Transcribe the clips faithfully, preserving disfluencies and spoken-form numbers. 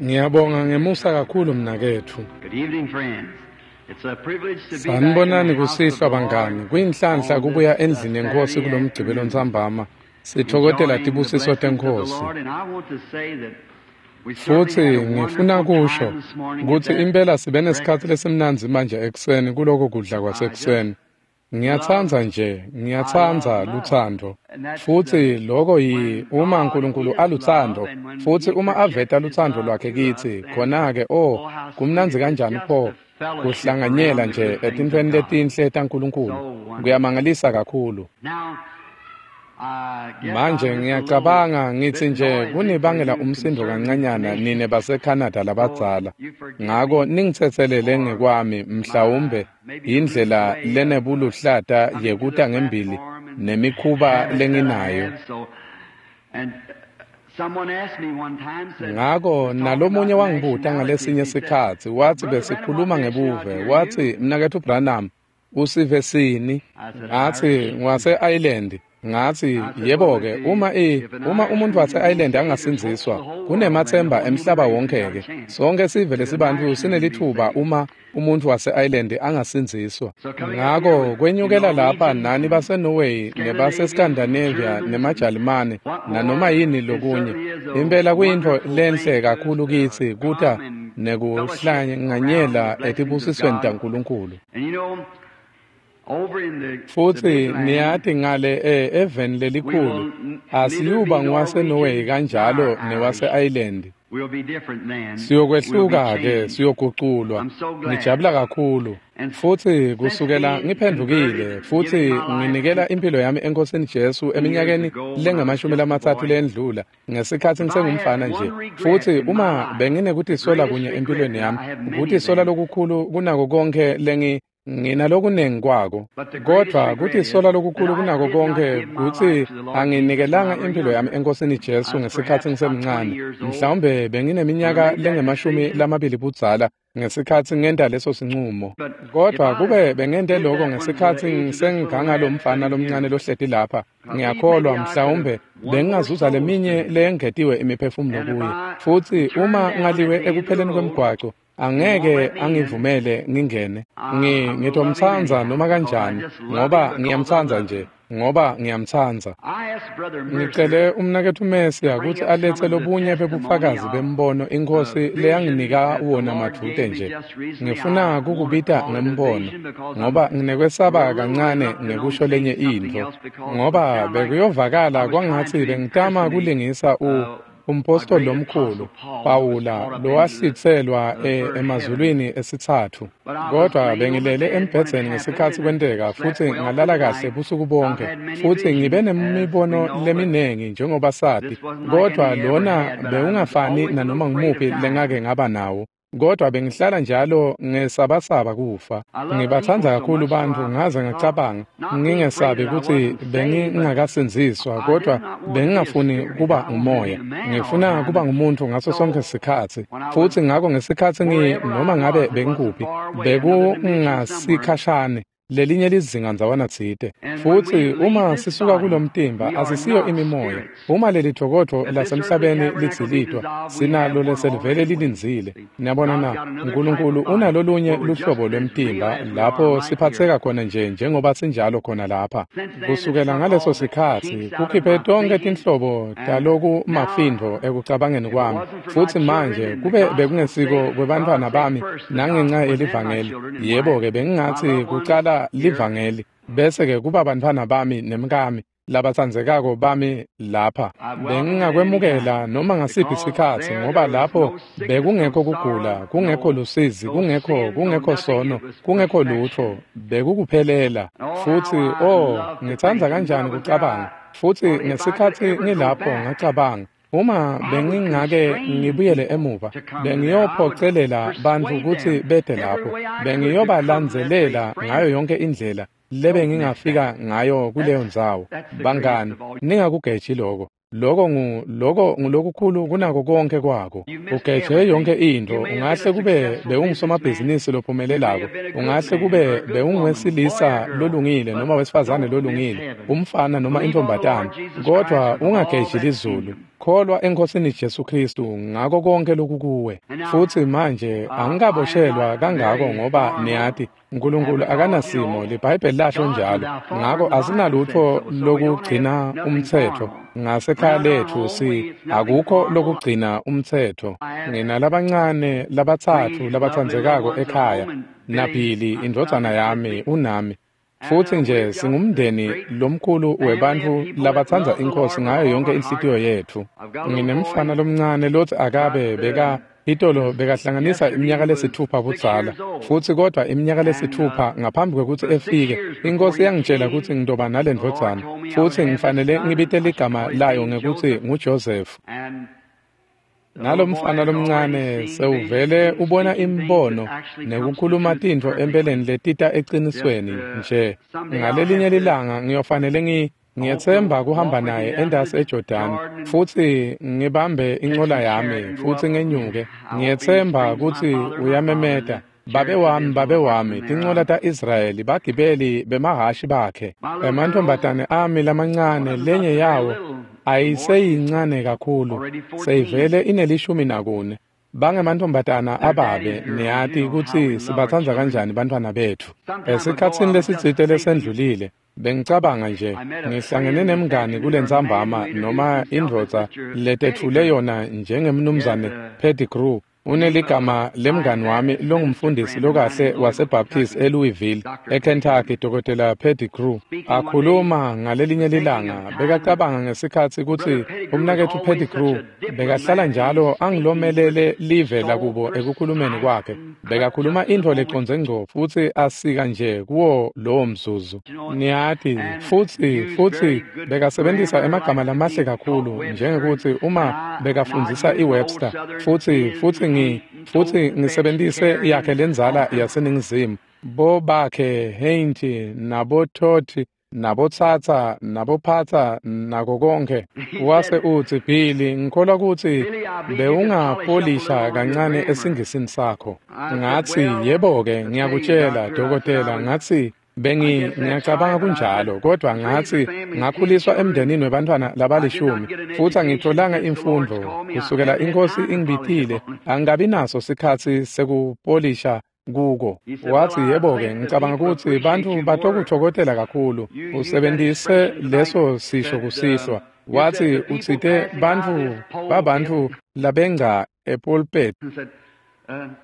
Ngiyabonga ngemusa kakhulu mnaketfu. Good evening, friends. It's a privilege to be back in Sanibonani the house of kusihlwa the Lord bangani. Kuyinhlanhla on kubuya this uh, endlini yenkosi Saturday kulomgcibelo afternoon, ntsambama. Sithokozela enjoying the tibusiso blessings of the tenkosi. Lord. And I want to say that we certainly Futhi had a ngifuna wonderful kusho time this morning at kutsi that impela sibe nesikhatsi breakfast. lesimnandzi manje ekuseni kuloko kudla I just kwasekuseni. love, Ngiyatsandza nje, I ngiyatsandza love love. lutsandvo. And that's the Futhi loko yi when uma God uNkulunkulu is love alutsandvo, and when futhi He uma aveta projects His lutsandvo love lwakhe to us, kitsi, then khona-ke oh, oh how sweet kumnandzi it is kanjani just pho to fellowship kuhlanganyela around the nje good things of etintfweni God. letinhle taNkulunkulu. So wonderful. Kuyamangalisa kakhulu. Now, I guess Manje I'm just a little ngiyacabanga ngithi bit nje noisy for kunibangela you umsindo conservative kancanyana nine nation, baseCanada so labadzala. you forgive Ngako me ningitsetselele for ngekwami my mhlawumbe maybe loose indlela way of uh, lenebuluhlata coming to the yekuta ngembili platform and nemikhuba habits that I lenginayo. have. So, and uh, someone asked me one time, said, Ngako was talking nalomunye about wangibuta ngalesinye nationalities. He said, sikhatsi watsi Brother Branham, what besikhuluma nationality ngebuve are watsi you? mnaketfu Branham usive sini I said, ngatsi Irish. ngwase-Ireland ngatsi I said, well, yebo-ke let's see, uma i if an uma umuntu Irishman can be wase-Ireland saved, there's hope for angasindziswa the whole world. Then the kunemathemba whole human emhlaba race has got a wonke-ke chance. sonke sive If an lesibantfu Irishman can be sinelitfuba saved. uma umuntu wase-Ireland angasindziswa So coming up here ngako with the kwenyukela lapha Norwegians nani and baseNorway Scandinavians and nebaseScandinavia Germans and nemaJalimane what nanoma more, yini it lokunye certainly is a impela kuyintfo wonderful lenhle thing to us kakhulu to kitsi kuta come and fellowship around the nekuhlanganyela blessings of etibusisweni God. taNkulunkulu. And you know, over in the, the Futhi big land, niyati ngale eh, eveni we lelikhulu will n- neither be asiyuba ngwaseNorway Norwegian kanjalo nor Irish. newase-Ireland. We'll be different then. We'll be Siyokwehluka ke changed. siyoguculwa. I'm so glad. Ngijabula kakhulu. And Futhi since kusukela being ngiphendukile converted, futhi giving my life nginikela to impilo yami enkosini Jesu years eminyakeni ago when I was lengamashumi just a lamatsatfu boy, lendlula ngesikhatsi if I had ngisengumfana nje. one regret Futhi in my uma life, the benginekutisola greatest kunye regret, empilweni and yami, I have many of kutisola them, lokukhulu kunako konke lengi nginalokunengi kwako. but the greatest Kodwa regret is kutisola that lokukhulu I kunako did not konke give my kutsi life to the Lord Jesus when I anginikelanga were impilo yami younger. enkosini I Jesu was ngesikhatsi perhaps about twenty ngisemncane. years old Mhlawumbe when I bengineminyaka made that lengemashumi decision. lamabili budzala ngesikhatsi ngenta leso sincumo. But if Kodwa I kube bengente did lokho that when the ngesikhatsi age of this little ngisenganga lad lomfana sitting here, lomncane lohleti lapha, I believe maybe ngiyakholwa I could have mhlawumbe won more bengingazuza souls to leminye him. leyengetiwe imiphefumulo And if kuye. I Futhi turned uma down at ngaliwe the end of the ekupheleni road kwemgwaco, and won't angeke let me in, angivumele ngingene. I, Ngi I'm gonna love him ngitomtsandza anyhow noma because I kanjani just love him ngoba because I ngiyamtsandza love nje him. ngoba ngiyamtsandza. I asked Brother Mercer Ngicele umnaketfu to Mesiya bring kutsi up some alethe of the lobunye testimony bebufakazi of bembono the inkosi vision leyanginika that the wona Lord madvute gave me nje. just recently. Ngifuna I want to kukubita call it a ngembono vision because I'm ngoba nginekwesaba a little kancane reluctant on ngekusho saying lenye something intfo else because it would ngoba sound like I bekuyovakala was trying kwangatsi to bengitama impersonate kulingisa u uh, a umpostoli great lomkhulu apostle Paul who was Pawula caught up into the, lowahlitselwa the e, third heaven. emazulwini esitsatfu. But I was Kodwa laying on the bengilele bed when it embhedzeni happened ngesikhatsi and kwenteka slept futhi well through ngalala the kahle night. busuku I've bonke had many futhi ngibe visions, as we nemibono know, but leminengi njengoba sati this wasn't like kodwa any I ever lona had. But I was bewungafani always a little nanoma afraid of ngumuphi dying. lengake ngaba nawo. Kodwa bengihlala njalo ngesabasaba kufa. I love people Ngibatsandza so kakhulu much, so bantfu I ngaze thought, ngacabanga not being afraid ngingesabi that I kutsi wasn't saved, but bengingakasindziswa I did kodwa not want to be a bengingafuni spirit. kuba I wanted to be ngumoya. a man all the Ngifuna time. kuba And ngumuntu ngaso sonke so sikhatsi. when I was Futhi ngako ngesikhatsi ngi wherever I noma ngabe was, it wasn't bengikuphi far away, another dimension somewhere. bekungasikhashane lelinye lizinga ndzawana tsite. And when we Futhi leave uma this sisuka body, kulomtimba we are asisiyo not imimoya. spirits. Uma leli thokoto If this earthly lasemhlabeni tabernacle be lidzilitwa dissolved, we have sinalo one leselivele already waiting. lilindzile. See, Niyabona God's na got another type uNkulunkulu of body unalolunye where we're just luhlobo as real lwemtimba as we are lapho right here. siphatseka khona nje njengoba sinjalo khona lapha. Since then, it Kusukela took ngaleso all the sikhatsi kinks out of kukhiphe my tonkhe thinking, tinhlobo and taloku now mafindvo ekucabangeni if it kwami. wasn't for my Futhi children manje and the kube gospel's bekungesiko sake, well, kwebantfwana I'd say bami first the nangenxa gospel and then my yelivangeli. children and wife, Yebo-ke my bengingatsi loved ones kucala here. livangeli bese-ke kuba bantfwana bami nemkami labatsandzekako bami lapha. I welcome it any Bengingakwemukela time noma ngasiphi because sikhatsi there ngoba there was lapho no sickness, no bekungekho kugula, sorrow, kungekho no lusizi, no kungekho sin, no kungekho nothing. sono, It was kungekho lutfo, perfection. bekukuphelela. And oh, how Futhi I oh, love to ngitsandza think. And when I kanjani was there, kucabanga. I Futhi thought if I could ngesikhatsi ever go ngilapho back, ngacabanga uma I would bengingake constrain ngibuyele people emuva to come to there. I would bengiyophocelela bantfu persuade kutsi them bete every lapho way I could to come to that bengiyobalandzelela place. ngayo Friends, yonke indlela don't miss that. lebengingafika ngayo kuleyo That's ndzawo. that's the greatest Bangani, of all. ningakugeji loko. Loko ngu loko ngulokukhulu kunako konke kwako. You missed Ugeje yonke everything. You intfo. may have been a Ungahle kube successful businessman. bewungusomabhizinisi You may lophumelelako. have been a good Ungahle man kube or a good woman, boy or bewunguwesilisa girl, lolungile but noma wesifazane don't miss lolungile, heaven. umfana noma Believe on the intfombatana. Lord Jesus Christ Kodwa with all ungageji that's in lizulu. you. Kholwa eNkosini Jesu Kristu ngako konke lokukuwe. Futhi manje angikaboshelwa kangako ngoba niyati uNkulunkulu akanasimo, liBhayibheli lasho njalo. Ngako asinalutho lokugcina umtsetfo ngasekhaya lethu, si akukho lokugcina umtsetfo. Nginalabancane labatsatfu labatsandzekako ekhaya, naBilly indvodzana yami unami. Futhi nje singumndeni lomkhulu webantfu labatsandza iNkhosi ngayo yonke inhlitiyo yetfu. Nginemfana lomncane lotsi akabe beka itolo bekahlanganisa iminyaka lesitfupha budzala, futsi kodwa iminyaka lesitfupha ngaphambi kwekutsi efike, iNkhosi yangitjela kutsi ngitoba nalendvodzana, futsi ngifanele ngibite ligama layo ngekutsi nguJoseph. Nalomfana lomncane sewuvele ubona imibono nekukhuluma tintfo empeleni letita ecinisweni nje. Ngalelinye lilanga ngiyofanele ngi ngiyetsemba kuhamba naye entasi eJordan futsi ngibambe incola yami futsi ngenyuke. Ngiyetsemba kutsi uyamemeta, "Babe wami, babe wami, tincola ta-Israyeli, bagibeli bemahhashi bakhe." Emantfombatane ami lamancane, lenye yawo ayiseyincane kakhulu, seyivele inelishumi nakune. Bangemantfombatana ababe, niyati kutsi sibatsandza kanjani bantfwana betfu. Esikhatsini lesitsite lesendlulile, bengicabanga nje, ngihlangene nemngani kulentsambama noma indvodza letetfule yona njengemnumzane Pettigrew. Uneligama lemngani wami longumfundisi lokahle waseBaptist eLouisville, eKentucky, Dokotela Pettigrew. Akhuluma ngalelinye lilanga, bekacabanga ngesikhatsi kutsi umnaketfu Pettigrew bekahlala njalo angilomelele live lakubo ekukhulumeni kwakhe. Bekakhuluma intfo lecondze ngco futsi asika nje kuwo lowo mzuzu. Niyati, futsi futsi bekasebentisa emagama lamahle kakhulu, njengekutsi uma bekafundzisa iWebster, futsi futsi ngi futsi ngisebentise yakhe lendzala yaseNingizimu, bobakhe Heinti naboTotti nabotsatsa nabophatsa nako konkhe. Wase utsi, "Billy, ngikholwa kutsi bewungapolisha kancane esingisini sakho." Ngatsi, "Yebo-ke, ngiyakutjela dokotela," ngatsi, bengi ngiyacabanga kunjalo, kodwa ngatsi ngakhuliswa emndenini webantfwana labalishumi futsi angitfolanga imfundvo kusukela iNkhosi ingibitile, angikabi naso sikhatsi sekupolisha kuko. Watsi, "Yebo-ke, ngicabanga kutsi bantfu batokutfokotela kakhulu usebentise leso sisho kusihlwa." Watsi, "Utsite bantfu babantfu labengca epulpit."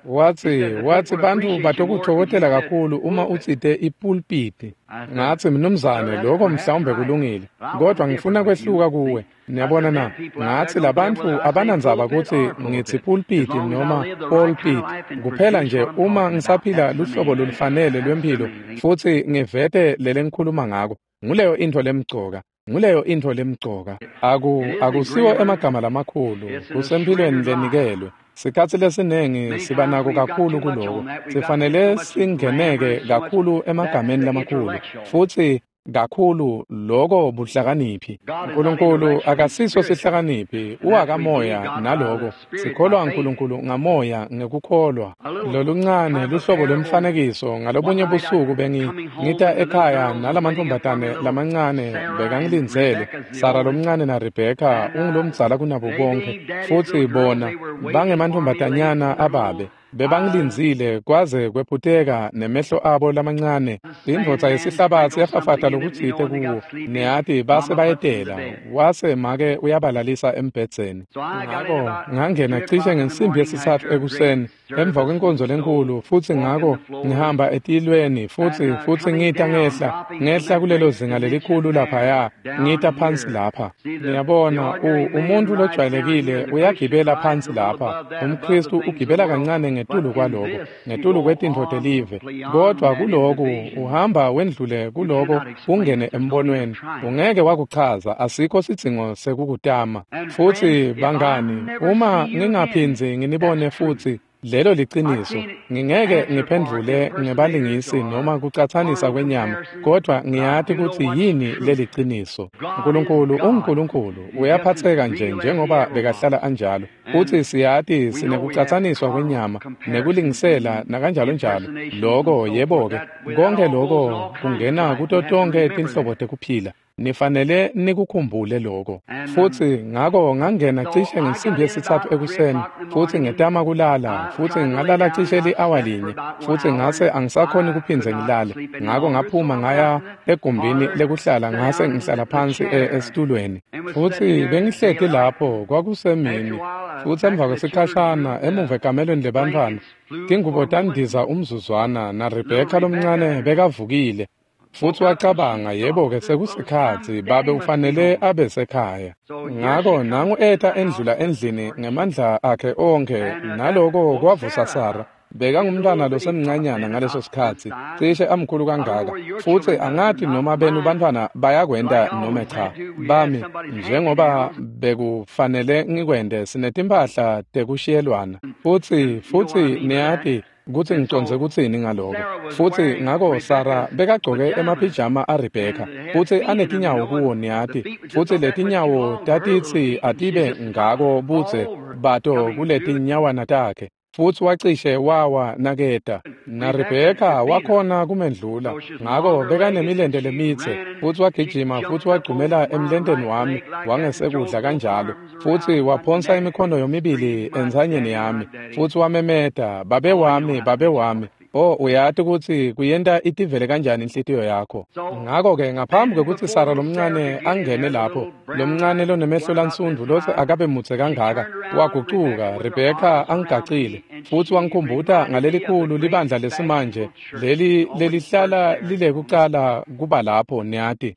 Watsi, watsi bantfu batokutfokotela kakhulu uma utsite ipulpiti. Ngatsi, "Mnumzane, lokho mhlawumbe kulungile, kodwa ngifuna kwehluka kuwe. Niyabona na?" Ngatsi, "Labantfu abanandzaba kutsi ngitsi pulpiti noma pulpit, kuphela nje uma ngisaphila luhlobo lolufanele lwemphilo futsi ngivete lelengikhuluma ngako. Nguleyo intfo lemcoka. Nguleyo intfo lemcoka. Aku akusiwo emagama lamakhulu, kusemphilweni lenikelwe. Sikhatsi lesinengi siba nako kakhulu kuloko. Sifanele singeneke kakhulu emagameni lamakhulu futsi kakhulu loko buhlakaniphi. Nkulunkulu akasiso sihlakaniphi, uwakamoya naloko. Sikholwa Nkulunkulu ngamoya ngekukholwa. Loluncane luhlobo lwemfanekiso. Ngalobunye busuku bengi ngita ekhaya nalamantfombatane lamancane bekangilindzele, Sara lomncane na Rebecca ungulomdzala kunabo bonke, futsi bona bangemantfombatanyana ababe. Bebangilindzile kwaze kwephuteka nemehlo abo lamancane. Indvodza yesihlabatsi yafafata lokutsite kuwo, niyati, base bayetela. Wase make uyabalalisa embhedzeni. Ngako ngangena cishe ngensimbi yesitsatfu ekuseni emva kwenkonzo lenkhulu, futsi ngako ngihamba etilweni futsi futsi ngita ngehla ngehla kulelo zinga lelikhulu laphaya, ngita phansi lapha. Niyabona, umuntfu lojwayelekile uyagibela phansi lapha, umKhristu ugibela kancane ngetulu kwaloko, ngetulu kwetintfo telive, kodwa kuloku uhamba wendlule kuloko ungene embonweni. Ungeke wakuchaza, asikho sidzingo sekukutama. Futsi bangani, uma ngingaphindzi nginibone futsi, lelo liciniso. Ngingeke ngiphendvule ngebalingisi noma kucatsanisa kwenyama, kodwa ngiyati kutsi yini leliciniso. Nkulunkulu unguNkulunkulu, uyaphatseka nje njengoba bekahlala anjalo. Futsi siyati sinekucatsaniswa kwenyama nekulingisela nakanjalo njalo. Loko yebo-ke, konke loko kungena kuto tonkhe tinhlobo tekuphila. Nifanele nikukhumbule lokho. Futhi ngako ngangena cishe ngensimbi yesithathu ekuseni, futhi ngetama kulala, futhi ngalala cishe li-awa linye, futhi ngase angisakhoni kuphindze ngilale. Ngako ngaphuma ngaya egumbini lekuhlala ngase ngihlala phansi esitulweni. Futhi bengihleti lapho kwakusemini, futhi emva kwesikhashana emuva ekamelweni lebantfwana, tingubo tandiza umzuzwana na Rebecca lomncane bekavukile. Futhi wacabanga, yebo-ke sekusikhatsi, babe ufanele abe sekhaya. Ngako nangu eta endlula endlini ngemandla akhe onkhe, naloko kwavusa Sara. Bekangumntwana losemncanyana ngaleso sikhatsi, cishe amkhulu kangaka. Futhi angathi noma benu bantfwana bayakwenta noma cha. Bami, njengoba bekufanele ngikwente, sinetimphahla tekushiyelwana. Futhi futhi niyati kutsi ngicondze kutsini ngaloko. Futhi ngako Sara bekagcoke emaphijama aRebecca, futsi anetinyawo kuwo niyati, futsi letinyawo tatitsi atibe ngako budze bato kuletinyawana takhe. Futhi wacishe wawa naketa. Na Rebecca wakhona kumendlula. Ngako bekanemilente lemitse, futhi wagijima futhi wagcumela emlenteni wami wangesekudla kanjalo. Futhi waphonsa imikhono yomibili entsanyeni yami, futhi wamemeta, babe wami, babe wami. Oh, uyati kutsi kuyenta itivele kanjani inhlitiyo yakho. Ngako-ke ngaphambi kwekutsi Sara lomncane angene lapho, lomncane lonemehlo lansundvu lotsi akabe mudze kangaka, wagucuka, Rebecca angigacile, futhi wangikhumbuta ngalelikhulu libandla lesimanje, leli lelihlala lilekucala kuba lapho, niyati.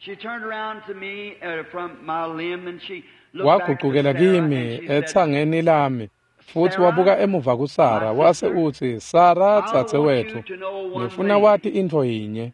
Wagucukela kimi etsangeni lami. Futhi wabuka emuva kuSara wase utsi, Sara dzadzewetfu, ngifuna wati intfo yinye.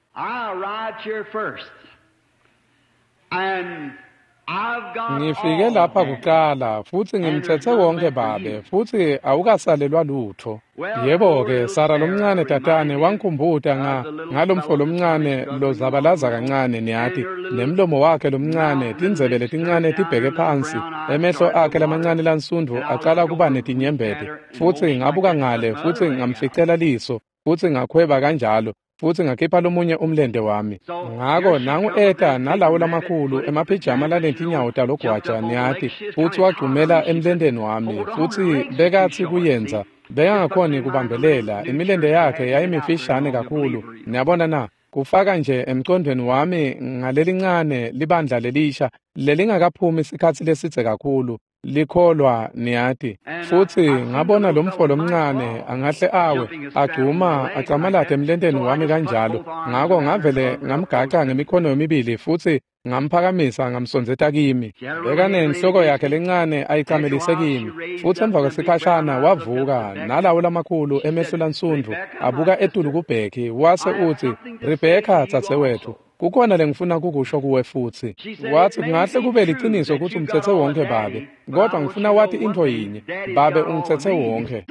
Ngifike lapha kuqala futhi ngimthethe wonke babe, futhi awukasalelwa lutho. Yebo-ke, Sara lomncane tatane wangikhumbuta nga ngalomfo lomncane lozabalaza kancane niyati, nemlomo wakhe lomncane, tindzebe letincane tibheke phansi, emehlo akhe lamancane lansundvu acala kuba netinyembeti. Futhi ngabuka ngale futhi ngamficela liso, futhi ngakhweba kanjalo. Futhi ngakhipha lomunye umlente wami. Ngako nangu eta nalawo lamakhulu emaphijama lanetinyawo talogwaja niyati, futhi wagcumela emlenteni wami, futhi bekathi kuyenza bekangakhoni kubambelela, imilente yakhe yayimifishane kakhulu. Niyabona na, kufaka nje emcondweni wami ngalelincane libandla lelisha lelingakaphumi isikhatsi lesidze kakhulu likholwa niyati. Futhi ngabona lomfo lomncane angahle awe agcuma acamalate emlenteni wami kanjalo. Ngako ngavele ngamgaca ngemikhono yomibili futhi ngamphakamisa ngamsondzeta kimi. Bekanenhloko yakhe lencane ayicamelise kimi. Futhi emva kwesikhashana wavuka nalawo lamakhulu emehlo lansundvu abuka etulu kuBheki wase utsi, Rebecca dzadzewetfu, kukhona lengifuna kukusho kuwe futhi. Wathi kungahle kube liciniso kutsi umthethe wonke babe, kodwa ngifuna wati intfo yinye, babe ungithethe wonke.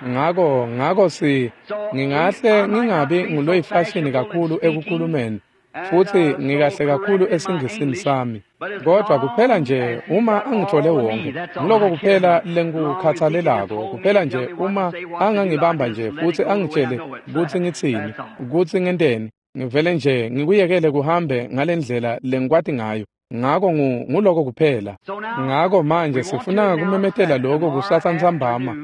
Ngako ngako si ngingahle ngingabi nguloyifashini kakhulu ekukhulumeni, futhi ngikahle kakhulu esingisini sami, kodwa kuphela nje uma angithole wonke, ngiloko kuphela lengikukhathalelako, kuphela nje uma angangibamba nje futhi angitshele kutsi ngitsini, kutsi ngenteni, ngivele nje ngikuyekele kuhambe ngalendlela lengikwati ngayo. Ngako nguloko kuphela. Ngako manje sifuna kumemetela lokho kusasa ntsambama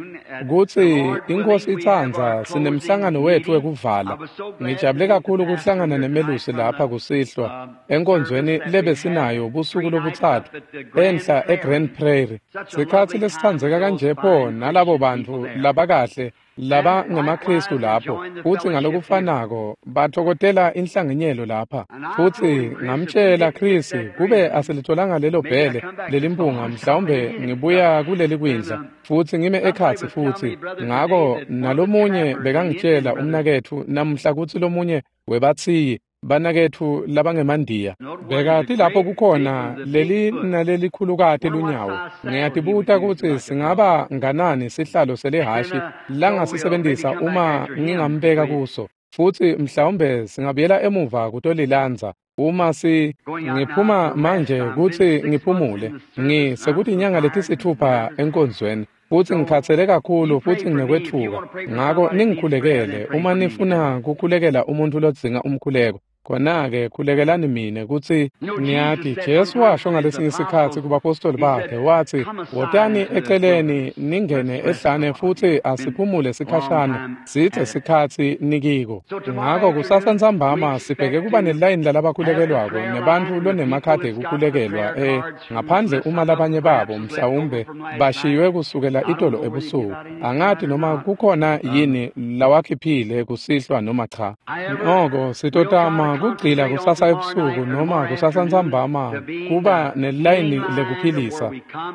kutsi iNkhosi itsandza sinemhlangano wetfu wekuvala. Ngijabule kakhulu kuhlangana nemelusi lapha kusihlwa enkonzweni lebesinayo busuku lobutsatfu enhla eGrand Prairie. Sikhatsi lesitsandzeka kanje pho nalabo bantfu labakahle laba ngemaKristu lapho, futsi ngalokufanako batfokotela inhlanganyelo lapha. Futhi ngamtshela Chris kube asilitholanga lelo bhele lelimpunga, mhlawumbe ngibuya kuleli kwindla futhi ngime ekhatsi futhi. Ngako nalomunye bekangitshela umnaketfu namuhla kutsi lomunye webathiyi banaketfu labangemandiya bekati lapho kukhona leli nalelikhulukati lunyawo. Ngiyatibuta kutsi singaba nganani sihlalo selihhashi langasisebentisa uma ngingambeka kuso, futhi mhlawumbe singabuyela emuva kutolilandza uma si ngiphuma manje kutsi ngiphumule. Ngi sekuthi inyanga letisithupha enkonzweni, futhi ngikhathele kakhulu futhi nginekwethuka. Ngako ningikhulekele uma nifuna kukhulekela umuntu lodzinga umkhuleko. Khona-ke khulekelani mine kutsi niyati Jesu washo ngalesinye sikhatsi kubapostoli bakhe watsi, "Wotani eceleni ningene ehlane futsi asiphumule sikhashana, sithe sikhatsi nikiko." Ngako kusasa ntsambama sibheke kuba nelayini lalabakhulekelwako nebantfu lonemakhadi ekukhulekelwa eh ngaphandle uma labanye babo mhlawumbe bashiywe kusukela itolo ebusuku. Angati noma kukhona yini lawakhiphile kusihlwa noma cha. Noko sitotama kugcila kusasa ebusuku noma kusasa ntsambama kuba nelayini lekuphilisa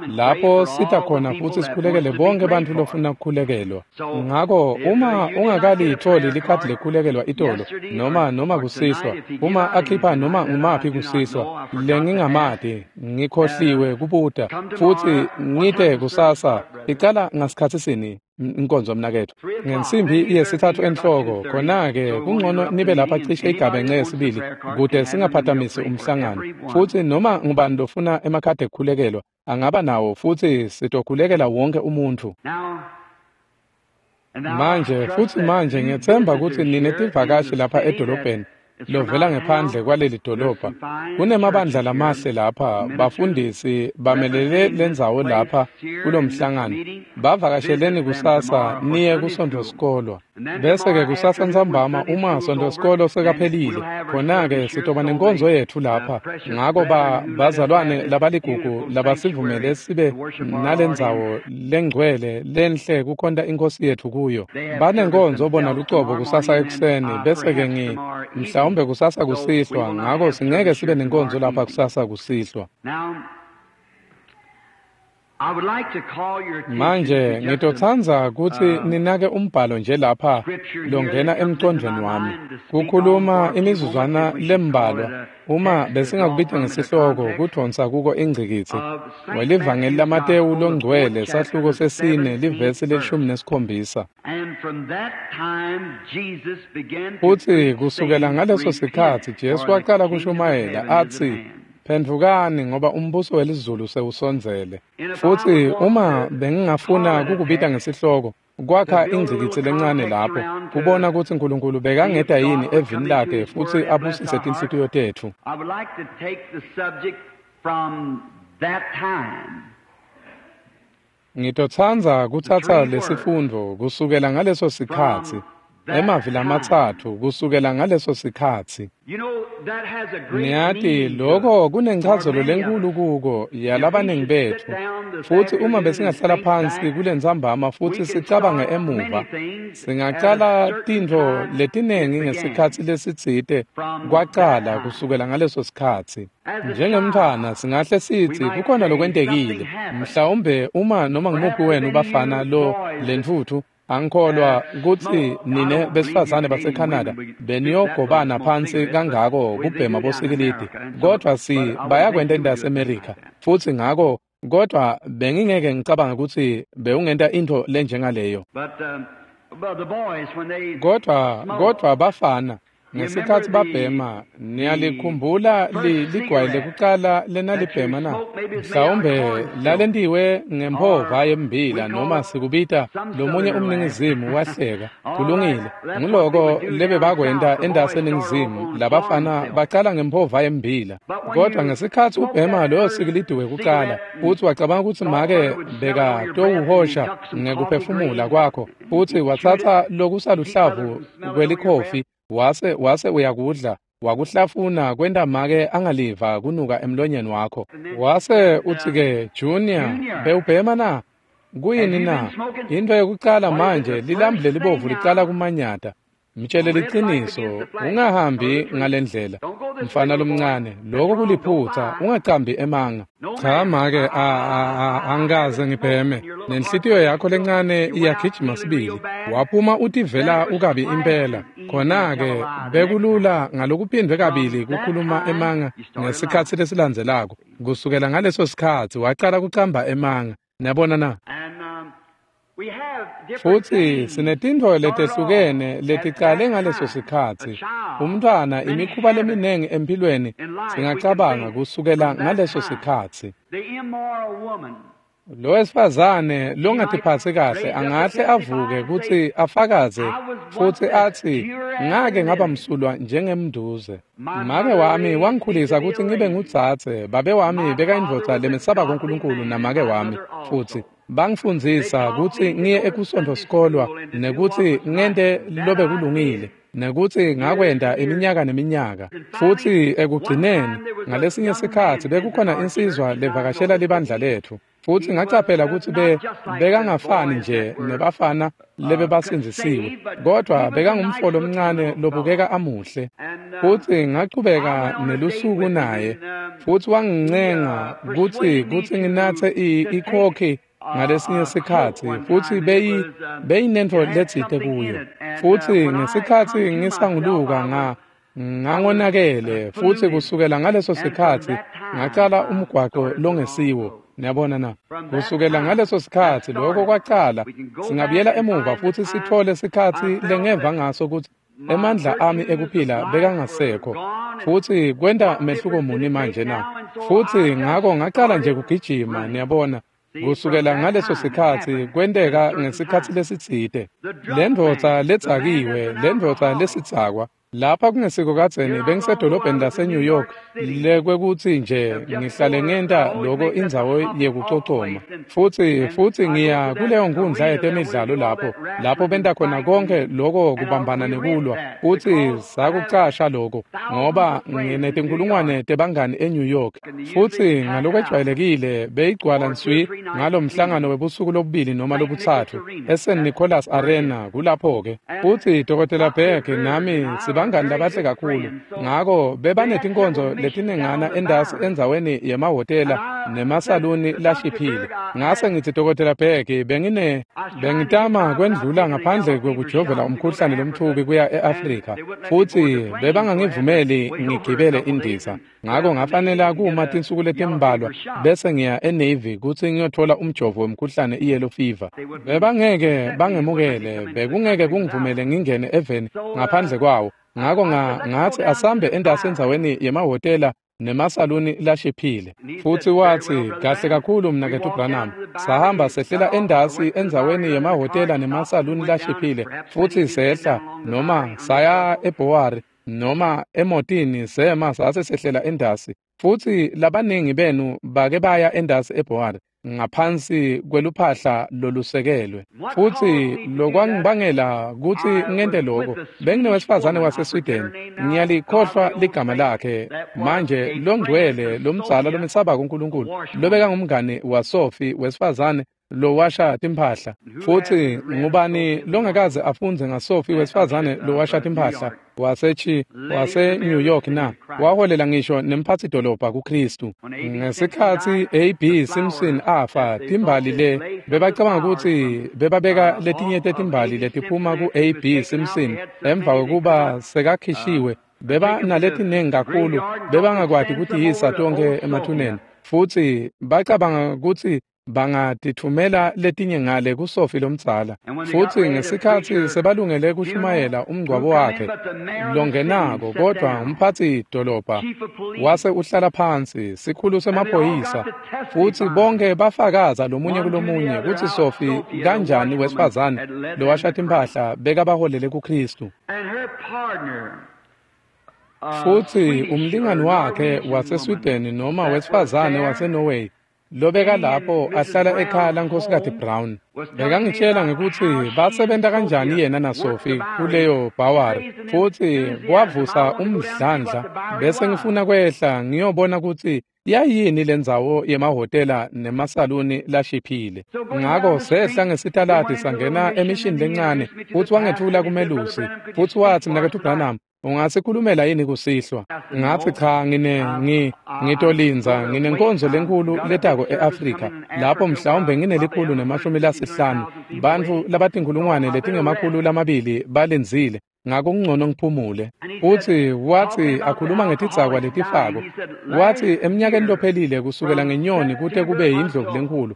lapho sita khona futsi sikhulekele bonke bantfu lofuna kukhulekelwa. Ngako uma ungakalitholi likhadi lekukhulekelwa itolo noma noma kusihlwa, uma akhipha noma ngumaphi kusihlwa lengingamati ngikhohliwe kubuta futsi ngite kusasa icala ngasikhatsi sini inkonzo mnaketfu ngensimbi yesithathu enhloko. Khona-ke kungcono nibe lapha cishe igabence yesibili kute singaphatamisi umhlangano, futsi noma ngubani lofuna emakhadi ekukhulekelwa angaba nawo futsi sitokhulekela wonke umuntfu. Manje futsi manje ngiyetsemba kutsi nine tivakashi lapha edolobheni lovela ngephandle kwaleli dolobha. Kunemabandla lamahle lapha, bafundisi bamelele lendzawo lapha kulomhlangano. Bavakasheleni kusasa niye kuSontfo sikolwa. Bese-ke kusasa ntsambama uma Sontfo sikolo sekaphelile, khona-ke sitoba nenkonzo yetfu lapha. Ngako ba bazalwane labaligugu labasivumele sibe nalendzawo lengcwele lenhle kukhonta iNkhosi yetfu kuyo. Banenkonzo bona lucobo kusasa ekuseni, bese-ke ngi mhlawumbe kusasa kusihlwa, ngako singeke sibe nenkonzo lapha kusasa kusihlwa. Manje ngitotsandza kutsi ninake umbhalo nje lapha longena emcondvweni wami kukhuluma imizuzwana lembalwa uma besingakubita ngesihloko kudvonsa kuko ingcikitsi welivangeli laMatewu longcwele sahluko sesine livesi lelishumi nesikhombisa. Futsi kusukela ngaleso sikhatsi Jesu waqala kushumayela atsi, "Phendvukani ngoba umbuso welizulu sewusondzele." Futsi uma bengingafuna kukubita ngesihloko kwakha ingcikitsi lencane lapho kubona kutsi Nkulunkulu bekangeta yini evini lakhe futsi abusise tinhlitiyo tetfu. Ngitotsandza kutsatsa lesifundvo kusukela ngaleso sikhatsi, emavi lamatsatfu kusukela ngaleso sikhatsi. Niyati lokho kunenchazelo lenkulu kuko yalabaningi betfu. Futsi uma besingahlala phansi kulentsambama futsi sicabange emuva, singacala tintfo letinengi ngesikhatsi lesitsite kwacala kusukela ngaleso sikhatsi. Njengemntfwana singahle sitsi kukhona lokwentekile, mhlawumbe uma noma ngumuphi wenu bafana lo lentfutfu. Angikholwa kutsi nine besifazane baseCanada beniyogobana phansi kangako kubhema bosikilidi, kodvwa si bayakwenta entaseMerica futsi ngako, kodvwa bengingeke ngicabanga kutsi bewungenta intfo lenjengaleyo. Kodvwa kodvwa bafana ngesikhatsi babhema, niyalikhumbula ligwayi lekucala lenalibhema na? Mhlawumbe lalentiwe ngemphova yembila noma sikubita lomunye umningizimu wahleka. Kulungile, nguloko lebebakwenta entaseningizimu, labafana bacala ngemphova yembila. Kodwa ngesikhatsi ubhema loyo sikilidi wekucala, futsi wacabanga kutsi make bekatowuhosha ngekuphefumula kwakho, futsi watsatsa lokusaluhlavu kwelikhofi wase wase uyakudla wakuhlafuna kwenta make angaliva kunuka emlonyeni wakho. Wase utsi-ke, "Junior, bewubhema na? Kuyini na?" Into yekucala manje lilambu lelibovu licala kumanyata. Mtshele liciniso, ungahambi ngalendlela mfana lomncane, lokho kuliphutha, ungacambi emanga. Cha make, angikaze ngibheme. Nenhlitiyo yakho lencane iyagijima sibili. Waphuma utivela ukabi impela. Khona-ke bekulula ngalokuphindwe kabili kukhuluma emanga ngesikhatsi lesilandzelako. Kusukela ngaleso sikhatsi wacala kucamba emanga. Niyabona na? Futsi sinetintfo letehlukene leticale ngaleso sikhatsi. Umntfwana imikhuba leminengi empilweni singacabanga kusukela ngaleso sikhatsi. Lo wesifazane longatiphatsi kahle angahle avuke kutsi afakaze futsi atsi ngake ngaba msulwa njengemnduze. Make wami wangikhulisa kutsi ngibe ngudzadze, babe wami bekayindvodza lemesaba kuNkulunkulu namake wami futsi bangifundzisa kutsi ngiye ekusontfo sikolwa nekutsi ngente lobe kulungile nekutsi ngakwenta iminyaka neminyaka. Futsi ekugcineni ngalesinye sikhatsi bekukhona insizwa levakashela libandla lethu futsi ngacaphela kutsi be bekangafani nje nebafana lebebasindzisiwe kodwa bekangumfo lomncane lobukeka amuhle. Futsi ngachubeka nelusuku naye futsi wangincenga kutsi kutsi nginatse ikhokhi ngalesinye sikhatsi futsi beyi beyinentfo letsite kuyo. Futsi ngesikhatsi ngisanguluka nga ngangonakele futsi kusukela ngaleso sikhatsi ngacala umgwaqo longesiwo. Niyabona na? Kusukela ngaleso sikhatsi lokho kwacala singabuyela emuva futsi sithole sikhatsi lengeva ngaso kutsi emandla ami ekuphila bekangasekho futsi kwenta mehluko muni manje na? Futsi ngako ngacala nje kugijima, niyabona. Kusukela ngaleso sikhatsi kwenteka ngesikhatsi lesitsite. Lendvodza letsakiwe, lendvodza lesitsakwa lapha kungesiko kadzeni bengisedolobheni lase-New York lekwekutsi nje ngihlale ngenta loko indzawo yekucocoma futsi futsi ngiya kuleyo nkundla yetemidlalo lapho lapho benta khona konke loko kubambana nekulwa futsi sakucasha loko ngoba nginetinkulungwane tebangani eNew York. Futsi ngalokwejwayelekile beyigcwala nswi ngalo mhlangano webusuku lobubili noma lobutsatfu eSaint Nicholas Arena kulapho-ke. Futsi Dokotela Beck nami sibangani labahle kakhulu ngako bebanetinkonzo letinengana endasi endzaweni yemahhotela nemasaluni lashiphile. Ngase ngitsi Dokotela Beck bengine bengitama kwendlula ngaphandle kwekujovela umkhuhlane lomthubi kuya e-Afrika futsi bebangangivumeli ngigibele indiza ngako ngafanela kuma tinsuku letimbalwa bese ngiya eNavy kutsi ngiyothola umjovo wemkhuhlane i-yellow fever. Bebangeke bangemukele, bekungeke kungivumele ngingene eveni ngaphandle kwawo. Ngako ngatsi asambe endasi endzaweni yemahhotela nemasaluni lashiphile. Futsi watsi kahle kakhulu mnaketfu Branham. Sahamba sehlela endasi endzaweni yemahhotela nemasaluni lashiphile futsi sehla noma saya eBhowari noma emotini sema sase sehlela endasi. Futsi labaningi benu bake baya endasi eBhowari ngaphansi kweluphahla lolusekelwe. Futsi lokwangibangela kutsi ngente lokho benginewesifazane waseSweden, ngiyalikhohlwa ligama lakhe manje, longcwele lomdzala lomesaba kuNkulunkulu lobeka ngumngani waSophie wesifazane lowasha timphahla. Futsi ngubani longakaze afundze ngaSophie wesifazane lowasha timphahla wasechi wase New York na? Waholela ngisho nemphatsi dolobha kuKristu. Ngesikhatsi A B Simpson afa, timbali le bebacabanga kutsi bebabeka letinye tetimbali letiphuma ku A B Simpson emva kwekuba sekakhishiwe beba naletinengi kakhulu bebangakwati kutiyisa tonkhe emathuneni futsi bacabanga kutsi bangatithumela letinye ngale kuSophie lomdzala. Futsi ngesikhatsi sebalungele kushumayela umngcwabo wakhe longenako kodwa umphatsi dolobha wase uhlala phansi sikhulu semaphoyisa futsi bonke bafakaza lomunye kulomunye kutsi Sophie kanjani wesifazane lowasha timphahla bekabaholele kuKristu. Futsi umlingani wakhe waseSweden noma wesifazane waseNorway lobeka lapho ahlala ekhaya laNkhosikati Brown bekangitshela ngekutsi basebenta kanjani yena naSophie kuleyo bhawari futsi kwavusa umdlandla bese ngifuna kwehla ngiyobona kutsi yayini lendzawo yemahhotela nemasaluni lashiphile. Ngako sehla ngesitaladi sangena emishini lencane futsi wangetfula kumelusi futsi watsi mnaketfu Branham ungasikhulumela yini kusihlwa? Ngatsi cha, ngine ngi ngitolindza nginenkonzo lenkulu letako eAfrika lapho mhlawumbe nginelikhulu nemashumi lasihlanu bantfu labatinkhulungwane letingemakhulu lamabili balindzile. Ngako kungcono ngiphumule. Futsi watsi akhuluma ngetidzakwa letifako, watsi eminyakeni lophelile kusukela ngenyoni kute kube yindlovu lenkulu,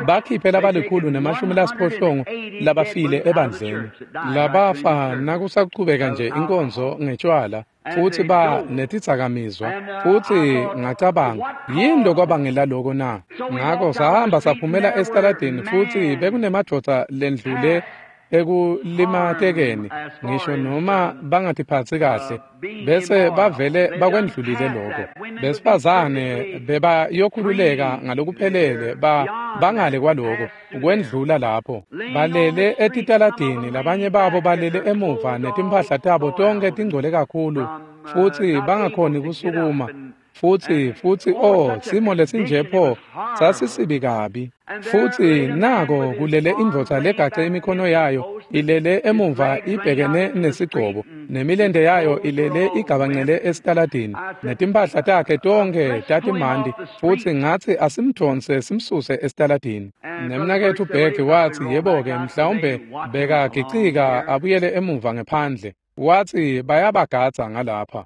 bakhiphe labalikhulu nemashumi lasiphohlongo labafile ebandleni, labafa nakusachubeka nje inkonzo ngetshwala futsi ba netidzakamizwa. Futsi ngacabanga, yini lokwabangela loko na? Ngako sahamba saphumela esitaladini, futsi bekunemadvodza lendlule ekulimatekeni ngisho noma bangatiphatsi kahle, bese bavele bakwendlulile lokho. Besifazane bebayokhululeka ngalokuphelele ba bangale kwaloko kwendlula lapho, balele etitaladini, labanye babo balele emuva netimphahla tabo tonke tingcole kakhulu futsi bangakhoni kusukuma. Futsi futsi oh, simo lesinje pho sasisibi kabi. Futsi nako kulele indvodza legace imikhono yayo ilele emuva ibhekene nesigcobo, nemilente yayo ilele igabancele esitaladini, netimphahla takhe tonke tatimandi. Futsi ngatsi asimdvonse simsuse esitaladini. Nemnaketfu Beck watsi, yebo-ke, mhlawumbe bekagicika abuyele emuva ngephandle. Watsi bayabagadza ngalapha.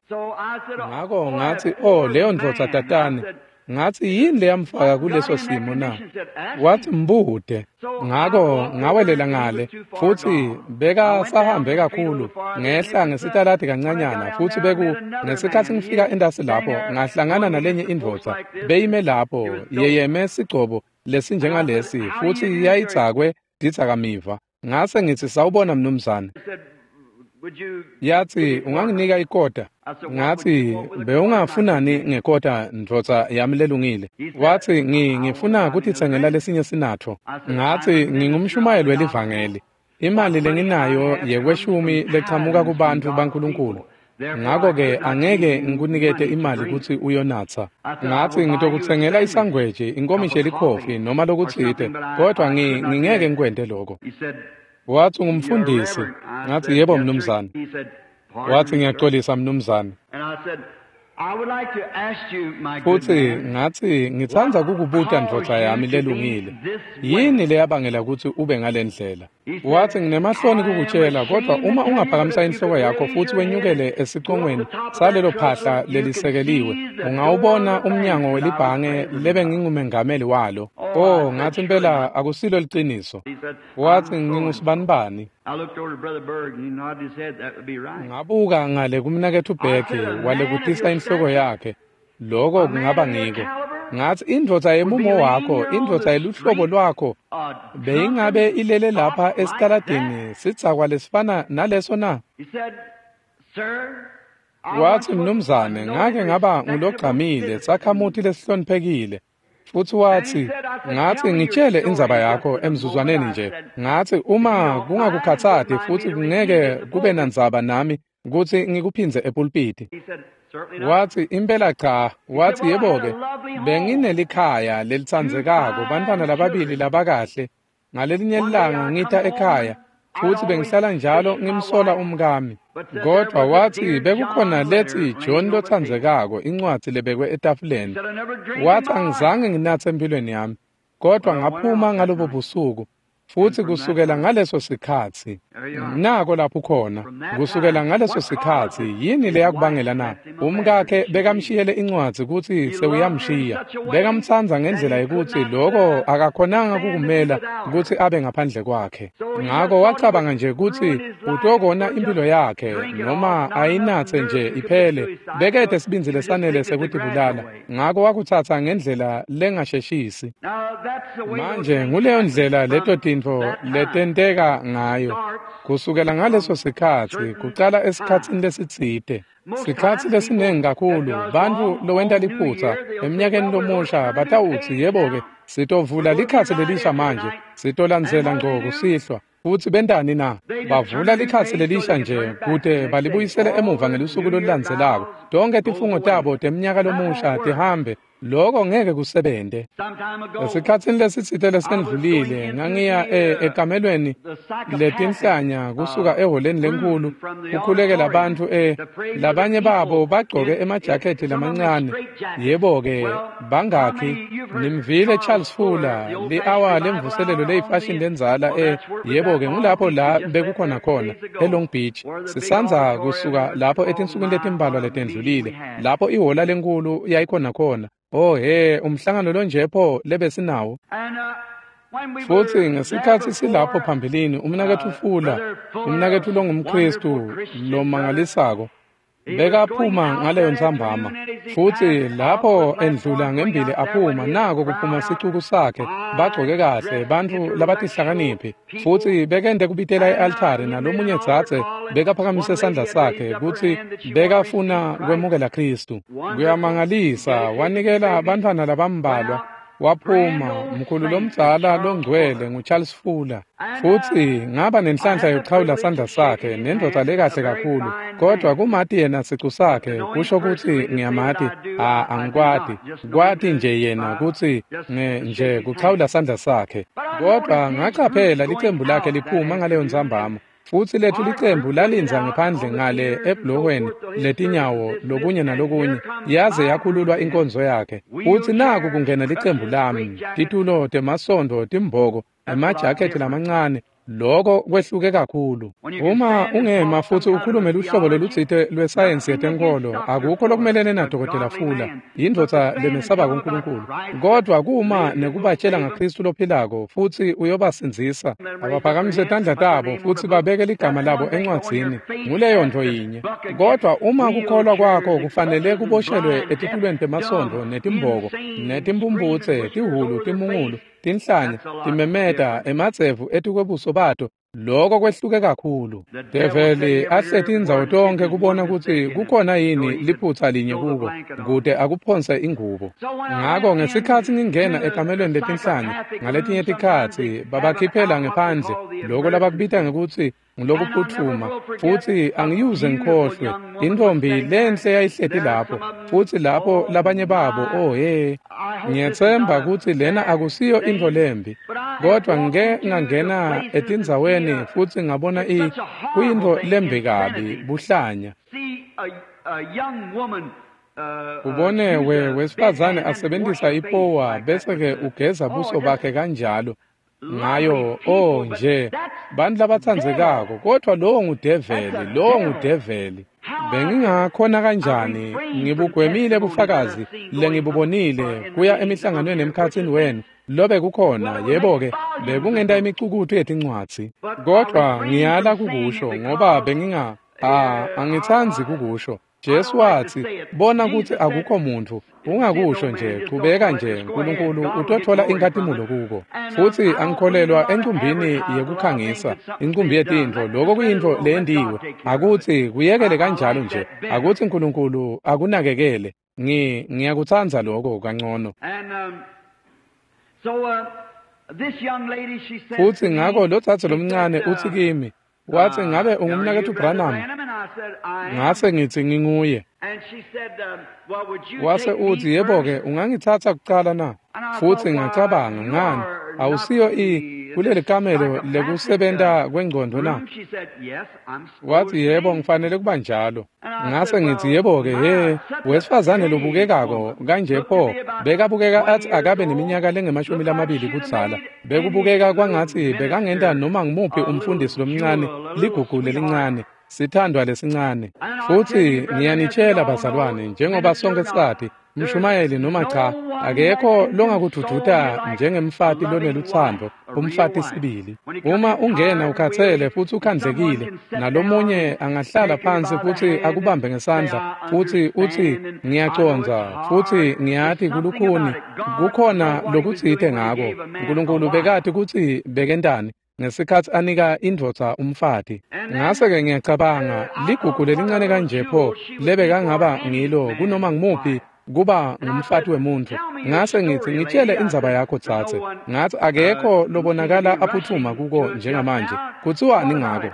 Ngako ngatsi, oh, leyo ndvodza tatane. Ngatsi, yini leyamfaka kuleso simo na? Watsi, mbude. Ngako ngawelela ngale, futsi beka sahambe kakhulu ngehla ngesitaladi kancanyana, futsi beku ngesikhatsi ngifika entasi lapho ngahlangana nalenye indvodza beyime lapho yeyeme sigcobo lesinjengalesi, futsi yayidzakwe tidzakamiva. Ngase ngitsi, sawubona mnumzane. Yatsi, unganginika ikota? Ngatsi, bewungafunani ngekota, ndvodza yami lelungile? Watsi, ngi ngifuna kutitsengela lesinye sinatfo. Ngatsi, ngingumshumayeli welivangeli. Imali lenginayo yekweshumi lechamuka kubantfu baNkulunkulu. Ngako-ke angeke ngikunikete imali kutsi uyonatsa. Ngatsi, ngitokutsengela isangweji, inkomishi yelikhofi noma lokutsite, kodwa ngi ngingeke ngikwente loko. Watsi, ungumfundisi? Ngatsi, yebo mnumzane. Watsi, ngiyaxolisa mnumzane. Futsi ngatsi, ngitsandza kukubuta ndvodza yami lelungile, yini leyabangela kutsi ube ngalendlela? Watsi, nginemahloni kukutshela, kodwa uma ungaphakamisa inhloko yakho futsi wenyukele esicongweni salelo phahla lelisekeliwe, ungawubona umnyango welibhange lebengingumengameli walo. Oh, ngatsi, impela akusilo liciniso. Watsi, ngingusibanibani. Ngabuka ngale kumnaketfu Beck, walekutisa inhloko yakhe. Loko kungaba ngiko. Ngatsi, indvodza yemumo wakho, indvodza yeluhlobo lwakho, beyingabe ilele lapha esitaladini sidzakwa lesifana naleso na? Watsi, mnumzane, ngake ngaba ngulogcamile, sakhamuti lesihloniphekile. Futsi watsi, ngatsi, ngitshele indzaba yakho emzuzwaneni nje. Ngatsi, uma kungakukhatsati futsi kungeke kube nandzaba nami kutsi ngikuphindze epulpiti. Watsi, impela cha. Watsi, yebo-ke, benginelikhaya lelitsandzekako, bantfwana lababili labakahle. Ngalelinye ilanga ngita ekhaya, futsi bengihlala njalo ngimsola umkami. Kodwa watsi bekukhona letsi John lotsandzekako, incwadzi lebekwe etafuleni. Watsi, angizange nginatse empilweni yami, kodwa ngaphuma ngalobo busuku. Futsi kusukela ngaleso sikhatsi, nako lapho khona, kusukela ngaleso sikhatsi, yini leyakubangela na? Umkakhe bekamshiyele incwadzi kutsi sewuyamshiya. Bekamtsandza ngendlela yekutsi loko akakhonanga kukumela kutsi abe ngaphandle kwakhe. Ngako wacabanga nje kutsi utokona impilo yakhe noma ayinatse nje iphele. Bekete sibindzi lesanele sekutibulala. Ngako wakutsatsa ngendlela lengasheshisi. Manje nguleyo ndlela leto tintfo letenteka ngayo. Kusukela ngaleso sikhatsi, kucala esikhatsini lesitsite. Sikhatsi lesinengi kakhulu, bantfu lowenta liphutsa eminyakeni lomusha batawutsi, yebo-ke, sitovula likhatsi lelisha manje, sitolandzela ngco kusihlwa. Futsi bentani na? Bavula likhatsi lelisha nje kute balibuyisele emuva ngelusuku lolulandzelako. Tonke tifungo tabo temnyaka lomusha tihambe. Lokho ngeke kusebente. Esikhatsini lesitsite lesendlulile ngangiya ekamelweni letinhlanya kusuka eholeni lenkhulu kukhulekela bantfu e labanye babo bagcoke emajakhethi lamancane. Yebo-ke bangakhi nimvile Charles Fuller li-awa lemvuselelo leyifashini lendzala e yebo-ke ngulapho la bekukhona khona eLong Beach. Sisandza kusuka lapho etinsukwini letimbalwa letendlulile lapho ihola lenkhulu yayikhona khona. Oh he, umhlangano lonje pho lebesinawo. Futsi ngesikhatsi silapho phambilini umnaketfu Fuller, umnaketfu longumKhristu lomangalisako, bekaphuma ngaleyo ntsambama. Futsi lapho endlula ngembili aphuma, nako kuphuma sicuku sakhe, bagcoke kahle, bantfu labatihlakaniphi. Futsi bekende kubitela e-altari nalomunye dzadze bekaphakamise sandla sakhe kutsi bekafuna kwemukela Khristu. Kuyamangalisa, wanikela bantfwana labambalwa. Waphuma mkhulu lomdzala longcwele nguCharles Fuller. Futsi ngaba nenhlanhla yokuchawula sandla sakhe nendvodza lekahle kakhulu, kodwa kumati yena sicu sakhe kusho kutsi ngiyamati. A angikwati kwati nje yena kutsi nje kuchawula sandla sakhe, kodwa ngacaphela licembu lakhe liphuma ngaleyo ntsambama. Futsi lethu licembu lalindza ngephandle ngale ebhulohweni letinyawo lokunye nalokunye, yaze yakhululwa inkonzo yakhe. Futsi naku kungena licembu lami, titulo temasondo, timboko, emajakhethi lamancane. Loko kwehluke kakhulu. Uma ungema futsi ukhulume luhlobo lolutsite lwesayensi yetenkholo, akukho lokumelene naDokotela Fuller, yindvodza lemesabako uNkulunkulu. Kodwa kuma nekubatshela ngaKhristu lophilako futsi uyobasindzisa, abaphakamise tandla tabo futsi babeke ligama labo encwadzini, nguleyo ntfo yinye. Kodwa uma kukholwa kwakho kufanele kuboshelwe etitulweni temasondo netimboko netimphumphutse, tihhulu, timungulu, tinhlanya, timemeta, emadzevu etikwebuso bato, loko kwehluke kakhulu. Develi ahleti indzawo tonkhe kubona kutsi kukhona yini liphutsa linye kuko, kute akuphonse ingubo. Ngako ngesikhatsi ngingena ekamelweni letinhlanya, ngaletinye tikhatsi babakhiphela ngephandle loko labakubita ngekutsi ngulokuphuthuma, futsi angiyuze ngikhohlwe intfombi lenhle yayihleti lapho. Futsi lapho labanye babo, oh he, ngiyetsemba kutsi lena akusiyo intfo lembi, kodwa ngike ngangena etindzaweni futsi ngabona i kuyintfo lembi kabi, buhlanya. Ubone we wesifazane asebentisa ipowa bese-ke ugeza buso bakhe kanjalo ngayo. Oh nje bantfu labatsandzekako, kodwa lowo ngudeveli, lowo ngudeveli. Bengingakhona kanjani ngibugwemile bufakazi lengibubonile kuya emihlanganweni emkhatsini wenu lobe kukhona? Yebo-ke, bekungenta imicukutfu yetincwadzi, kodwa ngiyala kukusho ngoba benginga a angitsandzi kukusho. Jesu watsi, bona kutsi akukho muntfu, ungakusho nje, chubeka nje, uNkulunkulu utothola inkhatimulo kuko. Futsi angikholelwa encumbini yekukhangisa, incumbi yetintfo, loko kuyintfo leyendiwe. Akutsi kuyekele kanjalo nje, akutsi uNkulunkulu akunakekele. Ngi ngiyakutsandza loko kangcono. Futsi ngako lodzadze lomncane utsi kimi, watsi, ngabe ungumnaketfu Branham? Ngase ngitsi nginguye. Wase utsi, yebo-ke, ungangitsatsa kucala na? Futsi ngacabanga, ngani, awusiyo i kuleli kamelo lekusebenta kwengcondvo na? Watsi, yebo, ngifanele kuba njalo. Ngase ngitsi, yebo-ke, he, wesifazane lobukekako kanje pho, bekabukeka atsi akabe neminyaka lengemashumi lamabili kudzala. Bekubukeka kwangatsi bekangenta noma ngumuphi umfundisi lomncane, ligugu lelincane, sithandwa lesincane. Futsi ngiyanitshela bazalwane, njengoba sonke sati, mshumayeli noma cha, akekho longakududuta njengemfati lonelutsandvo, umfati sibili. Uma ungena ukhatsele futsi ukhandlekile, nalomunye angahlala phansi futsi akubambe ngesandla futsi utsi, ngiyacondza futsi ngiyati kulukhuni, kukhona lokutsite ngako. Nkulunkulu bekati kutsi bekentani ngesikhatsi anika indvodza umfati. Ngase-ke ngiyacabanga, ligugu lelincane kanje pho lebekangaba ngilo kunoma ngumuphi kuba ngumfati wemuntfu. Ngase ngitsi, ngitshele indzaba yakho dzadze. Ngatsi, akekho lobonakala aphuthuma kuko njengamanje. Kutsiwani ngako?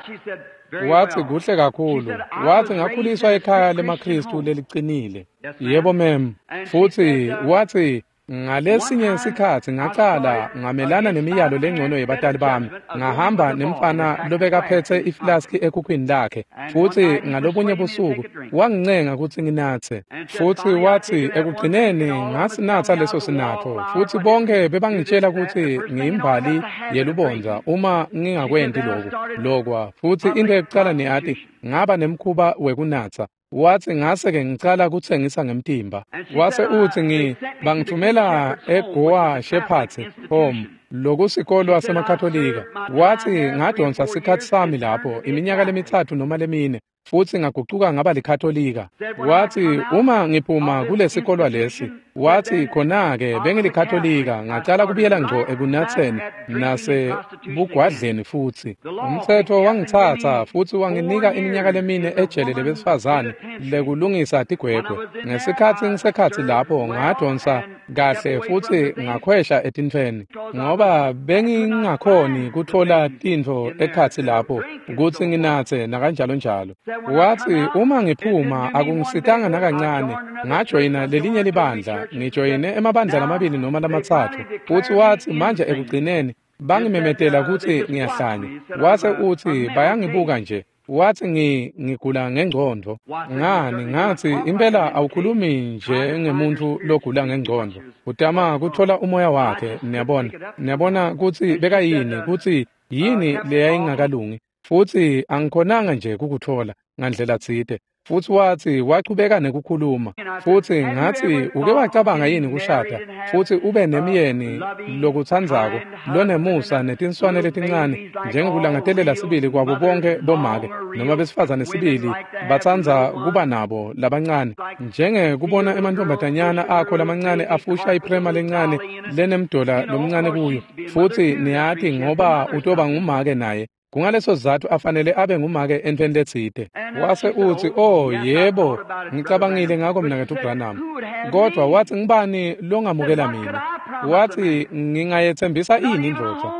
Watsi, kuhle kakhulu. Watsi, ngakhuliswa ekhaya lemaKhristu lelicinile. Yebo mem. Futsi watsi, ngalesinye sikhatsi ngacala ngamelana nemiyalo lengcono yebatali bami. Ngahamba nemfana lobekaphetse iflaski ekhukhwini lakhe. Futsi ngalobunye busuku wangincenga kutsi nginatse. Futsi watsi, ekugcineni ngasinatsa leso sinatfo. Futsi bonke bebangitshela kutsi ngiyimbali yelubondza uma ngingakwenti loku lokwa. Futsi into yekucala niyati, ngaba nemkhuba wekunatsa. Watsi, ngase-ke ngicala kutsengisa ngemtimba. Wase utsi, ngi bangithumela eGoa Shepherds Home, lokusikolwa semaKatolika. Watsi, ngadonsa sikhatsi sami lapho iminyaka lemitsatfu noma lemine, futsi ngagucuka ngaba liKatolika. Watsi, uma ngiphuma kulesikolwa lesi, watsi, khona-ke bengilikatolika, ngacala kubuyela ngco ekunatseni nasebugwadleni futsi. Umtsetfo wangitsatsa futsi wanginika iminyaka lemine ejele lebesifazane lekulungisa tigwegwe. Ngesikhatsi ngisekhatsi lapho ngadonsa kahle futsi ngakhwesha etintfweni, ngoba bengingakhoni kutfola tintfo ekhatsi lapho kutsi nginatse nakanjalo njalo. Watsi, uma ngiphuma akungisitanga nakancane, ngajoyina lelinye libandla, ngijoyine emabandla lamabili noma lamatsatfu. Futsi watsi, manje ekugcineni bangimemetela kutsi ngiyahlanya. Wase utsi, bayangibuka nje. Watsi, ngi ngigula ngengcondvo. Ngani, ngatsi, impela awukhulumi nje ngemuntfu logula ngengcondvo. Utama kutfola umoya wakhe, niyabona. Niyabona kutsi bekayini, kutsi yini leyayingakalungi. Futsi angikhonanga nje kukutfola ngandlela tsite. Futsi watsi, wachubeka nekukhuluma. Futsi ngatsi, uke wacabanga yini kushada futsi ube nemyeni lokutsandzako, lonemusa netinswane letincane, njengekulangatelela sibili kwabo bonke bomake noma besifazane sibili batsandza kuba nabo labancane, njengekubona emantfombatanyana akho lamancane afusha iprema lencane lenemdola lomncane kuyo. Futsi niyati, ngoba utoba ngumake naye. Kungaleso sizatfu afanele abe ngumake entfweni letsite. Wase utsi, oh yebo, ngicabangile ngako mnaketfu Branham. Kodvwa watsi, ngibani longamukela mina? Watsi, ngingayetsembisa ini indvodza?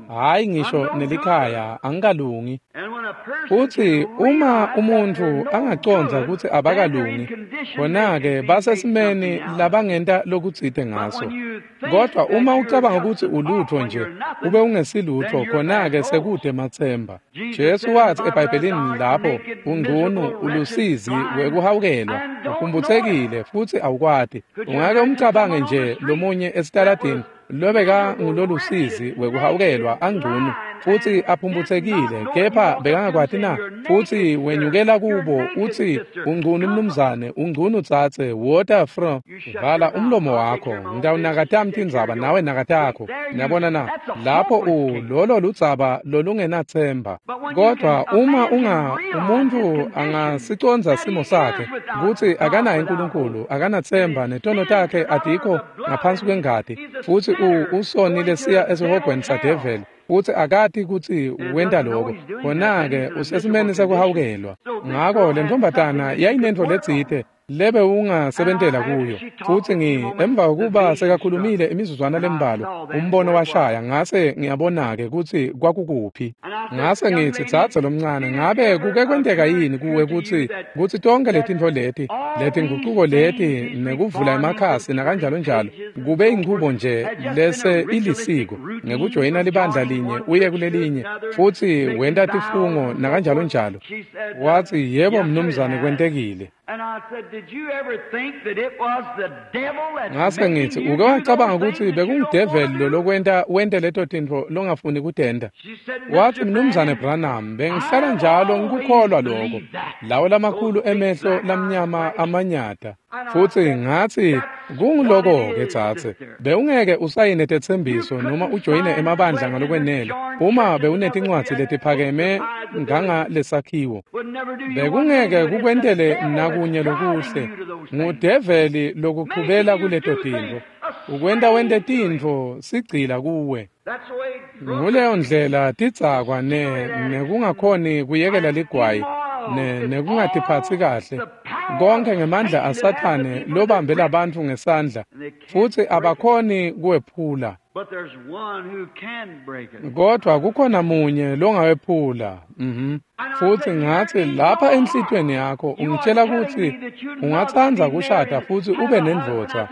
Hhayi ngisho nelikhaya, angikalungi. Futsi uma umuntfu angacondza kutsi abakalungi, khona-ke basesimeni labangenta lokutsite ngaso. Kodvwa uma ucabanga kutsi ulutfo nje, ube ungesilutfo, khona-ke sekude matsemba. Jesu watsi eBhayibhelini lapho, ungcunu, ulusizi wekuhawukelwa, uphumphutsekile futsi awukwati. Ungake umcabange nje lomunye esitaladini lobeka ngulolusizi wekuhawukelwa angcunu futsi aphumphutsekile, kepha bekangakwati na? Futsi wenyukela kubo utsi, ungcunu mnumzane, ungcunu dzadze, wota fro, vala umlomo wakho, ngitawunaka tami tindzaba nawe nakatakho. Niyabona na? Lapho u lolo ludzaba lolungenatsemba. Kodvwa uma unga umuntfu angasicondza simo sakhe kutsi akanaye uNkulunkulu, akanatsemba, netono takhe atikho ngaphansi kwengati, futsi u usonile siya esihogweni sadeveli, futsi akati kutsi wenta lokho, khona-ke usesimeni sekuhawukelwa. Ngako lentombatana yayinentfo letsite lebe ungasebentela kuyo. Futsi ngi emva kokuba sekakhulumile imizuzwana lembalwa, umbono washaya, ngase ngiyabona-ke kutsi kwakukuphi. Ngase ngitsi, dzadze lomncane, ngabe kuke kwenteka yini kuwe kutsi kutsi tonke letintfo leti, letingucuko leti, nekuvula emakhasi nakanjalo njalo, kube inchubo nje lese ilisiko, ngekujoyina libandla linye uye kulelinye, futsi wenta tifungo nakanjalo njalo? Watsi, yebo mnumzane, kwentekile. Ngase ngitsi, uke wacabanga kutsi bekungudeveli lo lokwenta wente leto tintfo longafuni kutenta? Watsi, mnumzane Branham, bengihlala njalo ngikukholwa lokho, lawo lamakhulu emehlo lamnyama amanyata. Futsi ngatsi, kunguloko-ke dzadze, bewungeke usayine tetsembiso noma ujoyine emabandla ngalokwenele uma bewunetincwadzi letiphakeme ngangalesakhiwo. Bekungeke kukwentele nakunye lokuhle. Ngudeveli lokuchubela kuleto tintfo, ukwenta wente tintfo sigcila kuwe. Nguleyo ndlela tidzakwa ne nekungakhoni kuyekela ligwayi ne nekungatiphatsi kahle Konke ngemandla aSathane lobambe labantfu ngesandla, futsi abakhoni kuwephula. Kodwa kukhona munye longawephula. Mhm. Futsi ngatsi lapha enhlitiyweni yakho ungitshela kutsi ungatsandza kushada futsi ube nendvodza.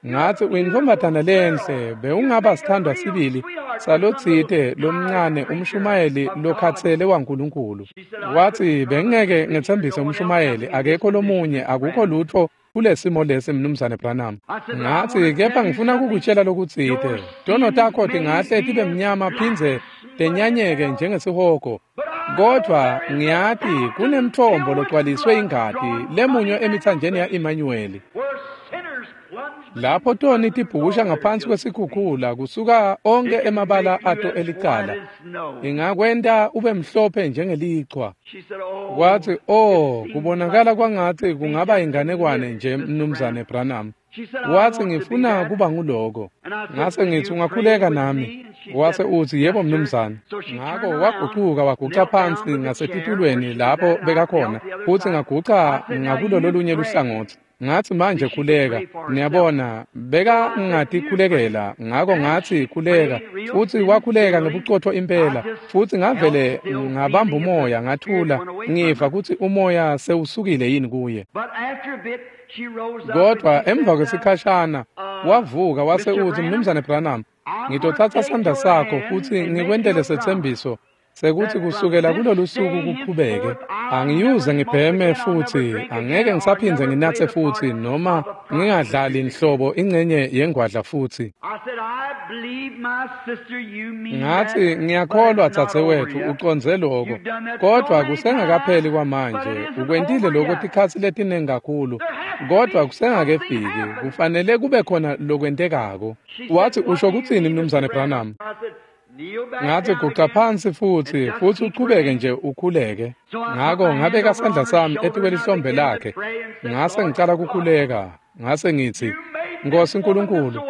Ngatsi uyintfombatana lenhle, bewungaba sithandwa sibili salotsite lomncane umshumayeli lokhatsele waNkulunkulu. Watsi bengeke ngetsembise umshumayeli, akekho lomunye, akukho lutfo kulesimo lesi Mnumzane Branham. Ngatsi kepha ngifuna kukutshela lokutsite. Tono takho tingahle tibe mnyama phindze tenyanyeke njengesihogo, kodvwa ngiyati kunemthombo logcwaliswe ingati lemunywe emitsanjeni ya-Emmanuel. Lapho toni tibhukusha ngaphansi kwesikhukhula kusuka onke emabala ato elicala. Ingakwenta ube mhlophe njengelichwa. Kwathi, oh, kubonakala kwangathi kungaba inganekwane nje Mnumzane Branham. Wathi ngifuna kuba nguloko. Ngase ngithi ungakhuleka nami. Wase uthi yebo mnumzane. Ngako wagucuka waguca phansi ngasetitulweni lapho bekakhona, futsi ngaguca ngakulo lolunye luhlangothi. Ngatsi manje khuleka. Niyabona, beka ngatikhulekela, ngako ngatsi khuleka, futsi wakhuleka ngebucotfo impela, futsi ngavele ngabamba umoya ngathula, ngiva kutsi umoya sewusukile yini kuye. Kodwa emva kwesikhashana wavuka wase utsi, Mnumzane Branham, ngitotsatsa sandla sakho futsi ngikwentele setsembiso sekuthi kusukela kulolu suku kuqhubeke angiyuze ngibheme futhi, angeke ngisaphindze nginatse futhi, noma ngingadlali nhlobo ingcenye yengwadla futhi. Ngathi ngiyakholwa dzadzewethu ucondze lokho, kodwa kusengakapheli kwamanje. Ukwentile lokho tikhatsi letinengi kakhulu, kodwa kusengakefiki, kufanele kube khona lokwentekako. Wathi usho kutsini Mnumzane Branham? Ngathi guca phansi futhi, futhi uchubeke nje ukhuleke. Ngako ngabeka sandla sami etikwelihlombe lakhe, ngase ngicala kukhuleka. Ngase ngithi, Nkosi Nkulunkulu,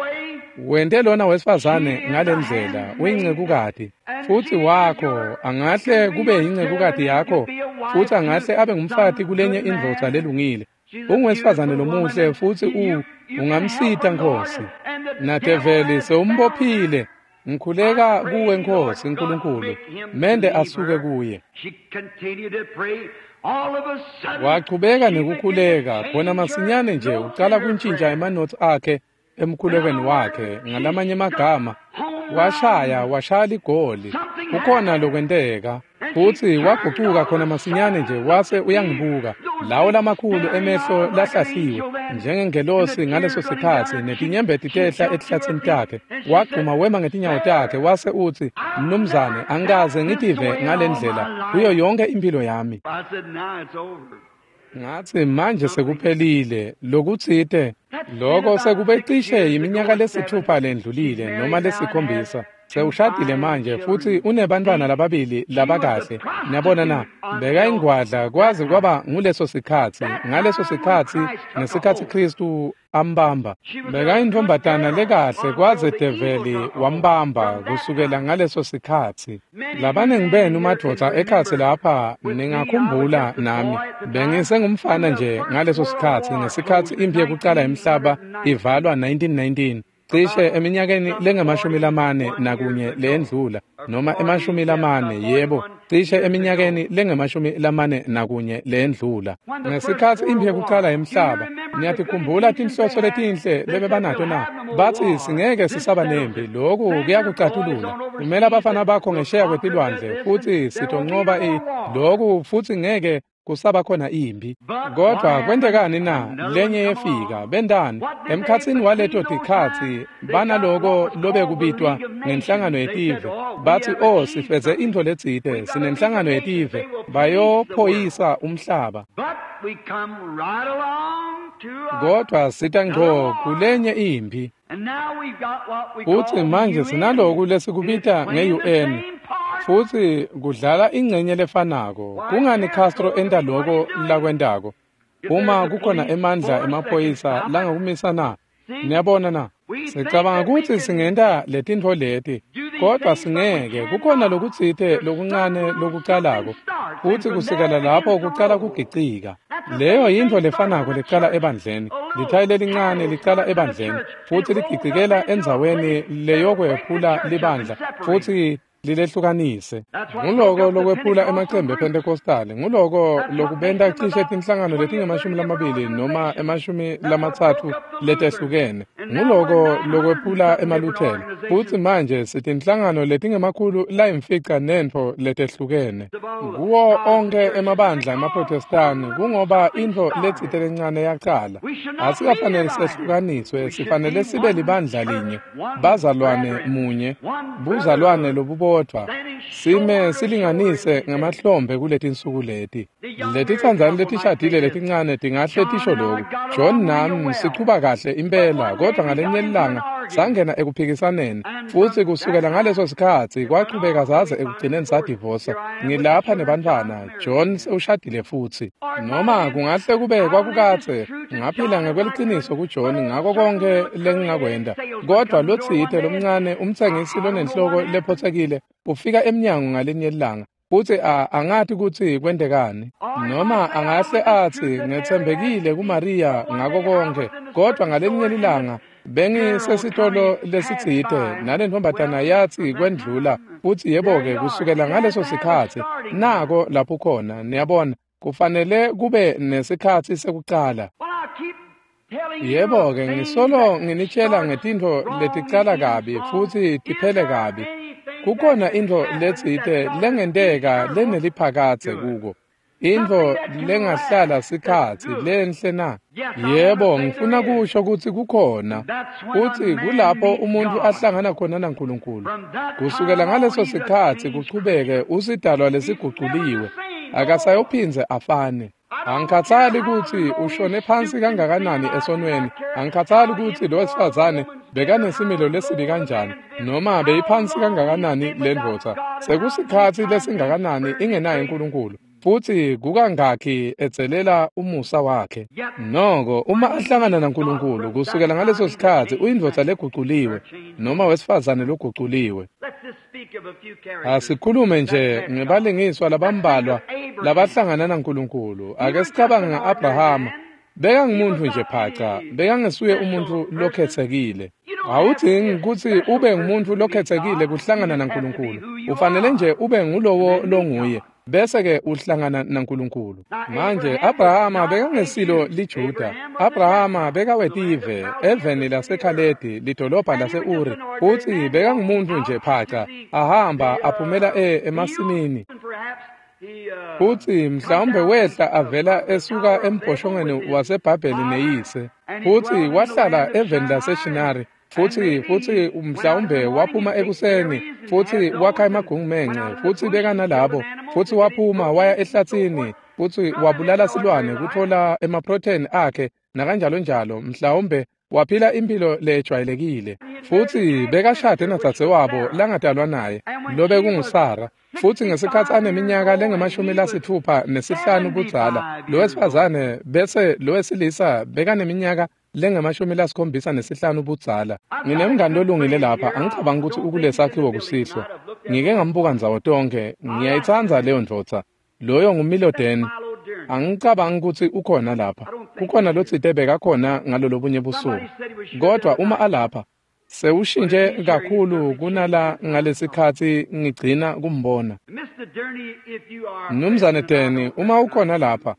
wente lona wesifazane ngalendlela, uyincekukati futhi wakho, angahle kube yincekukati yakho, futhi angahle abe ngumfati kulenye indvodza lelungile. Ungwesifazane lomuhle futhi u ungamsita Nkosi. Nadeveli sewumbophile. Ngikhuleka kuwe Nkosi Nkulunkulu, mende asuke kuye. Wachubeka nekukhuleka, khona masinyane nje ucala kuntshintsha emanothi akhe emkhulekweni wakhe. Ngalamanye amagama, washaya washaya ligoli, kukhona lokwenteka. Futhi wagucuka khona masinyane nje wase uyangibuka, lawo lamakhulu emehlo lahlahliwe njengengelosi ngaleso sikhatsi, netinyembeti tehla etihlatsini takhe. Wagcuma wema ngetinyawo takhe wase utsi, Mnumzane, angikaze ngitive ngalendlela kuyo yonke impilo yami. Ngatsi manje sekuphelile lokutsite, lokho sekube cishe iminyaka lesithupha lendlulile noma lesikhombisa. Sewushadile manje futhi unebantwana lababili labakahle. Niyabona na, beka ingwadla kwaze kwaba nguleso sikhatsi, ngaleso sikhatsi ngesikhatsi Kristu ambamba. Beka intfombatana lekahle kwaze develi wambamba kusukela ngaleso sikhatsi. Labanengi benu madvodza ekhatsi lapha ningakhumbula nami, bengisengumfana nje ngaleso sikhatsi, ngesikhatsi imphi yekucala yemhlaba ivalwa nineteen nineteen. Cishe eminyakeni lengemashumi lamane nakunye lendlula, noma emashumi lamane, yebo, cishe eminyakeni lengemashumi lamane nakunye lendlula. Ngesikhatsi imphi yekucala yemhlaba, niyatikhumbula tinhloso letinhle lebebanato na? Batsi singeke sisaba nempi, lokhu kuyakucatulula. Kumele abafana bakho ngesheya kwetilwandle futhi sitonqoba i lokhu futhi ngeke kusaba khona impi. Kodwa kwentekani na? Lenye yefika, bendani emkhatsini waleto tikhatsi banaloko lobekubitwa ngenhlangano yetive. Bathi, oh, sifeze intfo letsite, sinenhlangano yetive, bayophoyisa umhlaba. Kodwa sita ngco kulenye impi. Futsi manje sinaloku lesikubita nge-U N, futsi kudlala ingcenye lefanako. Kungani Castro enta loko lakwentako? Uma kukhona emandla emaphoyisa langakumisa na? Niyabona na? Sicabanga kutsi singenta letintfo leti, Kodwa singeke, kukhona lokutsite lokuncane lokucalako, futsi kusukela lapho kucala kugicika. Leyo yintfo lefanako lecala ebandleni. Lithayi lelincane licala ebandleni, futsi ligicikela endzaweni leyokwephula libandla, futsi lilehlukanise. Nguloko lokwephula emacembe ePentecostal, nguloko lokubenta cishe tinhlangano letingemashumi lamabili noma emashumi lamatsatfu letehlukene. Nguloko lokwephula emaLuthela. Futsi manje sitinhlangano letingemakhulu layimfica nentfo letehlukene. Kuwo onkhe emabandla emaProtestani kungoba intfo letsite lencane yacala. Asikafanele sehlukaniswe, sifanele sibe libandla linye, bazalwane munye, buzalwane lobubodvwa. Sime silinganise ngemahlombe kuletinsuku leti. Letitsandzani letishadile letincane tingahle tisho loku. John nami sichuba kahle impela, kodwa ngalenye ilanga sangena ekuphikisaneni, futsi kusukela ngaleso sikhatsi kwachubeka saze ekugcineni sadivosa. Ngilapha nebantfwana, John sewushadile futsi. Noma kungahle kube kwakukadze ngaphila ngekweliciniso kuJohn ngako konke lengingakwenta, kodwa lotsite lomncane umtsengisi lonenhloko lephotsekile ufika emnyango ngalinye ilanga, futsi angati kutsi kwentekani. Noma angahle atsi ngetsembekile kuMaria ngako konke, kodwa ngalinye ilanga bengisesitolo lesitsite nalentfombatana yatsi kwendlula, futsi yebo-ke kusukela ngaleso sikhatsi nako lapho khona. Niyabona, kufanele kube nesikhatsi sekucala. Yebo-ke ngisolo nginitshela ngetintfo leticala kabi futsi tiphele kabi. Kukhona intfo letsite lengenteka leneliphakadze kuko, intfo lengahlala sikhatsi lenhle na? Yebo, ngifuna kusho kutsi kukhona, futsi kulapho umuntfu ahlangana khona naNkulunkulu. Kusukela ngaleso sikhatsi kuchubeke usidalwa lesiguculiwe, akasayophindze afane. Angikhathali kutsi ushone phansi kangakanani esonweni, angikhathali kutsi lo wesifazane bekanesimilo lesibi kanjani, noma beyiphansi kangakanani lendvodza, sekusikhatsi lesingakanani ingenaye uNkulunkulu, futsi kukangakhi edzelela umusa wakhe. Noko uma ahlangana naNkulunkulu kusukela ngaleso sikhatsi uyindvodza leguculiwe noma wesifazane loguculiwe. Asikhulume nje ngebalingiswa labambalwa labahlangana naNkulunkulu. Ake sicabange nga-Abrahama. Bekangumuntu nje phaca, bekangesuye umuntu lokhetsekile. Awudzingi kutsi ube ngumuntu lokhetsekile kuhlangana naNkulunkulu. Ufanele nje ube ngulowo longuye, bese-ke uhlangana naNkulunkulu. Manje Abrahama bekangesilo liJuda. Abrahama bekawetive eveni laseKhaledi, lidolobha lase-Uri, futsi bekangumuntu nje phaca, ahamba aphumela e emasimini. Futsi mhlawumbe wehla avela esuka embhoshongweni waseBhabheli neyise, futsi wahlala eveni laseShinari. Futsi futsi mhlawumbe waphuma ekuseni, futsi wakha emagungumence, futsi bekanalabo, futsi waphuma waya ehlatsini, futsi wabulala silwane kutfola emaprotein akhe nakanjalo njalo. Mhlawumbe waphila impilo lejwayelekile. Futsi bekashade nadzadzewabo langadalwa naye, lobekunguSara. Futsi ngesikhatsi aneminyaka lengemashumi lasitfupha nesihlanu budzala, lowesifazane bese lowesilisa bekaneminyaka lengemashumi lasikhombisa nesihlanu budzala. Nginemngani lolungile lapha, angicabangi kutsi ukulesakhiwo kusihlwa. Ngike ngambuka ndzawo tonkhe, ngiyayitsandza leyo ndvodza. Loyo nguMilo Deni. Angicabangi kutsi ukhona lapha. Kukhona lotsite bekakhona ngalolobunye busuku. Kodwa uma alapha, sewushintshe kakhulu kunala ngalesikhatsi ngigcina kumbona. Mnumzane Deni, uma ukhona lapha,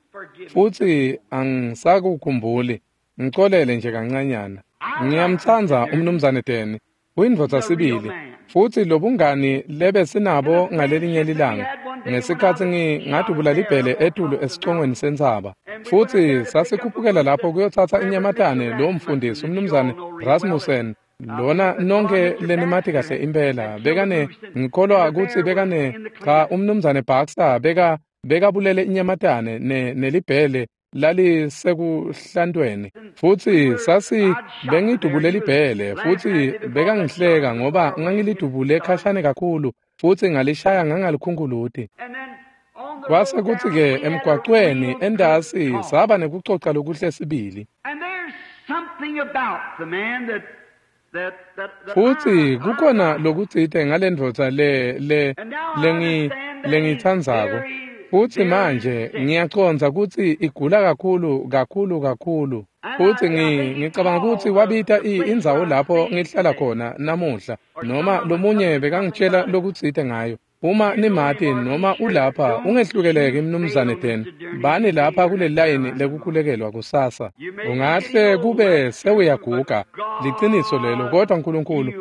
futsi angisakukhumbuli, ngicolele nje kancanyana. Ngiyamtsandza umnumzane Deni, uyindvodza sibili, futsi lobungani lebesinabo ngalelinye lilanga ngesikhatsi ngingadubula libhele etulu esicongweni sentsaba, futsi sasikhuphukela lapho kuyotsatsa inyamatane lowo mfundisi umnumzane Rasmussen, lona nonke lenimati kahle impela, bekane ngikholwa kutsi bekane cha umnumzane Baxter beka bekabulele inyamatane ne nelibhele lalisekuhlantweni, futsi sasi bengidubule libhele, futsi bekangihleka ngoba ngangilidubule khashane kakhulu, futsi ngalishaya ngangalikhunkhuluti. Kwase kutsi-ke emgwacweni entasi saba nekucoca lokuhle sibili. And there's something about the man that Futsi kukhona lokutsite ngalendvodza le le lengi lengitsandzako. Futsi manje ngiyacondza kutsi igula kakhulu kakhulu kakhulu. Futsi ngicabanga kutsi wabita indzawo lapho ngihlala khona namuhla noma lomunye bekangitshela lokutsite ngayo. Uma nimati noma ulapha ungehlukeleki mnumzane Den bani lapha kule layini lekukhulekelwa kusasa. Ungahle kube sewuyaguga, liciniso lelo, kodwa uNkulunkulu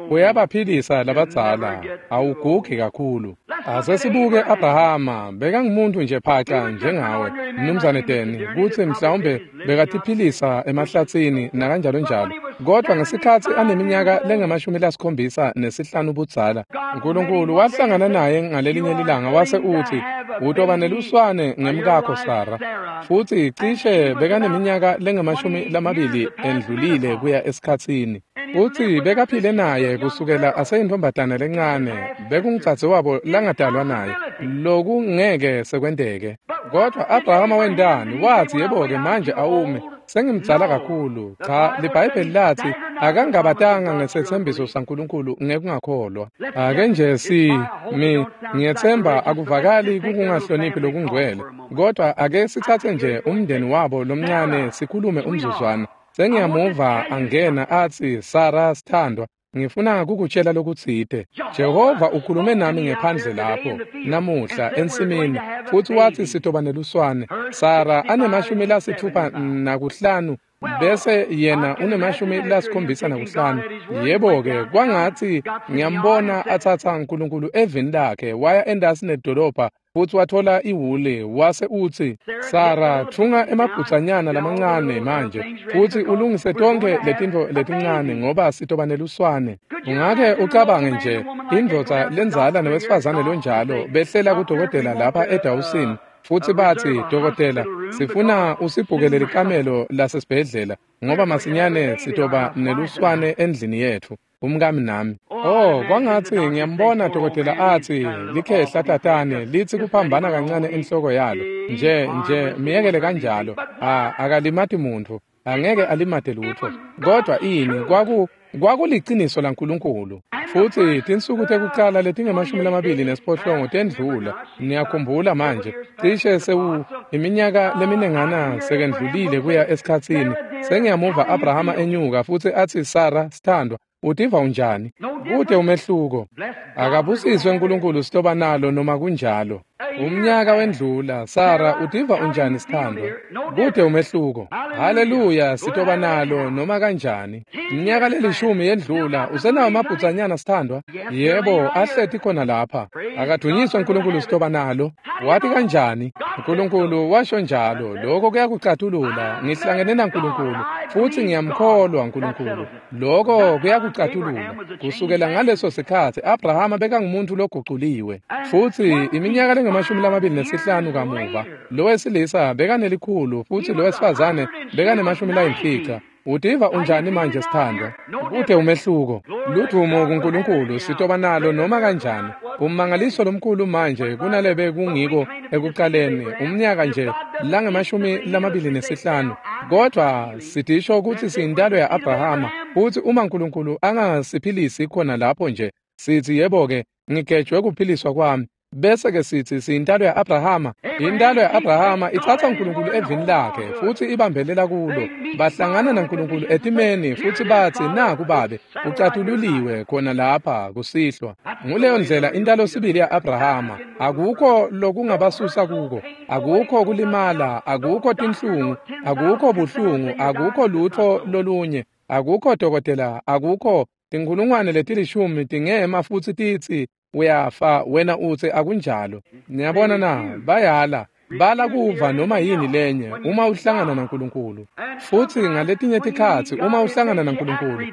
uyabaphilisa labadzala, awugugi kakhulu. Asesibuke Abrahama, bekangumuntu nje phaca njengawe mnumzane Den, kutsi mhlawumbe bekatiphilisa emahlatsini nakanjalo njalo, kodwa ngesikhatsi aneminyaka lengamashumi lasikhombisa nesihlanu budzala, uNkulunkulu wahlangana naye ngalelinye lilanga wase uthi utoba neluswane ngemkakho Sara. Futsi cishe bekaneminyaka lengamashumi lamabili endlulile kuya esikhatsini. Futsi bekaphile naye kusukela aseyintombatana lencane, bekungdzadze wabo langadalwa naye, lokungeke sekwenteke. Kodwa Abrahama wentani? Wathi yebo-ke manje awume, sengimdzala kakhulu. Cha, liBhayibheli lathi akangabatanga ngesethembiso saNkulunkulu ngekungakholwa. Ake nje si mi ngiyethemba akuvakali kukungahloniphi lokungcwele, kodwa ake sithathe nje umndeni wabo lomncane sikhulume umzuzwana. Sengiyamuva angena athi Sara sithandwa, ngifuna kukutshela lokutsite. Jehova ukhulume nami ngephandle lapho namuhla ensimini, futhi wathi sitoba neluswane. Sara anemashumi lasithupha nakuhlanu bese yena unemashumi lasikhombisa nakuhlanu. Yebo-ke kwangathi ngiyambona athatha uNkulunkulu evini lakhe waya endasi nedolobha futsi wathola iwule wase utsi Sara thunga emabhutsanyana lamancane manje futsi ulungise tonkhe letintfo letincane ngoba sitoba neluswane. Ungake ucabange nje indvodza lendzala newesifazane lonjalo behlela kudokotela lapha eDawson futsi batsi dokotela sifuna usibhukele likamelo lasesibhedlela ngoba masinyane sitoba neluswane endlini yetfu umkami nami. Oh, kwangatsi ngiyambona dokotela atsi likhehla tatane litsi kuphambana kancane enhloko yalo nje nje miyekele kanjalo, ah akalimati muntfu, angeke alimate lutfo. Kodwa ini kwaku kwakuliciniso laNkulunkulu. Futsi tinsuku tekucala letingemashumi lamabili nesiphohlongo tendlula. Niyakhumbula manje cishe sewu iminyaka leminengana sekendlulile kuya esikhatsini. Sengiyamuva Abrahama enyuka futsi atsi Sara sithandwa utiva unjani? Kute umehluko. Akabusiswe uNkulunkulu sitoba nalo noma kunjalo. Umnyaka wendlula, Sara utiva unjani sithandwa? Kute umehluko. Haleluya, sitoba nalo noma kanjani. Iminyaka lelishumi yendlula, usenawo amabhutsanyana sithandwa? Yebo, ahleti khona lapha. Akadunyiswe uNkulunkulu sitoba nalo. Wathi kanjani? uNkulunkulu washo njalo, lokho kuyakucatulula. Ngihlangene naNkulunkulu futhi ngiyamkholwa uNkulunkulu. Lokho kuyakucatulula. Kusukela ngaleso sikhatsi Abrahama bekangumuntu loguculiwe. Futsi iminyaka lengamashumi lamabili nesihlanu kamuva, lowesilisa bekanelikhulu futsi lowesifazane bekanemashumi layimfica. Utiva unjani manje sithandwa? Kute umehluko. Ludvumo kuNkulunkulu sitoba nalo noma kanjani. Ummangaliso lomkhulu manje kunalebe kungiko ekuqaleni umnyaka nje langemashumi lamabili nesihlanu. Kodwa sidisho kutsi siyintalo ya-Abrahama, futsi uma uNkulunkulu angasiphilisi khona lapho nje sithi yebo-ke ngigejwe kuphiliswa kwami, bese ke sithi siyintalo ya-Abrahama. Intalo ya-Abrahama ithatha uNkulunkulu evini lakhe futsi ibambelela kulo. Bahlangana naNkulunkulu etimeni futsi batsi naku babe ucatululiwe khona lapha kusihlwa. Nguleyo ndlela intalo sibili ya-Abrahama. Akukho lokungabasusa kuko, akukho kulimala, akukho tinhlungu, akukho buhlungu, akukho lutfo lolunye, akukho dokotela, akukho tinkhulungwane letilishumi tingema futsi titsi uyafa, wena utsi akunjalo. Niyabona na, bayala bala kuva noma yini lenye uma uhlangana naNkulunkulu. Futsi ngaletinye tikhatsi uma uhlangana naNkulunkulu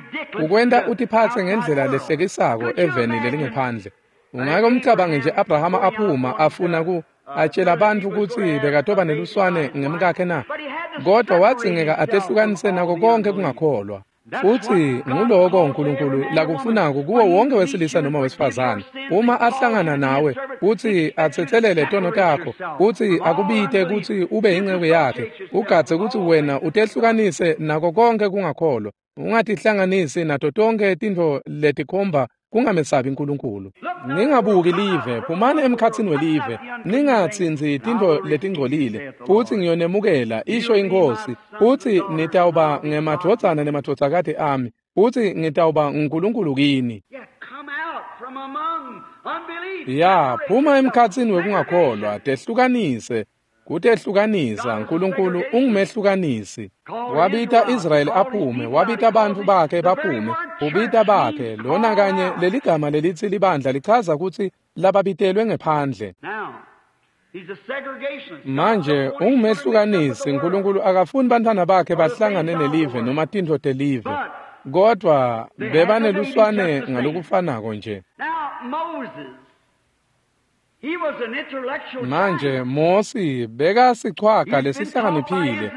ukwenta utiphatse ngendlela lehlekisako eveni lelingephandle. Ungake umcabange nje Abrahama aphuma afuna ku atshela abantu kutsi bekatoba neluswane ngemkakhe na? Kodwa wadzingeka atehlukanise nako konke kungakholwa. Futhi nguloko uNkulunkulu lakufunako kuwo wonke wesilisa noma wesifazane. Uma ahlangana nawe futhi athethelele tono takho, futhi akubite kutsi ube inceku yakhe, ugadze kutsi wena utehlukanise nako konke kungakholwa, ungatihlanganisi nato tonkhe tintfo letikhomba kungamesabi uNkulunkulu. Ningabuki live, phumani emkhatsini welive, ningatsintsi tintfo letingcolile, futsi ngiyonemukela, isho iNkhosi, futsi nitawuba ngemadvodzana nemadvodzakati ami, futsi ngitawuba nguNkulunkulu kini. Ya, phuma emkhatsini wekungakholwa, tehlukanise. Kutehlukanisa, uNkulunkulu ungumehlukanisi. Wabita Israyeli aphume, wabita bantfu bakhe baphume, ubita bakhe. Lona kanye leligama lelitsi libandla lichaza kutsi lababitelwe ngephandle. Manje ungumehlukanisi. uNkulunkulu akafuni bantfwana bakhe bahlangane nelive noma tintfo telive, kodvwa bebaneluswane ngalokufanako nje. Manje Mosi bekasichwaga lesihlakaniphile,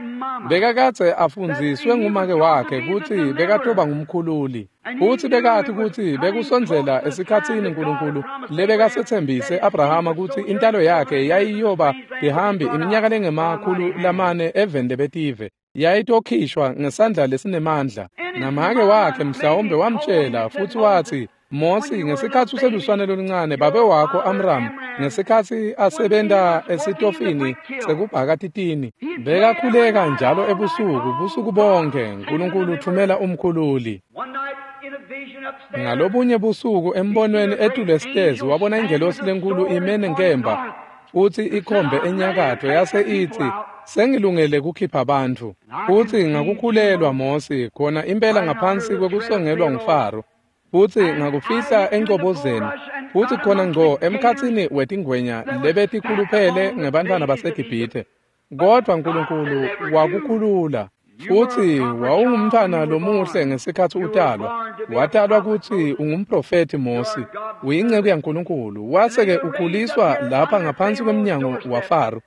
bekakadze afundziswe ngumake wakhe kutsi bekatoba ngumkhululi, futsi bekathi kutsi bekusondzela esikhatsini uNkulunkulu lebekasetsembise Abrahama kutsi intalo yakhe yayiyoba tihambi iminyaka lengemakhulu lamane eveni lebetive, yayitokhishwa ngesandla lesinemandla. Namake wakhe mhlawumbe wamtjela futsi watsi, Mosi, ngesikhatsi useluswane loluncane, babe wakho Amram, ngesikhatsi asebenta esitofini sekubhaka titini, bekakhuleka njalo ebusuku, busuku bonke, uNkulunkulu uthumela umkhululi. Ngalobunye busuku embonweni etulu esitezi wabona ingelosi lenkulu ime nenkemba futsi ikhombe enyakatfo, yase itsi, sengilungele kukhipha bantfu. Futsi ngakukhulelwa Mosi khona impela ngaphansi kwekusongelwa nguFaro, futsi ngakufihla encobozeni, futsi khona ngco emkhatsini wetingwenya lebetikhuluphele ngebantfwana baseGibhithe. Kodvwa uNkulunkulu wakukhulula. Futsi wawungumntfwana lomuhle ngesikhatsi utalwa. Watalwa kutsi ungumprofethi Mosi, uyinceku yaNkulunkulu. Wase-ke ukhuliswa lapha ngaphansi kwemnyango waFaro.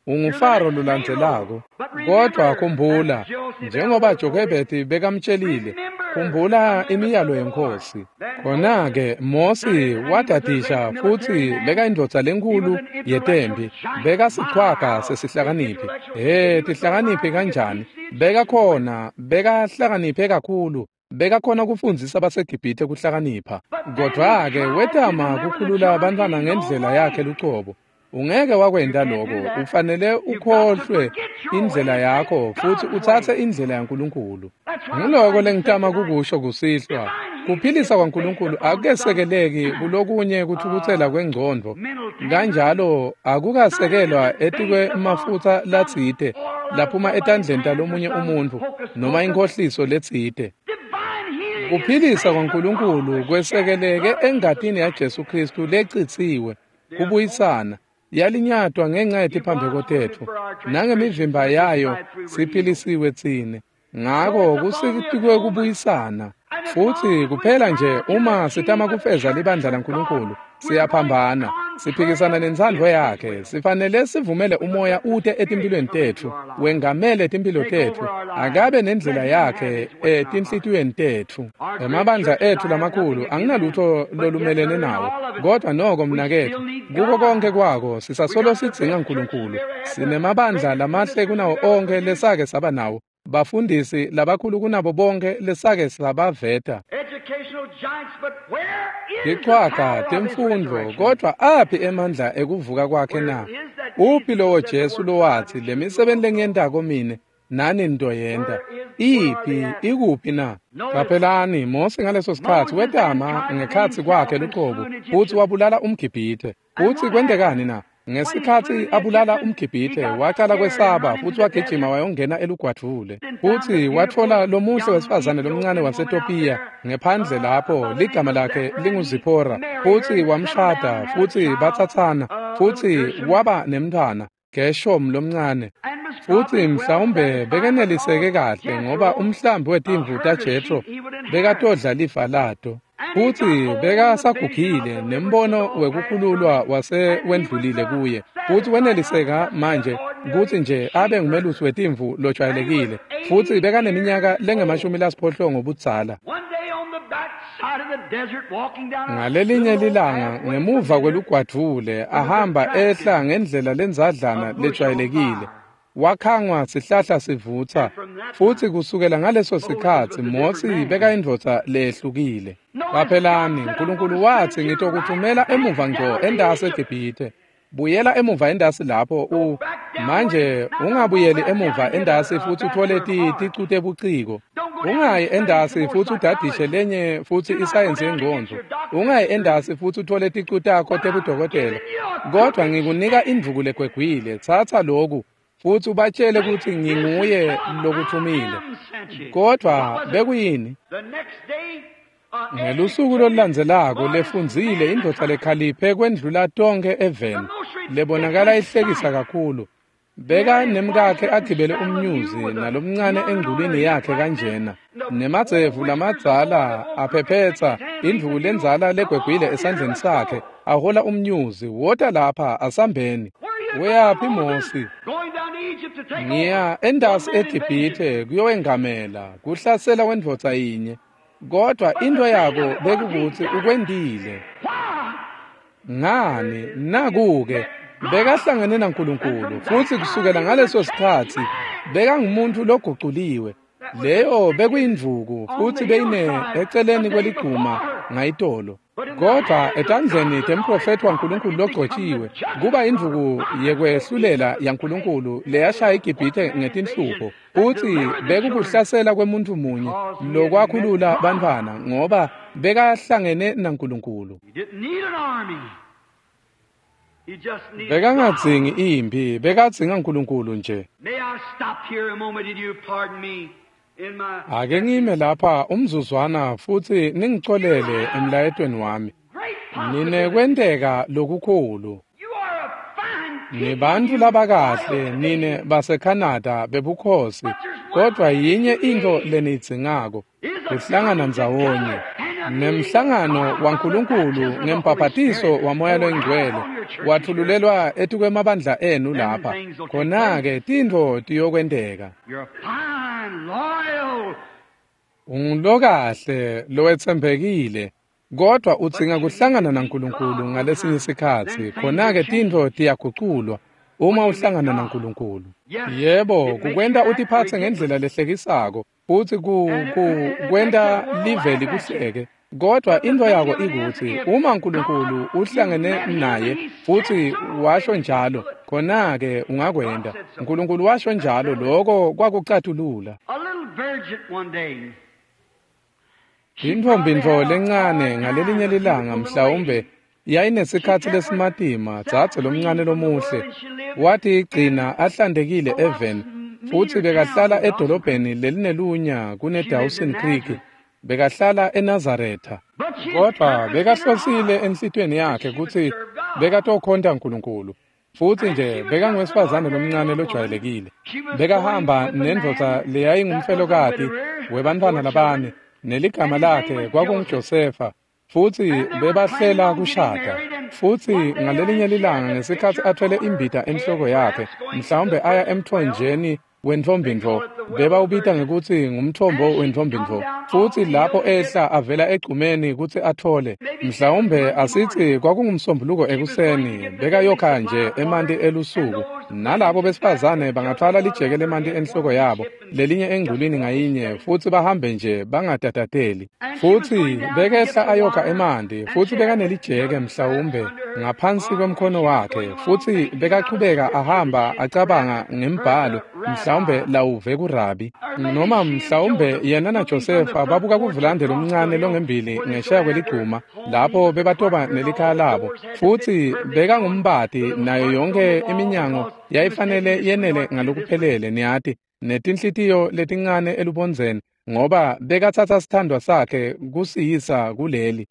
UnguFaro lolandzelako. Kodvwa khumbula, njengoba Jokhebedi bekamtshelile, khumbula imiyalo yeNkhosi. Khona-ke Mosi wadadisha futsi bekayindvodza lenkhulu yetempi, bekasichwaga sesihlakaniphi. He, tihlakaniphi kanjani! Bekakhona, bekahlakaniphe kakhulu, bekakhona kufundzisa baseGibhithe kuhlakanipha. Kodvwa-ke wetama kukhulula bantfwana ngendlela yakhe lucobo. Ungeke wakwenta lokho, ufanele ukhohlwe indlela yakho futsi utsatse indlela yaNkulunkulu. Nguloko lengitama kukusho kusihlwa. Kuphilisa kwaNkulunkulu akukesekeleki kulokunye kuthukutsela kwengcondvo, kanjalo akukasekelwa etikwemafutsa latsite laphuma etandleni talomunye umuntfu noma inkhohliso letsite. Kuphilisa kwaNkulunkulu kwesekeleke engatini yaJesu Khristu lecitsiwe, kubuyisana. Yalinyatwa ngenxa yetiphambeko tetfu, nangemivimba yayo siphilisiwe tsine. Ngako kusikwe kubuyisana. Futsi kuphela nje uma sitama kufeza libandla laNkulunkulu, siyaphambana, siphikisana nentsandvo yakhe. Sifanele sivumele umoya ute etimphilweni tetfu, wengamele timphilo tetfu, akabe nendlela yakhe etinhlitiyweni tetfu. Emabandla etfu lamakhulu anginalutho lolumelene nawo, kodwa noko mnaketfu, kuko konke kwako sisasolo sidzinga uNkulunkulu. Sinemabandla lamahle kunawo onke lesake saba nawo, bafundisi labakhulu kunabo bonke lesake sabaveta, tichwaga temfundvo, kodvwa aphi emandla ekuvuka kwakhe na? Uphi lowo Jesu lowatsi, lemisebenti lengiyentako mine nani nitoyenta? Iphi, ikuphi na? Qaphelani, Mosi ngaleso sikhatsi wetama ngekhatsi kwakhe lucobo futsi wabulala umGibhithe. Futsi kwentekani na? Ngesikhatsi abulala umGibhithe, wacala kwesaba futsi wagijima wayongena elugwadvule. Futsi watfola lomuhle wesifazane lomncane waseTopiya ngephandle lapho, ligama lakhe linguZiphora, futsi wamshada futsi batsatsana, futsi waba nemntfwana, Geshom lomncane. Futsi mhlawumbe bekeneliseke kahle ngoba umhlambi wetimvu taJethro bekatodla lifa lato. Futsi bekasagugile nembono wekukhululwa wase wendlulile kuye. Futsi weneliseka manje kutsi nje abe ngumelusi wetimvu lojwayelekile. Futsi bekaneminyaka lengemashumi lasiphohlongo budzala. Ngalelinye lilanga ngemuva kwelugwadvule ahamba ehla ngendlela lendzadlana lejwayelekile. Wakhangwa sihlahla sivutsa futsi kusukela ngaleso sikhatsi Mosi bekayindvodza lehlukile. Qaphelani, Nkulunkulu watsi ngitokuthumela emuva ngco endasi eGibhithe. Buyela emuva endasi lapho u manje ungabuyeli emuva endasi futsi uthole ticu tebuciko. Ungayi endasi futsi udadishe lenye futsi isayensi yengcondvo. Ungayi endasi futsi uthole ticu takho tebudokotela. Kodwa ngikunika indvuku legwegwile, tsatsa loku futsi ubatshele kutsi nginguye lokuthumile. Kodwa bekuyini? Ngelusuku lolulandzelako lefundzile indvodza lekhaliphe kwendlula tonkhe eveni lebonakala ihlekisa kakhulu. Beka nemkakhe agibele umnyuzi nalomncane engculwini yakhe kanjena. Nemadzevu lamadzala aphephetsa indvuku lendzala legwegwile esandleni sakhe ahola umnyuzi. Wota lapha asambeni. Uyaphi Mosi? Ngiya endasi eGibhithe kuyowengamela kuhlasela kwendvodza yinye. Kodwa into yako bekukuthi ukwendile. Ngani nakuke bekahlangene naNkulunkulu futsi kusukela ngaleso sikhatsi bekangumuntu loguculiwe. Leyo bekuyindvuku futsi beyine eceleni kweliguma ngayitolo. Kodwa etandleni temprofethi waNkulunkulu logcotshiwe kuba indvuku yekwehlulela yaNkulunkulu leyashaya iGibhithe ngetinhlupho. Futsi bekukuhlasela kwemuntu munye lokwakhulula bantfwana ngoba bekahlangene naNkulunkulu. Bekangadzingi imphi, bekadzinga Nkulunkulu nje. Ake ngime lapha umzuzwana futsi ningicolele emlayetweni wami. Ninekwenteka lokukhulu. Nibantfu labakahle nine baseKhanada bebukhosi, kodwa yinye intfo leniyidzingako, kuhlangana ndzawonye. Nemhlangano waNkulunkulu ngembhabhatiso waMoya Longcwele watfululelwa etikwemabandla enu lapha. Khona-ke tintfo tiyokwenteka. Ungulokahle lowetsembekile, kodwa udzinga kuhlangana naNkulunkulu ngalesinye sikhatsi. Khona-ke tintfo tiyaguculwa uma uhlangana naNkulunkulu. Yebo, kukwenta utiphatse ngendlela lehlekisako futsi ku kwenta live likuhleke. Kodwa intfo yako ikutsi uma Nkulunkulu uhlangene naye futsi washo njalo, khona-ke ungakwenta. Nkulunkulu washo njalo, loko kwakucatulula. Intfombi-ntfo lencane ngalelinye lilanga mhlawumbe yayinesikhatsi lesimatima, dzadze lomncane lomuhle watigcina ahlantekile eveni futsi bekahlala edolobheni lelinelunya kune-Dawson Creek. Bekahlala eNazaretha. Kodwa bekahlosile enhlitiyweni yakhe kutsi bekatokhonta Nkulunkulu. Futsi nje bekanguwesifazane lomncane lojwayelekile. Bekahamba nendvodza leyayingumfelokati webantfwana labane neligama lakhe kwakunguJosefa. Futsi bebahlela kushada. Futsi ngalelinye lilanga ngesikhatsi athwele imbita enhloko yakhe, mhlawumbe aya emthonjeni wentfombi-ntfo, bebawubita ngekutsi ngumthombo wentfombi-ntfo. Futsi lapho ehla avela egcumeni kutsi athole, mhlawumbe asitsi kwakungumsombuluko ekuseni, bekayokha nje emanti elusuku. Nalabo besifazane bangatfwala lijeke lemanti enhloko yabo, lelinye engculwini ngayinye, futsi bahambe nje bangatatateli. Futsi bekehla ayokha emanti, futsi bekanelijeke mhlawumbe ngaphansi kwemkhono wakhe, futsi bekachubeka ahamba acabanga ngembhalo mhlawumbe lawuve kurabi. Noma mhlawumbe yena naJosefa babuka kuvulande lomncane longembili ngesheya kweliguma lapho bebatoba nelikhaya labo. Futsi bekangumbati nayo yonke iminyango yayifanele yenele ngalokuphelele, niyati, netinhlitiyo letincane elubondzeni, ngoba bekatsatsa sithandwa sakhe kusiyisa kuleli.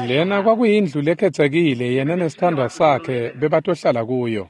Lena kwakuyindlu lekhetsekile yena nesithandwa sakhe bebatohlala kuyo.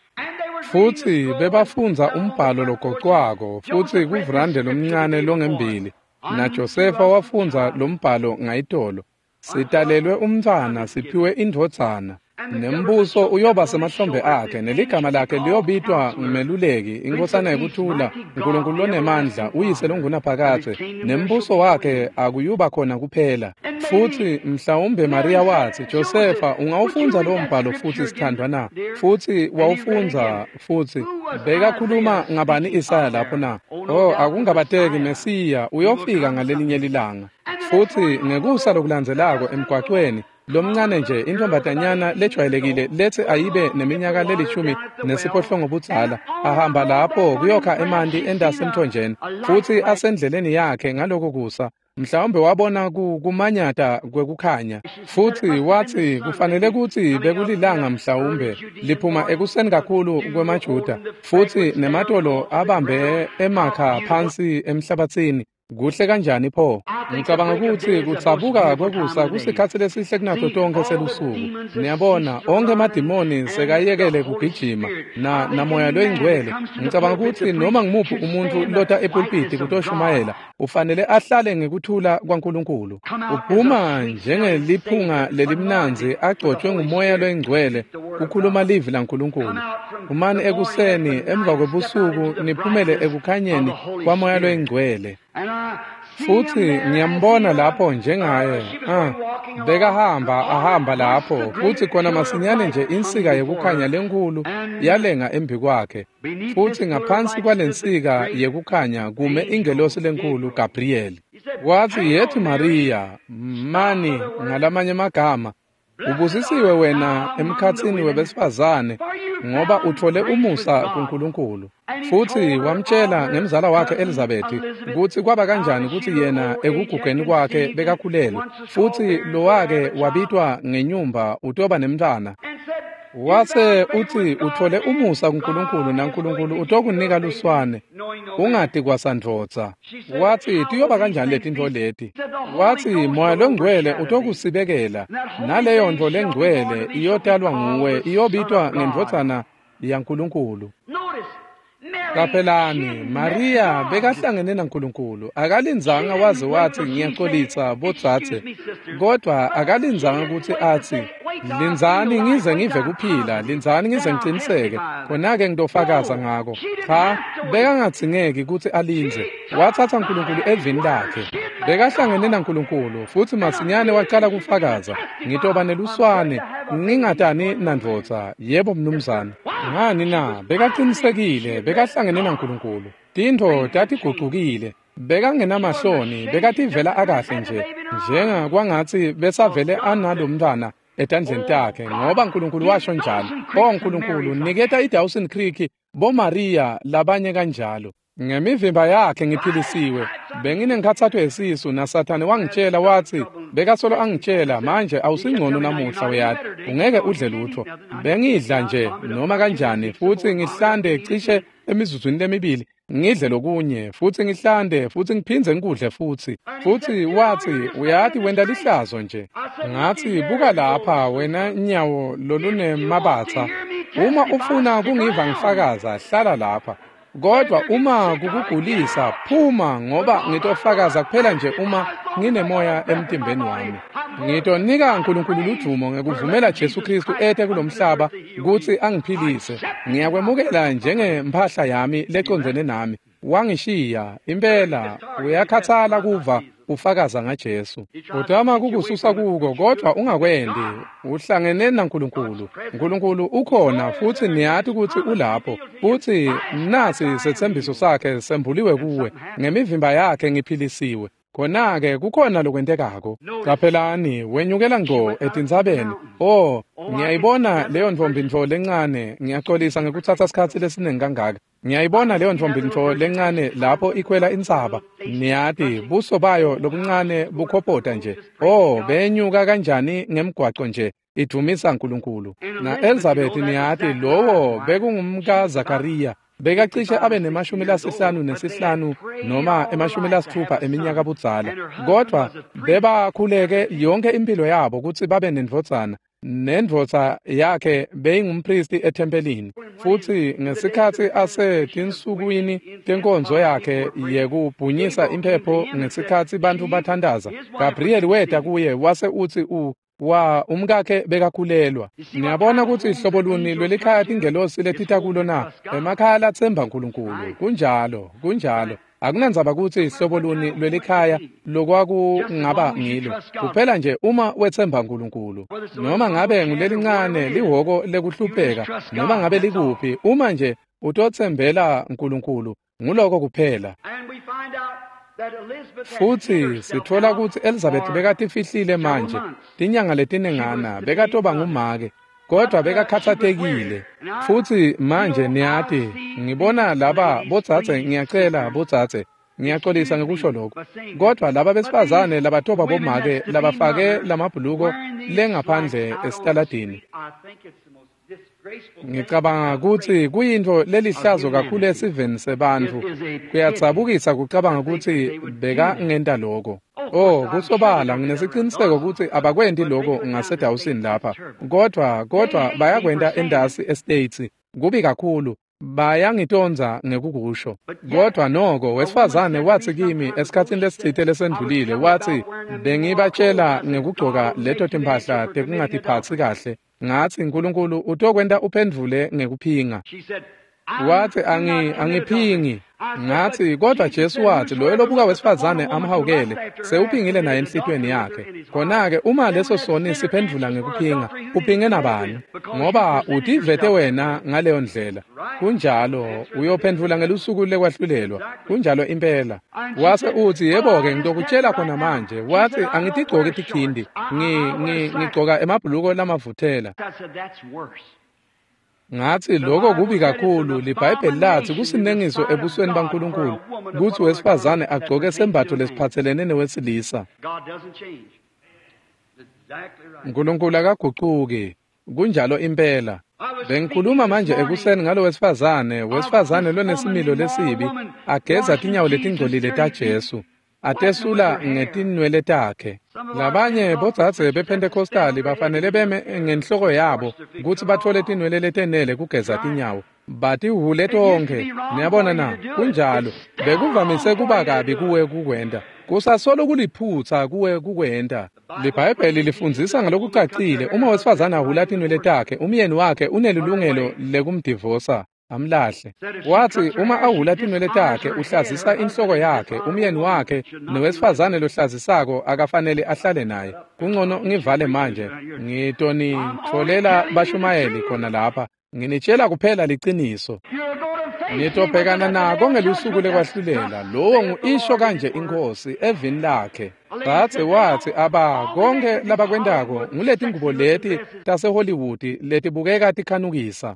Futsi bebafundza umbhalo logocwako futsi kuvulande lomncane longembili, naJosefa wafundza lombhalo ngayitolo. Sitalelwe umntfwana, siphiwe indvodzana. Nembuso uyoba semahlombe akhe, neligama lakhe liyobitwa ngumeluleki, inkhosana yekuthula, uNkulunkulu lonemandla, uyise longunaphakadze, nembuso wakhe akuyuba khona kuphela. Futsi mhlawumbe Mariya watsi, Josefa, ungawufundza lowo mbhalo futsi sithandwa na? Futsi wawufundza futsi. Bekakhuluma ngabani Isaya lapho na? Oh, akungabateki Mesiya uyofika ngalelinye lilanga. Futsi ngekusa lokulandzelako emgwacweni, lomncane nje intombatanyana lejwayelekile letsi ayibe neminyaka lelishumi nesiphohlongo budzala, ahamba lapho kuyokha emanti entasi emthonjeni, futsi asendleleni yakhe ngaloko kusa, mhlawumbe wabona kumanyata kwekukhanya, futsi watsi kufanele kutsi bekulilanga mhlawumbe liphuma ekuseni kakhulu kwemaJuda, futsi nematolo abambe emakha phansi emhlabatsini. Kuhle kanjani pho? Ngicabanga kutsi kutsabuka kwekusa kusikhatsi lesihle kunato tonkhe selusuku. Niyabona, onkhe emadimoni sekayekele kugijima na namoya loyingcwele. Ngicabanga kutsi noma ngimuphi umuntfu lota epulpiti kutoshumayela ufanele ahlale ngekuthula kwaNkulunkulu. Uphuma njengeliphunga lelimnandzi agcotshwe ngumoya loyingcwele kukhuluma livi laNkulunkulu. Phumani ekuseni emva kwebusuku niphumele ekukhanyeni kwamoya loyingcwele. Futsi ngiyambona lapho njengaye, ah, bekahamba ahamba lapho, futsi khona masinyane nje insika yekukhanya lenkhulu yalenga embi kwakhe, futsi ngaphansi kwalensika yekukhanya kume ingelosi lenkhulu Gabriel. Watsi, yethi Mariya, mani ngalamanye amagama, ubusisiwe wena emkhatsini webesifazane, ngoba uthole umusa kuNkulunkulu. Futsi wamtshela ngemzala wakhe Elizabeth kutsi kwaba kanjani kutsi yena ekugugeni kwakhe bekakhulelwe, futsi lowake wabitwa ngenyumba utoba nemntfwana. Wase utsi uthole umusa kuNkulunkulu naNkulunkulu utokunika luswane ungati kwasandvodza. Watsi tiyoba kanjani letintfo leti? Watsi moya longcwele utokusibekela, naleyo ntfo lengcwele iyotalwa nguwe, iyobitwa ngendvodzana yaNkulunkulu. Qaphelani, Mariya bekahlangene naNkulunkulu, akalindzanga waze watsi ngiyaxolisa bodzadze, kodwa akalindzanga kutsi atsi lindzani ngize ngive kuphila, lindzani ngize ngiciniseke, khona-ke ngitofakaza ngako. Cha, bekangadzingeki kutsi alindze. Watsatsa uNkulunkulu evini lakhe. Bekahlangene naNkulunkulu, futsi masinyane wacala kufakaza, ngitoba neluswane, ngingatani nandvodza. Yebo mnumzane. Ngani na? Bekaqinisekile, bekahlangene naNkulunkulu. Tintfo tatigucukile. Bekangenamahloni, bekativela akahle nje, njenga kwangatsi besavele analomntwana etandleni takhe, ngoba uNkulunkulu washo njalo. Oh Nkulunkulu, niketa iDawson Creek boMaria labanye kanjalo. Ngemivimba yakhe ngiphilisiwe. Benginenkhatsato yesisu naSathane wangitshela watsi, bekasolo angitshela, manje awusingcono namuhla uyati, ungeke udle lutho. Bengidla nje noma kanjani futsi ngihlande cishe emizuzwini lemibili, ngidle lokunye futsi ngihlande futsi ngiphindze ngikudle futsi. Futsi watsi, uyati wenta lihlazo nje. Ngatsi, buka lapha wena nyawo lolunemabatsa, uma ufuna kungiva ngifakaza hlala lapha. Kodwa uma kukugulisa phuma, ngoba ngitofakaza kuphela nje uma nginemoya emtimbeni wami. Ngitonika uNkulunkulu ludvumo ngekuvumela Jesu Kristu ete kulomhlaba kutsi angiphilise. Ngiyakwemukela njengemphahla yami lecondzene nami. Wangishiya impela, uyakhathala kuva ufakaza ngaJesu. Utama kukususa kuko, kodwa ungakwendi. Uhlangene naNkulunkulu. uNkulunkulu ukhona futsi niyati kutsi ulapho. Futsi nasi setsembiso sakhe sembuliwe kuwe. Ngemivimba yakhe ngiphilisiwe. Khona-ke kukhona lokwentekako. Qaphelani, wenyukela ngco etintsabeni. Oh, ngiyayibona leyo ntfombi-ntfo lencane. Ngiyaxolisa ngekutsatsa sikhatsi lesiningi kangaka. Ngiyayibona leyo ntfombi-ntfo lencane lapho ikhwela intsaba. Niyati, buso bayo lobuncane bukhopota nje. Oh, benyuka kanjani ngemgwaco nje, idvumisa uNkulunkulu. Na Elizabeth niyati, lowo bekungumka Zakariya. Bekacishe abe nemashumi lasihlanu nesihlanu noma emashumi lasitfupha eminyaka budzala, kodwa bebakhuleke yonke impilo yabo kutsi babe nendvodzana, Nendvodza yakhe beyingumpristi ethempelini. Futsi ngesikhatsi asetinsukwini tenkonzo yakhe yekubhunyisa imphepho ngesikhatsi bantfu bathandaza, Gabriel weta kuye wase utsi u wa umkakhe bekakhulelwa. Niyabona kutsi hlobo luni lwelikhaya tingelosi letita kulo na? Emakhaya latsemba Nkulunkulu. Kunjalo, kunjalo. Akunandzaba kutsi hlobo luni lwelikhaya lokwakungaba ngilo. Kuphela nje uma wetsemba Nkulunkulu. Noma ngabe ngulelincane lihhoko lekuhlupheka, noma ngabe likuphi, uma nje utotsembela Nkulunkulu, nguloko kuphela. Futsi sitfola kutsi Elizabeth bekatifihlile manje tinyanga letinengana bekatoba ngumake, kodwa bekakhatsatekile. Futsi manje niyati, ngibona laba bodzadze, ngiyacela bodzadze, ngiyaxolisa ngekusho lokho, kodwa laba besifazane labatoba bomake labafake lamabhuluko lengaphandle esitaladini, ngicabanga kutsi kuyintfo lelihlazo kakhulu esiveni sebantfu. Kuyadzabukisa kucabanga kutsi bekangenta loko. Oh, kusobala nginesiciniseko kutsi abakwenti loko ngaseDawson lapha, kodwa kodwa bayakwenta endasi eStates. Kubi kakhulu, bayangitondza ngekukusho. Kodwa noko wesifazane watsi kimi esikhatsini lesitsite lesendlulile, watsi bengibatshela ngekugcoka leto timphahla tekungatiphatsi kahle. Ngatsi Nkulunkulu utokwenta uphendvule ngekuphinga. Watsi angi angiphingi. Ngatsi kodwa Jesu watsi loyo lobuka wesifazane amhawukele sewuphingile naye enhlitiyweni yakhe. Khona-ke uma leso soni siphendvula ngekuphinga, uphinge nabani? Ngoba utivete wena ngaleyo ndlela. Kunjalo, uyophendvula ngelusuku lekwahlulelwa. Kunjalo impela. Wase utsi yebo-ke ngitokutshela khona manje. Watsi angitigcoki tikhindi, ngi ngi ngigcoka emabhuluko lamavuthela. Ngatsi lokho kubi kakhulu. LiBhayibheli latsi kusinengiso ebusweni baNkulunkulu kutsi wesifazane agcoke sembatfo lesiphatselene newesilisa. Nkulunkulu akagucuki. Kunjalo impela. Bengikhuluma manje ekuseni ngalo wesifazane, wesifazane lonesimilo lesibi, ageza tinyawo letingcolile taJesu, atesula ngetinwele takhe. Labanye bodzadze bePentecostali bafanele beme ngenhloko yabo kutsi batfole tinwele letenele kugeza tinyawo. Batihhule tonkhe. Niyabona na? Kunjalo. Bekuvamise kuba kabi kuwe kukwenta. Kusasolo kuliphutsa kuwe kukwenta. LiBhayibheli lifundzisa ngalokucacile, uma wesifazane ahhula tinwele takhe, umyeni wakhe unelilungelo lekumdivosa amlahle. Watsi uma ahhula tinwele takhe uhlazisa inhloko yakhe, umyeni wakhe nowesifazane lohlazisako akafanele ahlale naye. Kungcono ngivale manje, ngitonitfolela bashumayeli khona lapha. Nginitshela kuphela liciniso. Nitobhekana nako ngelusuku lekwahlulela. Lowo ngu-isho kanje iNkhosi evini lakhe. Dzadze watsi aba konke labakwentako nguletingubo leti taseHollywood letibukeka tikhanukisa.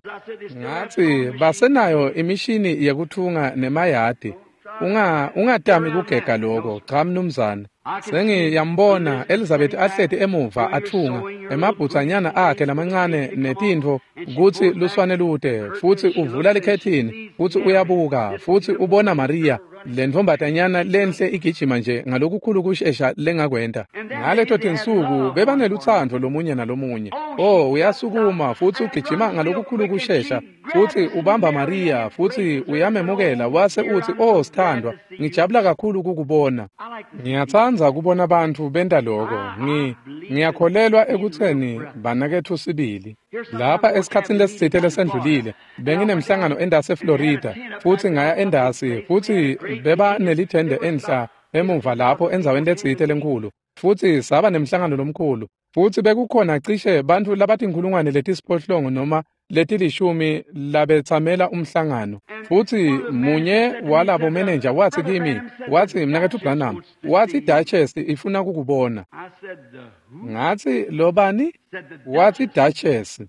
Ngatsi basenayo imishini yekuthunga nemayadi. Unga ungatami kugega loko, cha mnumzane. Sengiyambona Elizabeth ahleti emuva athunga emabhutsanyana akhe lamancane netintfo kutsi luswane lute, futsi uvula likhethini, futsi uyabuka, futsi ubona Maria lentfombatanyana lenhle igijima nje ngalokukhulu kushesha lengakwenta. Ngaleto tinsuku bebanelutsandvo lomunye nalomunye. Oh, uyasukuma futsi ugijima ngalokukhulu kushesha, futsi ubamba Maria futsi uyamemukela wase utsi, "Oh sithandwa, ngijabula kakhulu kukubona." Ngiyatsandza kubona bantfu benta loko. Ngi ngiyakholelwa ekutseni banaketfu sibili. Lapha esikhatsini lesitsite lesendlulile benginemhlangano endasi eFlorida, futsi ngaya endasi, futsi beba nelithende enhla emuva lapho endzaweni letsite lenkhulu, futsi saba nemhlangano lomkhulu, futsi bekukhona cishe bantfu labatinkhulungwane letisiphohlongo noma letilishumi labetsamela umhlangano. Futsi munye walabo manager watsi kimi, watsi mnaketfu Branham, watsi Duchess ifuna kukubona. Ngatsi lobani? Watsi Duchess.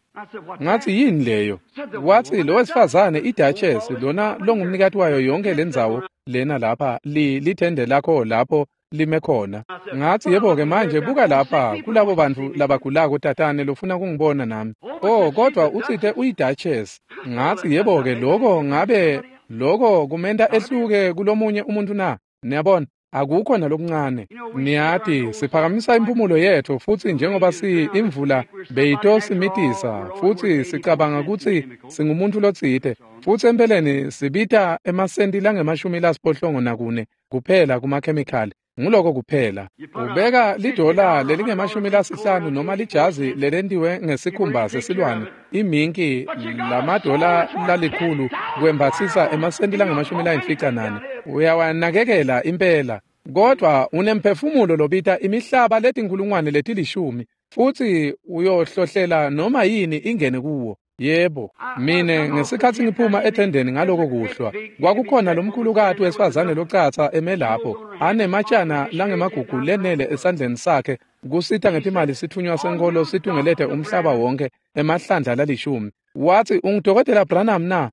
Ngatsi yini leyo? Watsi lo wesifazane iDuchess lona longumnikati wayo yonke lendzawo lena lapha, li lithende lakho lapho lime khona. Ngatsi yebo-ke manje buka lapha kulabo bantfu labagulako tatane lofuna kungibona nami. Oh, kodwa utsite uyiDuchess. Ngatsi yebo-ke lokho ngabe lokho kumenta ehluke kulomunye umuntu na? Niyabona, Akukho nalokuncane. Niyati, siphakamisa impumulo yetfu futsi njengoba si imvula beyitosimitisa futsi sicabanga kutsi singumuntfu lotsite, futsi empeleni sibita emasenti langemashumi lasiphohlongo nakune kuphela kumakhemikhali. Nguloko kuphela. Ubeka lidola lelingemashumi lasihlanu noma lijazi lelentiwe ngesikhumba sesilwane iminki lamadola lalikhulu kwembatsisa emasenti langemashumi layimfica nane. Uyawanakekela impela, kodwa unemphefumulo lobita imihlaba letinkhulungwane letilishumi futsi uyohlohlela noma yini ingene kuwo. Yebo, mine ngesikhatsi ngiphuma ethendeni ngaloko kuhlwa, kwakukhona lomkhulukati wesifazane locatsa eme lapho, anematshana langemagugu lenele esandleni sakhe kusita ngetimali sithunywa senkholo situngelete umhlaba wonke emahlandla lalishumi. Watsi, "Ungudokotela Branham na?"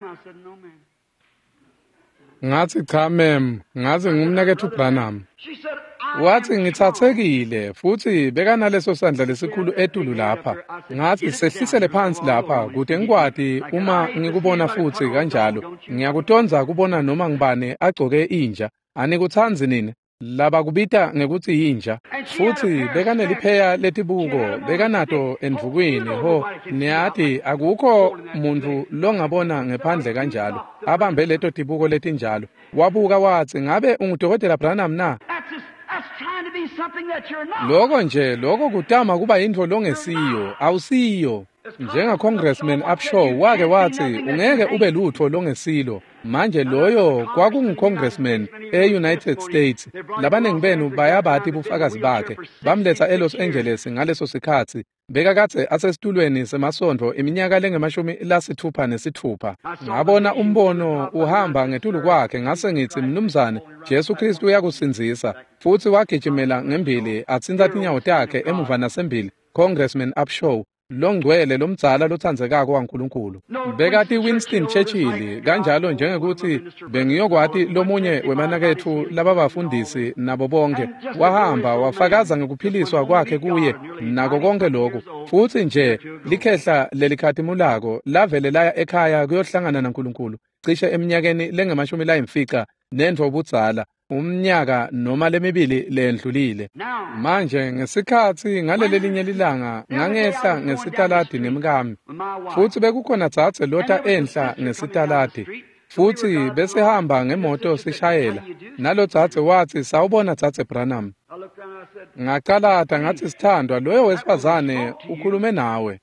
Ngatsi, "Cha ma'am, ngatsi ngumnaketfu Branham." Watsi, "Ngitsatsekile," futsi bekanaleso sandla lesikhulu etulu lapha. Ngatsi, "Sehlisele phansi lapha kute ngikwati uma ngikubona futsi kanjalo. Ngiyakutondza kubona noma ngibane agcoke inja. Anikutsandzi nini labakubita ngekutsi yinja?" Futsi bekanelipheya letibuko, bekanato endvukwini. Ho, niyati akukho muntfu longabona ngephandle kanjalo, abambe leto tibuko letinjalo. Wabuka watsi, "Ngabe ungudokotela Branham na?" Loko nje, loko kutama kuba yintfo longesiyo, awusiyo. Njenga Congressman Upshaw wake watsi, "Ungeke ube lutfo longesilo." Manje loyo kwakungu-Congressman e-United States. Labanengi benu bayabati bufakazi bakhe. Bamletsa eLos Angeles ngaleso sikhatsi. Bekakadze asesitulweni semasontfo iminyaka lengemashumi lasitfupha nesitfupha. Ngabona umbono uhamba ngetulu kwakhe, ngase ngitsi, "Mnumzane, Jesu Kristu uyakusindzisa." Futsi wagijimela ngembili atsintsa tinyawo takhe emuva nasembili. Congressman Upshaw, longcwele lomdzala lotsandzekako waNkulunkulu. Bekati Winston Churchill kanjalo njengekuthi bengiyokwati lomunye wemanaketfu lababafundisi nabo bonke. Wahamba wafakaza ngekuphiliswa kwakhe kuye nako konke lokhu. Futsi nje likhehla lelikhatimulako lavele laya ekhaya kuyohlangana naNkulunkulu cishe eminyakeni lengemashumi layimfica nentfo budzala, umnyaka noma lemibili lendlulile. Manje ngesikhatsi ngalelelinye lilanga ngangehla ngesitaladi nemkami, futsi bekukhona dzadze lota enhla ngesitaladi, futsi besihamba ngemoto sishayela. Nalo dzadze watsi, "Sawubona dzadze Branham." Ngacalata ngatsi, "Sithandwa, loyo wesifazane ukhulume nawe."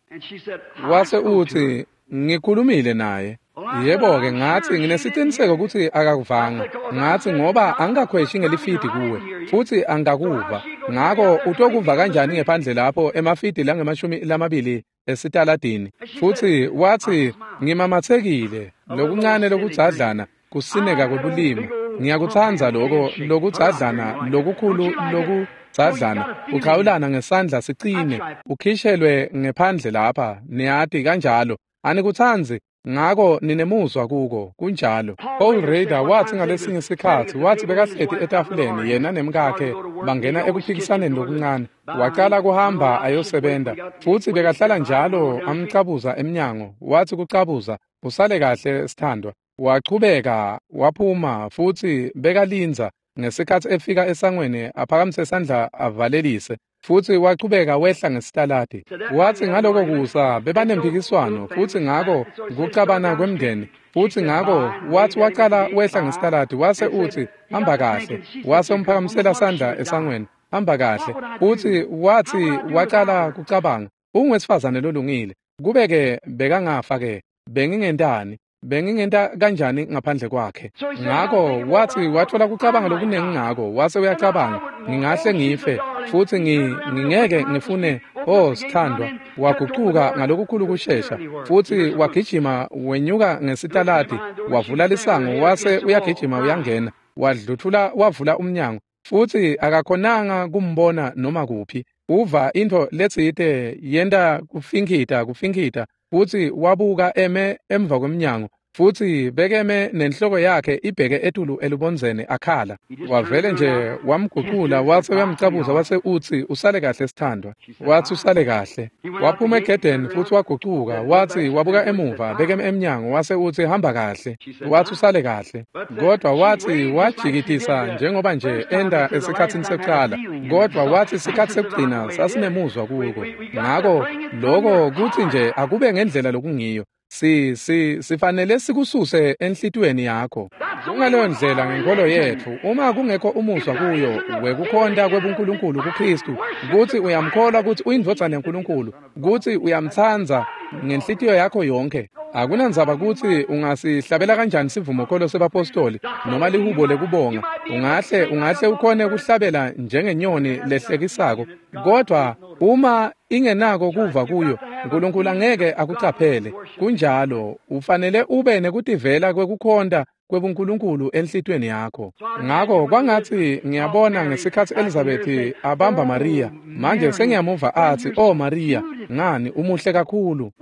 Wase utsi, "Ngikhulumile naye." Yebo-ke, ngatsi, "Nginesiciniseko kutsi akakuvanga." Ngatsi, "Ngoba angikakhweshi ngelifidi kuwe, futsi angikakuva. Ngako utokuva kanjani ngephandle lapho emafidi langemashumi lamabili esitaladini?" Futsi watsi, "Ngimamatsekile, lokuncane lokudzadlana, kusineka kwebulima. Ngiyakutsandza loko lokudzadlana lokukhulu lokudzadlana, kuchawulana ngesandla sicine, ukhishelwe ngephandle lapha, niyati kanjalo. Anikutsandzi? Ngako ninemuzwa kuko." Kunjalo. Paul Rader watsi ngalesinye sikhatsi, watsi bekahleti etafuleni yena nemkakhe bangena ekuphikisaneni lokuncane. Wacala kuhamba ayosebenta, futsi bekahlala njalo amcabuza emnyango. Watsi kucabuza, "Usale kahle sithandwa." Wachubeka waphuma futsi bekalindza ngesikhatsi efika esangweni aphakamise sandla avalelise, futsi wachubeka wehla ngesitaladi. Watsi ngaloko kusa bebanemphikiswano, futsi ngako kucabana kwemndeni, futsi ngako watsi wacala wehla ngesitaladi wase utsi, "Hamba kahle." Wase umphakamisela sandla esangweni, "Hamba kahle." Futsi watsi wacala kucabanga, "Ungwesifazane lolungile. Kube-ke bekangafa-ke, bengingentani? Bengingenta kanjani ngaphandle kwakhe?" Ngako watsi watfola kucabanga lokunengi ngako, wase uyacabanga, "Ngingahle ngife, futsi ngingeke ngifune, oh sithandwa." Wagucuka ngalokukhulu kushesha, futsi wagijima wenyuka ngesitaladi, wavula lisango, wase uyagijima uyangena, wadluthula wavula umnyango, futsi akakhonanga kumbona noma kuphi. Uva intfo letsite yenta kufinkhita kufinkhita, futsi wabuka eme emva kwemnyango, Futsi bekeme nenhloko yakhe ibheke etulu elubondzeni akhala. Wavele nje wamgucula wase uyamcabuza wase utsi usale kahle sithandwa. Watsi usale kahle. Waphuma egedeni futsi wagucuka watsi wabuka emuva bekeme emnyango wase utsi hamba kahle. Watsi usale kahle. Kodwa watsi wajikitisa njengoba nje enda esikhatsini sekucala. Kodwa watsi sikhatsi sekugcina sasinemuzwa kuko. Ngako loko kutsi nje akube ngendlela lokungiyo. Si si sifanele sikususe enhlitiyweni yakho. Kungaleyo ndlela ngenkolo yetfu, uma kungekho umuzwa kuyo wekukhonta kwebuNkulunkulu kuKristu, kutsi uyamkholwa kutsi uyindvodzana yaNkulunkulu, kutsi uyamtsandza ngenhlitiyo yakho yonke. Akunandzaba kutsi ungasihlabela kanjani sivumokholo sebapostoli noma lihubo lekubonga, ungahle ungahle ukhone kuhlabela njengenyoni lehlekisako, kodwa uma ingenako kuva kuyo, uNkulunkulu angeke akucaphele. Kunjalo, ufanele ube nekutivela kwekukhonta kwebuNkulunkulu enhlitiyweni yakho. Ngako kwangatsi ngiyabona ngesikhatsi Elizabeth abamba Maria, manje sengiyamuva atsi, "Oh Maria, ngani umuhle kakhulu."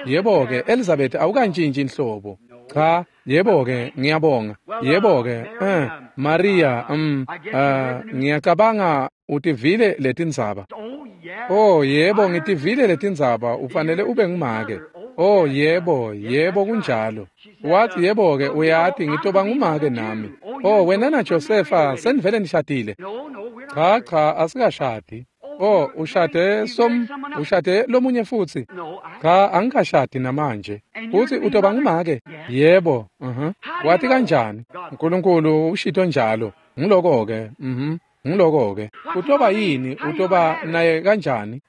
Yebo-ke Elizabeth awukantshintshi inhlobo. Cha, yebo-ke ngiyabonga. Yebo-ke, eh Maria, um uh, ngiyacabanga utivile letindzaba. Oh yebo, ngitivile letindzaba, ufanele ube ngumake. Oh yebo, yebo kunjalo. Wathi yebo-ke uyati ngitoba ngumake nami. Oh wena na Josefa senivele nishadile. Cha cha asikashadi. Oh ushade som ushade lomunye futsi. Cha angikashadi namanje. Futhi utoba ngumake. Yebo, mhm. Wathi kanjani? uNkulunkulu ushito njalo. Ngiloko-ke, mhm. Ngiloko-ke. Utoba yini? Utoba naye kanjani?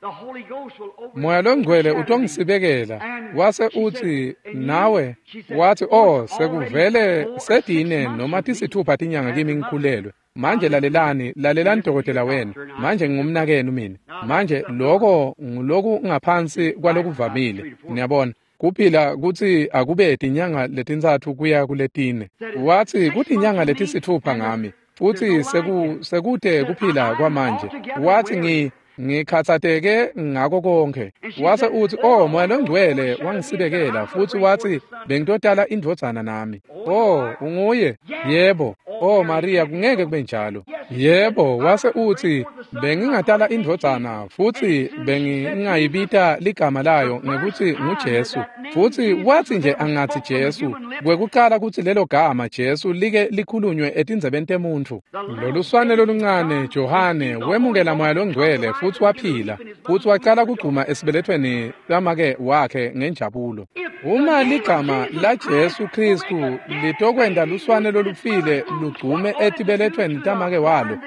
Moya longcwele utongisibekela. Wase utsi nawe, wathi oh sekuvele sedine noma tisithupha tinyanga kimi ngikhulelwe. Manje lalelani, lalelani dokotela wenu. Manje ngingumnakenu mina. Manje loko nguloku ngaphansi kwalokuvamile. Niyabona? Kuphila kutsi akube tinyanga letintsatfu kuya kuletine. Wathi kutinyanga letisithupha ngami. Futsi seku sekute kuphila kwamanje. Wathi ngi ngikhatsateke ngako konke. Wase utsi oh Moya longcwele wangisibekela futsi wathi bengitotala indvodzana nami. Oh unguye? Yebo. Oh Maria kungeke kube njalo. Yebo, wase utsi bengingatala indvodzana futsi bengingayibita ligama layo ngekutsi nguJesu. Futsi wathi nje angatsi Jesu, kwekucala kutsi lelo gama Jesu like likhulunywe etindzebeni temuntfu. Loluswane loluncane Johane wemukela Moya longcwele futsi waphila, futsi wacala kugcuma esibelethweni samake wakhe ngenjabulo. Uma ligama la Jesu Kristu litokwenta luswane lolufile lugcume etibelethweni tamake walo,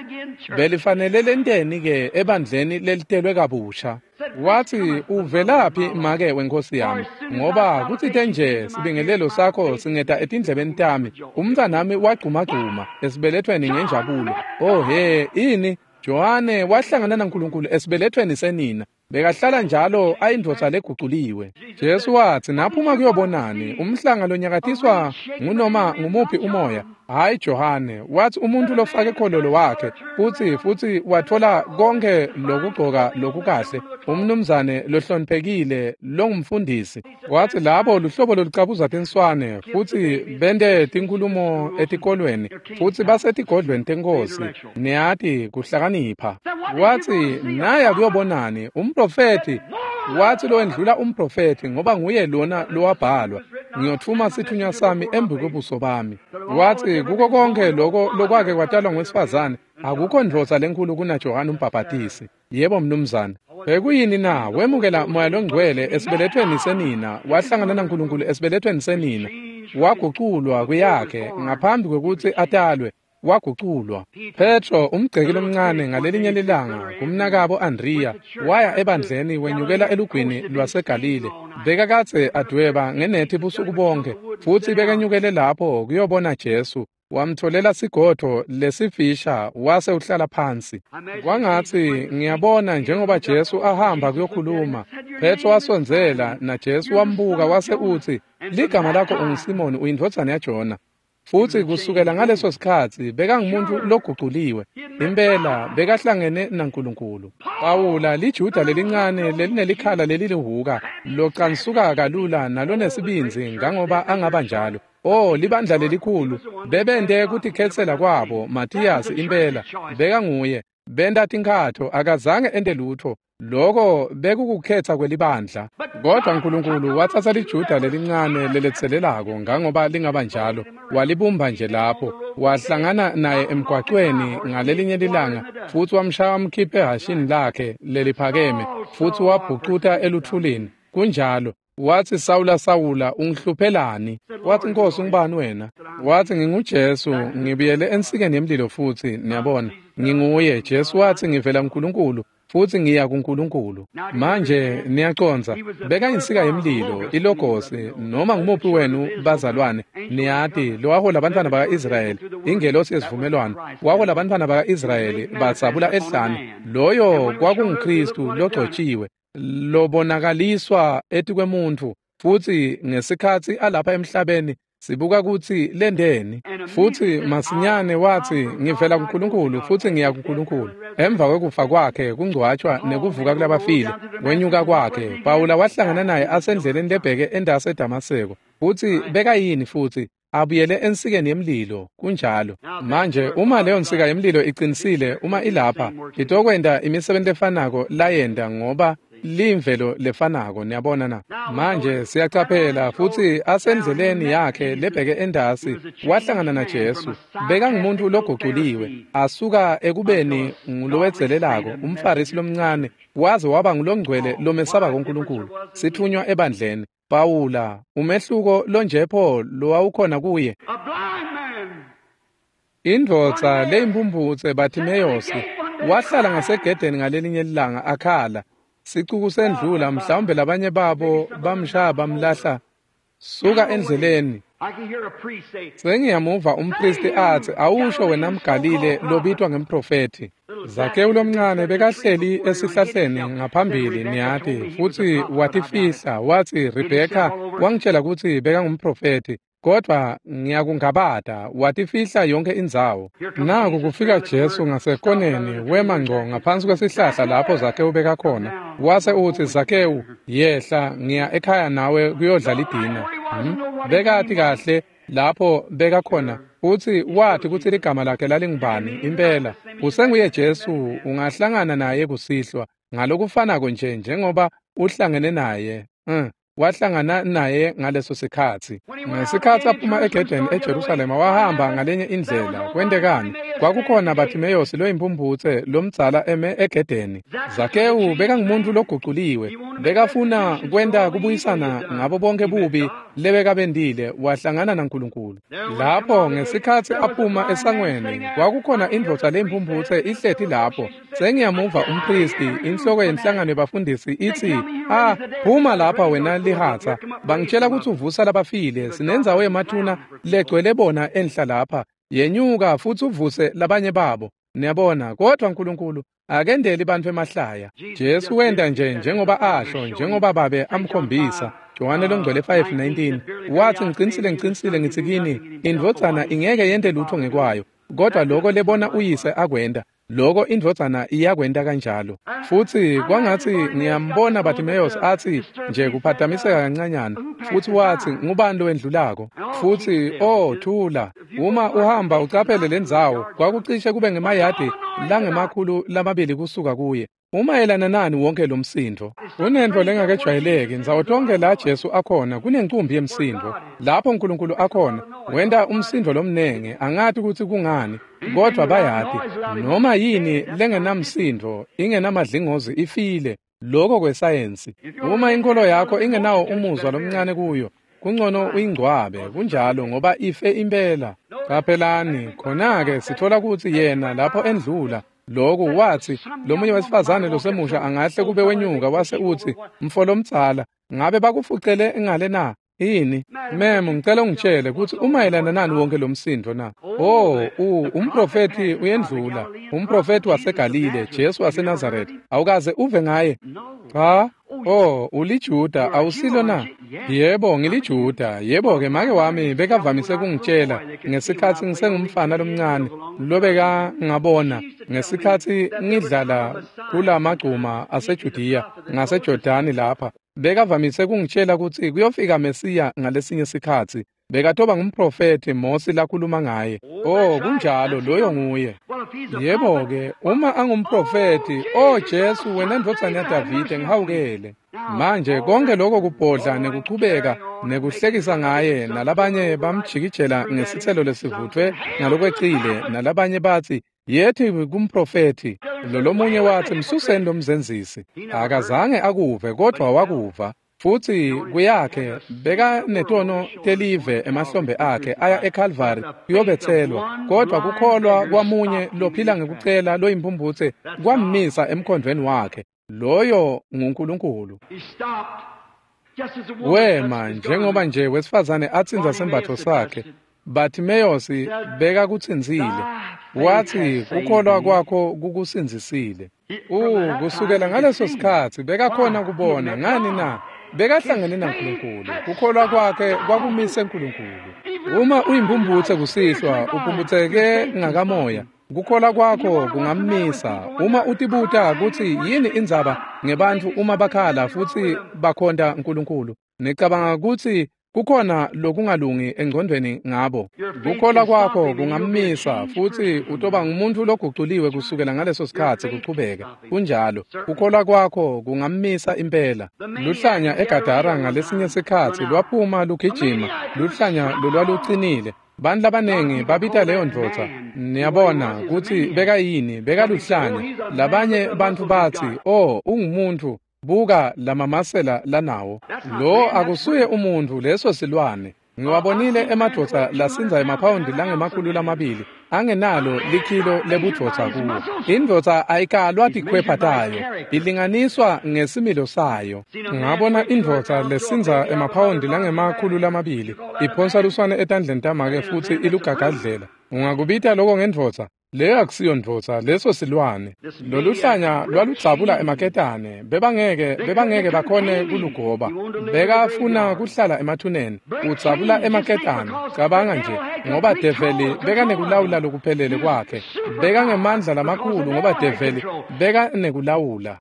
belifanele lenteni ke ebandleni lelitelwe kabusha? Wathi uvelaphi make wenkosi yami? Ngoba kutsite nje sibingelelo sakho singeta etindlebeni tami, umntwanami wagcumagcuma esibelethweni ngenjabulo. Oh he, ini? Johane wahlangana naNkulunkulu esibelethweni senina. Bekahlala njalo ayindvodza leguculiwe. Jesu watsi naphuma kuyobonani umhlanga lonyakatiswa ngunoma ngumuphi umoya. Hayi Johane, wathi umuntu lofake khololo wakhe futsi futsi watfola konke lokugcoka lokukahle, umnumzane lohloniphekile longumfundisi. Wathi labo luhlobo lolucabuza tinswane futsi bente tinkhulumo etikolweni futsi basetigodlweni tenkosi, niyati kuhlakanipha. Wathi naya kuyobonani umprofethi. Wathi lowendlula umprofethi ngoba nguye lona lowabhalwa, ngiyotfuma sithunywa sami embi kwebuso bami. Wathi kuko konke loko lokwake kwatalwa ngowesifazane akukho ndvodza lenkhulu kunaJohane umbhabhatisi. Yebo mnumzane. Bekuyini na? Wemukela Moya longcwele esibelethweni senina, wahlangana naNkulunkulu esibelethweni senina, waguculwa kuyakhe ngaphambi kwekutsi atalwe. Waguculwa. Petro umgceki lomncane ngalelinye lilanga kumnakabo Andrea waya ebandleni wenyukela elugwini lwaseGalile. Bekakadze adweba ngenethi busuku bonke futsi bekenyukele lapho kuyobona Jesu. Wamtholela sigodvo lesifisha wase uhlala phansi. Kwangatsi ngiyabona njengoba Jesu ahamba kuyokhuluma. Petro wasondzela na Jesu wambuka wase utsi, ligama lakho unguSimoni uyindvodzana yaJona. Futsi kusukela ngaleso sikhatsi bekangumuntu loguculiwe. Impela bekahlangene naNkulunkulu. Pawula liJuda lelincane lelinelikhala lelilihuka locansuka kalula nalonesibindzi ngangoba angaba njalo. Oh, libandla lelikhulu bebente kutikhetsela kwabo. Mathiyasi impela bekanguye. Benta tinkhatho, akazange ente lutho. Loko bekukukhetsa kwelibandla. Kodwa Nkulunkulu watsatsa liJuda lelincane leletselelako ngangoba lingaba njalo, walibumba nje lapho. Wahlangana naye emgwacweni ngalelinye lilanga futsi wamshaya wamkhipha ehhashini lakhe leliphakeme futsi wabhucuta eluthulini. Kunjalo. Watsi, Sawula, Sawula, ungihluphelani? Watsi, Nkosi, ungubani wena? Watsi, nginguJesu, ngibuyele ensikeni yemlilo futsi, niyabona. Nginguye. Jesu watsi, ngivela kuNkulunkulu futsi ngiya kuNkulunkulu. Manje niyacondza, bekayinsika yemlilo, ilogosi, noma ngumuphi wenu bazalwane, niyati, lowahola abantwana baka-Israyeli, ingelosi yesivumelwano, wahola abantwana baka-Israyeli batsabula ehlane. Loyo kwakunguKristu logcotshiwe, lobonakaliswa etikwemuntfu, futsi ngesikhatsi alapha emhlabeni sibuka kutsi lendeni. Futsi masinyane watsi, ngivela kuNkulunkulu futsi ngiya kuNkulunkulu. Emva kwekufa kwakhe, kungcwatshwa nekuvuka kulabafile, kwenyuka kwakhe, Pawula wahlangana naye asendleleni lebheke endase eDamaseko. Futsi bekayini futsi? Abuyele ensikeni yemlilo. Kunjalo. Manje uma leyo nsika yemlilo iqinisile, uma ilapha, itokwenta imisebenti lefanako layenta ngoba limvelo lefanako, niyabona na. Manje siyacaphela futsi asendleleni yakhe lebheke endasi wahlangana naJesu. Bekangumuntu loguculiwe, asuka ekubeni ngulowedzelelako, umFarisi lomncane, waze waba ngulongcwele lomesaba kuNkulunkulu, sithunywa ebandleni. Pawula, umehluko lonjepho lowawukhona kuye. Indvodza leyimphumphutse Bartimeyosi wahlala ngasegedeni ngalelinye lilanga akhala. Sicuku sendlula, mhlawumbe labanye babo bamshaya bamlahla suka endleleni. Sengiyamuva umpristi atsi, awusho wena mGalile lobitwa ngemprofethi. Zakewu lomncane bekahleli esihlahleni ngaphambili, niyati, futsi watifihla. Watsi, Rebheka wangitshela kutsi bekangumprofethi, kodvwa ngiyakungabata. Watifihla yonke indzawo. Naku kufika Jesu ngasekoneni, wema ngco ngaphansi kwesihlahla lapho Zakewu bekakhona. Wase utsi, Zakewu, yehla, ngiya ekhaya nawe kuyodla lidina. Hmm? Bekati kahle lapho bekakhona, futsi wathi kutsi ligama lakhe lalingubani. Impela usenguye Jesu, ungahlangana naye kusihlwa ngalokufanako nje njengoba uhlangene naye. Mm. Wahlangana naye ngaleso sikhatsi. Ngesikhatsi aphuma egedeni eJerusalema wahamba ngalenye indlela. Kwentekani? Kwakukhona Bartimeyosi loyimphumphutse lomdzala eme egedeni. Zakewu bekangumuntu loguculiwe, bekafuna kwenta kubuyisana ngabo bonke bubi lebekabendile. Wahlangana naNkulunkulu. Lapho ngesikhatsi aphuma esangweni kwakukhona indvodza leyimphumphutse ihleti lapho. Sengiyamuva umpristi, inhloko yenhlangano yebafundisi, itsi, ah, phuma lapha wena lihatsa, bangitshela kutsi uvusa labafile, sinendzawo yemathuna legcwele bona enhla lapha, yenyuka futsi uvuse labanye babo. Niyabona, kodwa Nkulunkulu akendeli bantfu emahlaya. Jesu wenta nje njengoba asho, njengoba babe amkhombisa. Johane longcwele five nineteen wathi, ngicinisile ngicinisile ngitsi kini, indvodzana ingeke yente lutho ngekwayo, kodwa loko lebona uyise akwenta, loko indvodzana iyakwenta kanjalo. Futsi kwangatsi ngiyambona Bartimeyosi atsi nje kuphatamiseka kancanyana, futsi watsi, ngubani lowendlulako? Futsi oh, thula, uma uhamba ucaphele lendzawo, kwakucishe kube ngemayadi langemakhulu lamabili kusuka kuye. Umayelana nani wonke lo msindo? Kunento lengakejwayeleki ndzawo tonke la Jesu akhona kunencumbi yemsindo. Lapho uNkulunkulu akhona wenta umsindo lomnenge, angati kutsi kungani, kodwa bayati noma yini lengenamsindo ingenamadlingozi ifile. Lokho kwesayensi. Uma inkolo yakho ingenawo umuzwa lomncane kuyo, kungcono uyingcwabe. Kunjalo, ngoba ife impela. Qaphelani, khona-ke sithola kutsi yena lapho endlula lokhu wathi, lomunye wesifazane losemusha angahle kube wenyuka wase uthi, mfo lomdzala, ngabe bakufucele ngale na? Ini? Mem, ngicela ungitshele kutsi umayelana nani wonke lo msindo na? Oh, u umprofethi uyendlula, umprofethi waseGalile, Jesu waseNazaretha. Awukaze uve ngaye? Cha. Oh, uliJuda awusilo na? Yebo, ngiliJuda. Yebo-ke make wami bekavamise kungitshela ngesikhatsi ngisengumfana lomncane lobeka ngabona ngesikhatsi ngidlala kulamagcuma aseJudiya ngaseJordani lapha. Bekavamise kungitshela kutsi kuyofika Mesiya ngalesinye sikhatsi. Bekatoba ngumprofethi Mosi lakhuluma ngaye. Oh, kunjalo, loyo nguye. Yebo-ke, uma angumprofethi, oh Jesu wena ndvodzana yaDavide ngihawukele. Manje konke lokho kubhodla nekuchubeka nekuhlekisa ngaye nalabanye bamjikijela ngesitselo lesivuthwe ngalokwecile nalabanye batsi yethi kumprofethi. Lolomunye watsi msuseni lomzenzisi. Akazange akuve kodwa wakuva. Futsi kuyakhe bekanetono telive emahlombe akhe aya eCalvary kuyobetselwa, kodwa kukholwa kwamunye lophila ngekucela loyimphumphutse kwammisa emkhondvweni wakhe. Loyo nguNkulunkulu. Wema njengoba nje wesifazane atsintsa sembatfo sakhe. Bartimeyosi bekakutsintsile. Watsi kukholwa kwakho kukusindzisile. Uh, kusukela ngaleso sikhatsi bekakhona kubona. Ngani na? Bekahlangene naNkulunkulu. Kukholwa kwakhe kwakumise uNkulunkulu. Uma uyimphumphutse kusihlwa, uphumputseke ngakamoya. Kukholwa kwakho kungammisa. Uma utibuta kutsi yini indzaba ngebantfu uma bakhala futsi bakhonta uNkulunkulu, nicabanga kutsi kukhona lokungalungi engcondvweni ngabo. Kukholwa kwakho kungammisa futsi utoba ngumuntu loguculiwe kusukela ngaleso sikhatsi kuchubeka. Kunjalo, kukholwa kwakho kungammisa impela. Luhlanya eGadara ngalesinye sikhatsi lwaphuma lugijima, luhlanya lolwalucinile. Bantu labanengi babita leyo ndvodza, niyabona kutsi bekayini, bekaluhlanya. Labanye bantfu batsi, oh, ungumuntu, buka lamamasela lanawo. Lo akusuye umuntu, leso silwane. Ngiwabonile emadvodza lasindza emaphawundi langemakhulu lamabili angenalo likhilo lebudvodza kuwo. Indvodza ayikalwa tikhwepha tayo, ilinganiswa ngesimilo sayo. Ngabona indvodza lesindza emaphawundi langemakhulu lamabili iphonsa luswane etandleni tamake futsi ilugagadlela. Ungakubita lokho ngendvodza? Leyo akusiyo ndvodza, leso silwane. Loluhlanya lwaludzabula emaketane, bebangeke bebangeke bakhone kulugoba. Bekafuna kuhlala emathuneni, udzabula emaketane. Cabanga nje, ngoba develi bekanekulawula lokuphelele kwakhe. Bekangemandla lamakhulu ngoba develi bekanekulawula.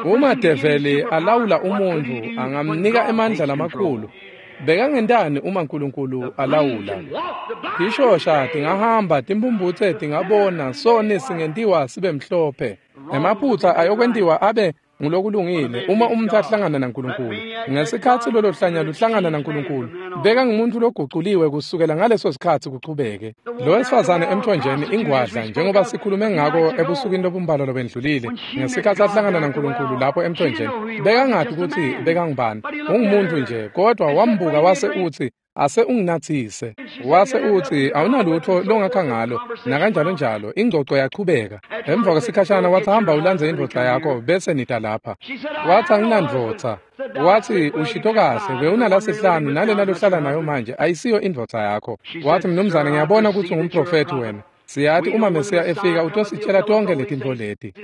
Uma develi alawula umuntfu, angamnika emandla lamakhulu. Bekangentani uma uNkulunkulu alawula? Tishosha tingahamba, timphumphutse tingabona, soni singentiwa sibe mhlophe. Emaphutsa ayokwentiwa abe ngulokulungile uma umuntu ahlangana naNkulunkulu. Ngesikhatsi lolo hlanya luhlangana naNkulunkulu, bekangumuntu loguculiwe kusukela ngaleso sikhatsi kuchubeke. Lo wesifazane emthonjeni ingwadla, njengoba sikhulume ngako ebusukwini lobumbalwa lobendlulile, ngesikhatsi ahlangana naNkulunkulu lapho emthonjeni, bekangati kutsi bekangubani, ungumuntu nje, kodwa wambuka wase utsi, ase unginathise. Wase utsi awunalutho longakha ngalo, nakanjalo njalo. Ingcoco yachubeka. Emva kwesikhashana wathi hamba ulandze indvodza yakho bese nita lapha. Wathi anginandvodza. Wathi ushito kahle, bewunalasihlanu nalena lohlala nayo manje ayisiyo indvodza yakho. Wathi mnumzane ngiyabona kutsi ungumprofethi wena. Siyati uma Mesiya efika utositshela tonke letintfo leti.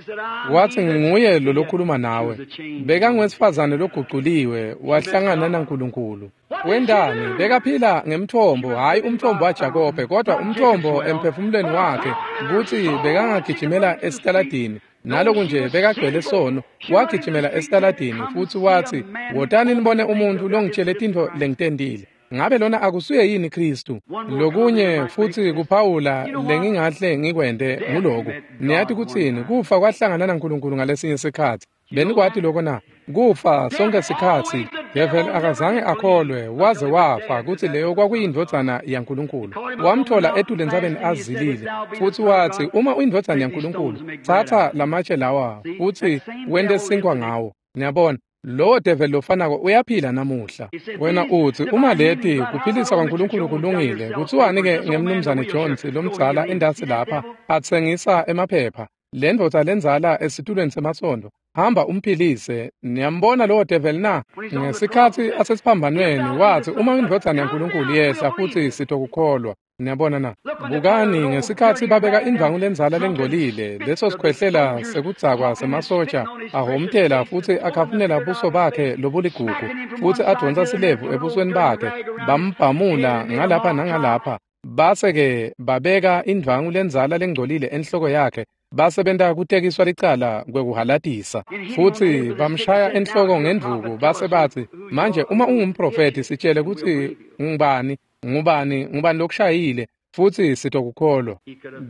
Wathi nginguye lo lokhuluma nawe. Bekangwesifazane loguculiwe wahlangana naNkulunkulu. Wendani bekaphila ngemthombo, hayi umthombo waJakobe, kodwa umthombo emphefumulweni wakhe, kutsi bekangagijimela esitaladini. Naloku nje bekagcwele sono, wagijimela esitaladini futsi watsi, wotani nibone umuntu longitshele tintfo lengitentile. Ngabe lona akusuye yini Kristu? Lokunye futsi kuphawula lengingahle ngikwente nguloku. Niyati kutsini? Kufa kwahlangana naNkulunkulu ngalesinye sikhatsi. Benikwati lokho na? Kufa sonke sikhatsi. Devil akazange akholwe waze wafa kutsi leyo kwakuyindvodzana yaNkulunkulu. Wamthola etulu entsabeni azilile futsi watsi, uma uyindvodzana yaNkulunkulu, tsatsa lamatshe lawa futsi wente sinkwa ngawo. Niyabona, lowo devil lofanako uyaphila namuhla. Wena utsi, uma leti kuphilisa kwaNkulunkulu kulungile, kutsiwani-ke ngemnumzane Jones lomdzala endasi lapha atsengisa emaphepha? Lendvodza lendzala esitulweni semasondo, hamba umphilise. Niyambona lowo devil na? Ngesikhatsi asesiphambanweni watsi, uma indvodzana yaNkulunkulu yehla futsi sitokukholwa. Niyabona na? Bukani ngesikhatsi babeka indvangu lendzala lengcolile, leso sikhwehlela sekudzakwa semasotja ahomtela futsi akhafunela buso bakhe lobuligugu, futsi advonsa silevu ebusweni bakhe, bambhamula ngalapha nangalapha, base-ke babeka indvangu lendzala lengcolile enhloko yakhe, basebenta kutekiswa licala kwekuhalatisa, futsi bamshaya enhloko ngendvuku, base batsi, manje uma ungumprofethi sitshele kutsi ngubani, ngubani, ngubani lokushayile, futsi sitokukholwa.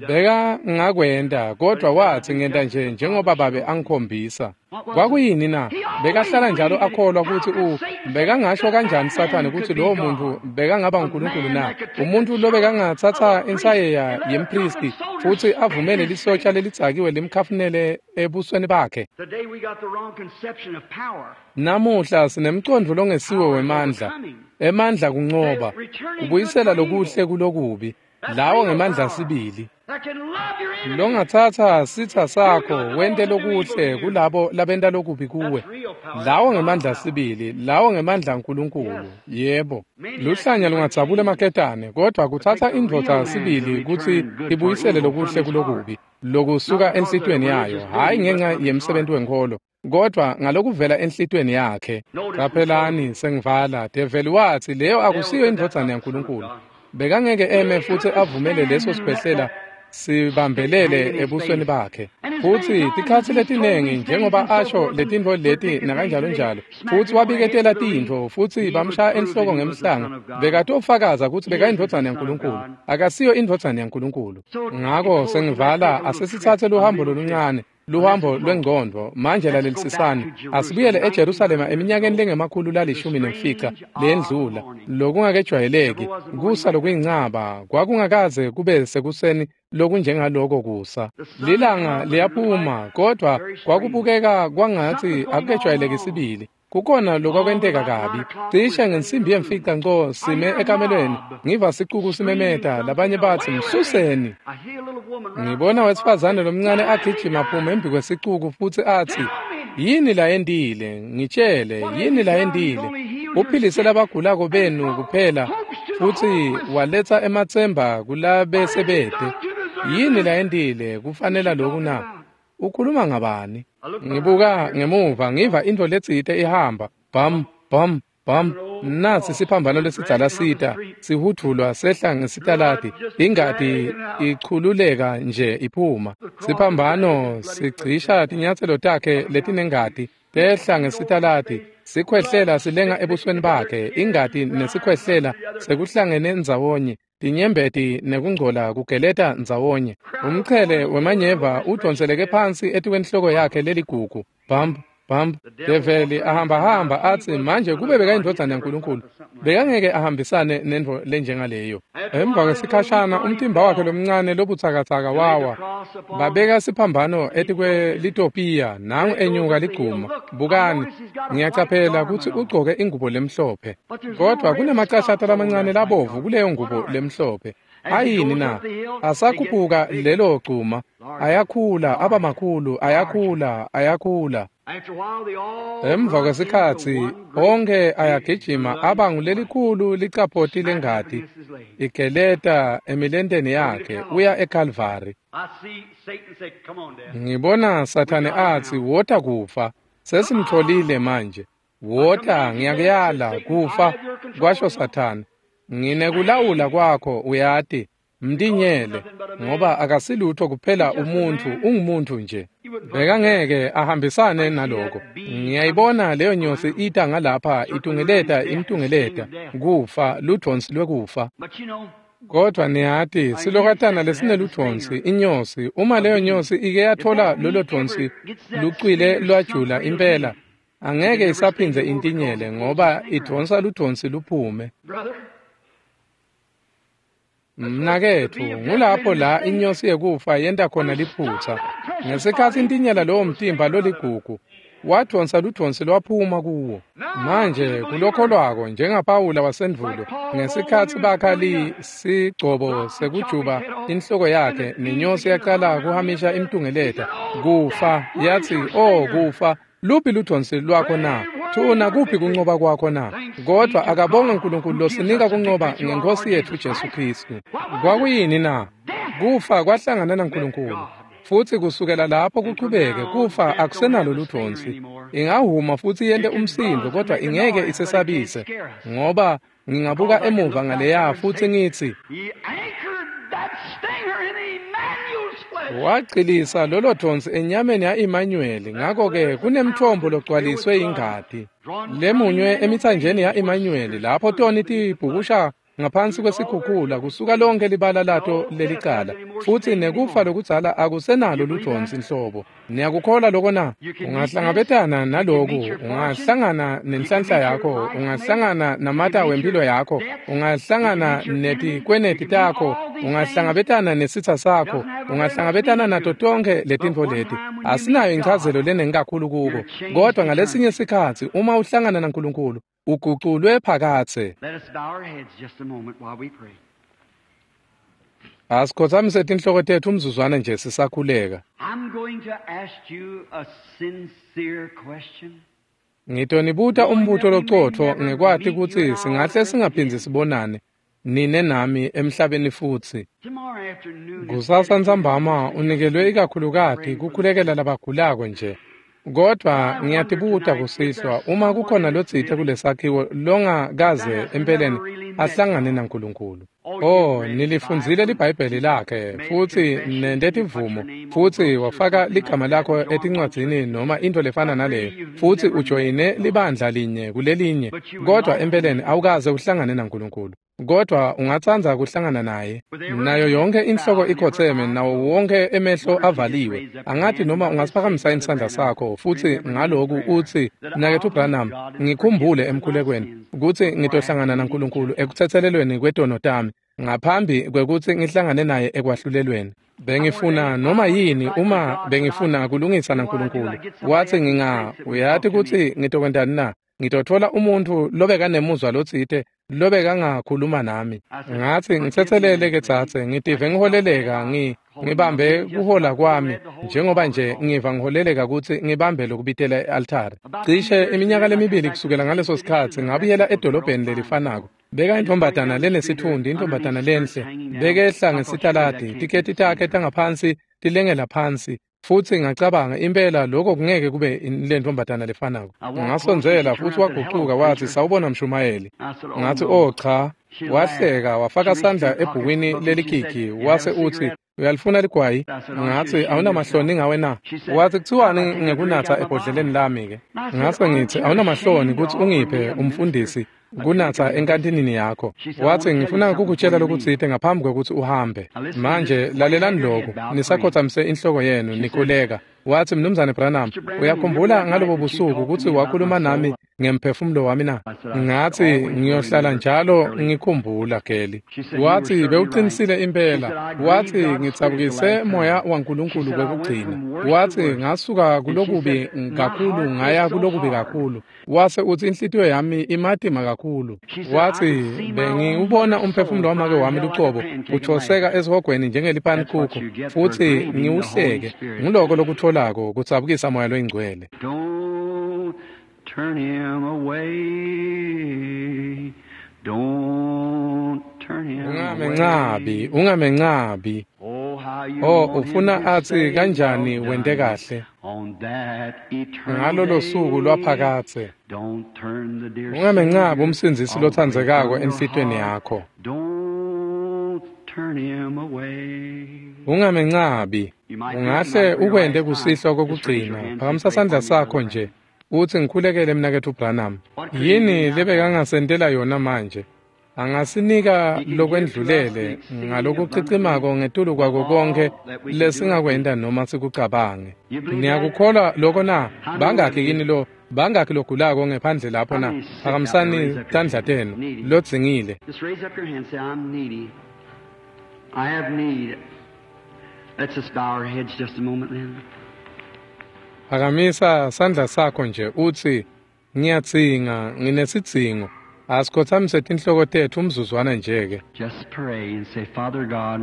Beka ngakwenta, kodvwa watsi ngenta nje njengoba babe angikhombisa. Kwakuyini na? Bekahlala njalo akholwa kutsi u bekangasho kanjani Sathane kutsi lowo muntu bekangaba uNkulunkulu na? Umuntu lobekangatsatsa insayeya yempristi futsi avumele lisotsha lelidzakiwe limkhafunele ebusweni bakhe. Namuhla sinemcondvo longesiwe wemandla. Emandla kuncoba, kubuyisela lokuhle kulokubi. Lawo ngemandla sibili. Longatsatsa sitsa sakho wente lokuhle kulabo labenta lokubi kuwe. Lawo ngemandla sibili, lawo ngemandla aNkulunkulu. Yebo. Luhlanya lungadzabula emaketane, kodvwa kutsatsa indvodza sibili kutsi ibuyisele lokuhle kulokubi, lokusuka enhlitiyweni yayo, hhayi ngenca yemsebenti wenkholo, kodvwa ngalokuvela enhlitiyweni yakhe. Qaphelani, sengivala. Develi watsi leyo akusiyo indvodzana yaNkulunkulu. Bekangeke eme futsi avumele leso sikhwehlela sibambelele ebusweni bakhe. Futsi tikhatsi letinengi njengoba asho letintfo leti nakanjalo njalo, futsi wabiketela tintfo futsi bamshaya enhloko ngemhlanga, bekatofakaza kutsi bekayindvodzana yaNkulunkulu. Akasiyo indvodzana yaNkulunkulu. Ngako sengivala, asesitsatse luhambo loluncane, luhambo lwengcondvo. Manje lalelisisani, asibuyele eJerusalema eminyakeni lengemakhulu lalishumi nemfica leyendlula, lokungakejwayeleki, kusa lokuyincaba, kwakungakaze kube sekuseni lokunjengaloko kusa. Lilanga liyaphuma, kodvwa kwakubukeka kwangatsi akukejwayeleki sibili. Kukhona lokwakwenteka kabi. Cishe ngensimbi yemfica nco sime ekamelweni, ngiva sicuku simemeta, labanye batsi msuseni. Ngibona wesifazane lomncane agijima aphuma embi kwesicuku futsi atsi, yini layentile? Ngitshele, yini layentile? Uphilise labagulako benu kuphela futsi waletsa ematsemba kulabesebete. Yini layentile? Kufanele loku na? Ukhuluma ngabani? Ngibuka ngemuva ngiva intfo letsite ihamba, bam bam bam. Nasi siphambano lesidzala sita sihudvulwa sehla ngesitaladi, ingati ichululeka nje iphuma. Siphambano sigcisha tinyatselo takhe letinengati tehla ngesitaladi, sikhwehlela silenga ebusweni bakhe, ingati nesikhwehlela sekuhlangene ndzawonye, tinyembeti nekungcola kugeleta ndzawonye. Umchele wemanyeva udonseleke phansi etikwenhloko yakhe leligugu. Bam bam. Develi ahambahamba atsi, manje kube bekayindvodzana yaNkulunkulu, bekangeke ahambisane nentfo lenjengaleyo. Emva kwesikhashana umtimba wakhe lomncane lobutsakatsaka wawa. Babeka siphambano etikwelitopiya, nangu enyuka liguma. Bukani, ngiyacaphela kutsi ugcoke ingubo lemhlophe, kodvwa kunemacashata lamancane labovu kuleyo ngubo lemhlophe. Ayini na? Asakhuphuka lelo gcuma, ayakhula, aba makhulu, ayakhula, ayakhula. Emva kwesikhatsi onke ayagijima aba ngulelikhulu licaphoti lengati igeleta emilenteni yakhe, uya eKalvari. Ngibona Sathane atsi, wota kufa, sesimtfolile manje. Wota, ngiyakuyala, kufa, kwasho Sathane. Nginekulawula kwakho, uyati, mtinyele, ngoba akasilutho kuphela umuntfu, ungumuntu nje. Bekangeke ahambisane naloko. Ngiyayibona leyo nyosi ita ngalapha itungeleta imtungeleta, kufa, ludvonsi lwekufa. Kodvwa niyati, silokatana lesineludvonsi, inyosi, uma leyo nyosi ike yatfola lolo dvonsi lucwile lwajula impela, angeke isaphindze intinyele ngoba idvonsa ludvonsi luphume. Mnaketfu, ngulapho la inyosi yekufa yenta khona liphutsa. Ngesikhatsi intinyela lowo mtimba loligugu, Wadvonsa ludvonsi lwaphuma kuwo. Manje kulokholwako njengaPawula wasendvulo ngesikhatsi bakha sigcobo sekujuba inhloko yakhe nenyosi yaqala kuhamisha imtungeleta kufa yathi, "Oh kufa, luphi ludvonsi lwakho na? Thuna kuphi kuncoba kwakho na?" Kodwa akabonge uNkulunkulu losinika kuncoba ngenkosi yethu Jesu Kristu. Kwakuyini na? Kufa kwahlangana naNkulunkulu. Futhi kusukela lapho kuchubeke kufa akusenalo ludvonsi. Ingahuma futhi yente umsindo kodwa ingeke isesabise, ngoba ngingabuka emuva ngaleya futhi ngithi wagcilisa lolo dvonsi enyameni ya-Emmanuel. Ngakho-ke kunemthombo logcwaliswe ingati lemunywe emithanjeni ya-Emmanuel lapho toni tibhukusha ngaphansi kwesikhukhula kusuka lonke libala lato lelicala, futhi nekufa lokudzala akusenalo ludvonsi nhlobo. Niyakukholwa lokho na? Ungahlangabetana naloku, ungahlangana nenhlanhla yakho, ungahlangana namata wempilo yakho, ungahlangana netikweneti takho, ungahlangabetana nesitha sakho, ungahlangabetana nato tonke letintfo leti. Asinayo inchazelo lenengi kakhulu kuko, kodwa ngalesinye sikhatsi uma uhlangana naNkulunkulu uguculwe phakathe. Asikhothamise tinhloko tethu umzuzwana nje sisakhuleka. Ngitonibuta umbuto locotfo ngekwati kutsi singahle singaphindzi sibonane nine nami emhlabeni futsi. Kusasa ntsambama unikelwe ikakhulukati kukhulekela labagulako nje. Kodwa ngiyatibuta kusihlwa uma kukhona lotsite kulesakhiwo longakaze empeleni ahlangane naNkulunkulu. Oh, nilifundzile liBhayibheli lakhe futhi nente tivumo futhi wafaka ligama lakho etincwadzini noma into lefana naleyo futhi ujoyine libandla linye kulelinye, kodwa empeleni awukaze uhlangane naNkulunkulu. Kodwa ungatsandza kuhlangana naye. Nayo yonke inhloko ikhotheme nawo wonke emehlo avaliwe. Angathi noma ungasiphakamisa isandla sakho futhi ngaloku uthi, "Mnaketfu Branham, ngikhumbule emkhulekweni ukuthi ngitohlangana naNkulunkulu ekuthethelelweni kwetono tami ngaphambi kwekutsi ngihlangane naye ekwahlulelweni. Bengifuna noma yini uma bengifuna kulungisa naNkulunkulu." Wathi, "Nginga uyati kutsi ngitokwentani na? Ngitothola umuntfu lobekanemuzwa lotsite lobekangakhuluma nami." Ngathi, "Ngitsetselele ke tsatse, ngitive ngiholeleka ngi ngibambe kuhola kwami njengoba nje ngiva ngiholeleka kutsi ngibambe lokubitela e-altare." Cishe iminyaka lemibili kusukela ngaleso sikhatsi ngabuyela edolobheni lelifanako. Beka intombatana lenesitfundi, intombatana lenhle, bekehla ngesitaladi, tiketi takhe tangaphansi tilengela phansi. Futhi ngacabanga impela lokho kungeke kube lentombatana lefanako. Ngasondzela futhi wagucuka wathi, "Sawubona mshumayeli." Ngathi, "Oh cha." Wahleka wafaka sandla ebhukwini lelikiki wase uthi, "Uyalifuna ligwayi?" Ngathi, "Awunamahloni ngawe na?" Wathi, "Kuthiwani ngekunatha ebhodleleni lami ke?" Ngase ngithi, "Awunamahloni kutsi ungiphe umfundisi kunatha enkantinini yakho?" Wathi, "Ngifuna kukutshela lokutsite ngaphambi kwekutsi uhambe. Manje lalelani lokhu, nisakhothamise inhloko yenu nikhuleka." Wathi, "Mnumzane Branham, uyakhumbula ngalobo busuku kutsi wakhuluma nami ngemphefumulo wami na?" Ngathi, "Ngiyohlala njalo ngikhumbula Geli." Wathi, "Bewuqinisile impela." Wathi, "Ngitsabukise moya waNkulunkulu kwekugcina." Wathi, "Ngasuka kulokubi kakhulu ngaya kulokubi kakhulu." Wase uthi, "Inhlitiyo yami imatima kakhulu." Wathi, "Bengiwubona umphefumulo wamake wami lucobo uthoseka esihogweni njengelipanikuku futhi ngiwuhleke. Nguloko lokutholako kutsabukisa moya loyingcwele." Turn him away. Don't turn him Ungamencabi, ungamencabi. Oh, ufuna atsi kanjani wente kahle ngalolo suku lwaphakatse. Ungamencabi umsindzisi lotsandzekako enhlitiyweni yakho. Ungamencabi. Ungahle ukwente kusihlwa kokugcina. Phakamisa sandla sakho nje uthi, "Ngikhulekele mnaketfu Branham." Yini lebekangasentela yona manje? Angasinika lokwendlulele ngalokucicimako ngetulu kwako konkhe lesingakwenta noma sikucabange. Niyakukholwa loko na? Bangakhi kini lo bangakhi logulako ngephandle lapho na? Phakamisani tandla tenu lodzingile. I have need. Let's just bow our heads just a moment then. Phakamisa sandla sakho nje utsi ngiyadzinga, nginesidzingo. Asikhothamise tinhloko tetfu umzuzwana nje ke. Just pray and say, Father God,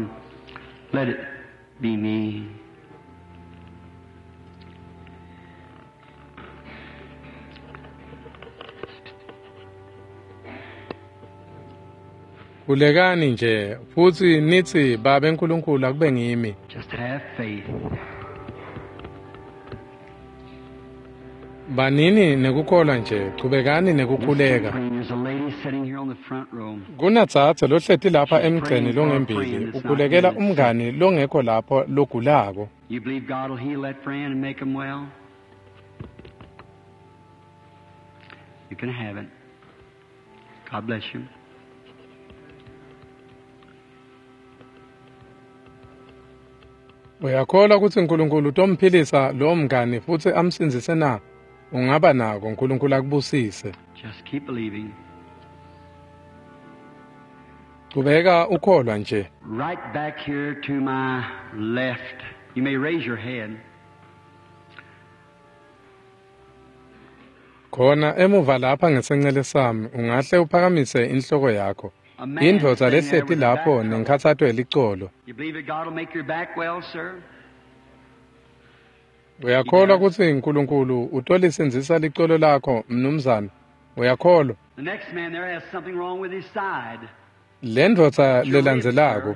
let it be me. Khulekani nje futsi nitsi Babe Nkulunkulu akube ngimi. Just have faith. Banini nekukholwa nje, chubekani nekukhuleka. There's a lady sitting here on the front row. Kunadzadze lohleti lapha emgceni longembili, ukhulekela umngani longekho lapho logulako. You believe God will heal that friend and make him well? You can have it. God bless you. Uyakholwa kutsi Nkulunkulu utomphilisa lowo mngani futsi amsindzise na? Ungaba nako, Nkulunkulu akubusise. Just keep believing. Chubeka ukholwa nje. Right back here to my left. You may raise your head. Khona emuva lapha ngesencele sami, ungahle uphakamise inhloko yakho. A man Indvodza sitting there lehleti with a lapho back trouble. nenkhatsato yelicolo. You believe that God will make your back well, sir? Uyakholwa kutsi Nkulunkulu utolisindzisa licolo lakho, mnumzane? Uyakholwa? The next man there has something wrong with his side. Le ndvodza lelandzelako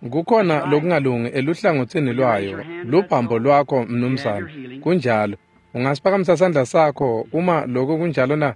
kukhona lokungalungi eluhlangotsini lwayo, lubhambo lwakho, mnumzane. Kunjalo. Ungasiphakamisa sandla sakho uma lokho kunjalo na?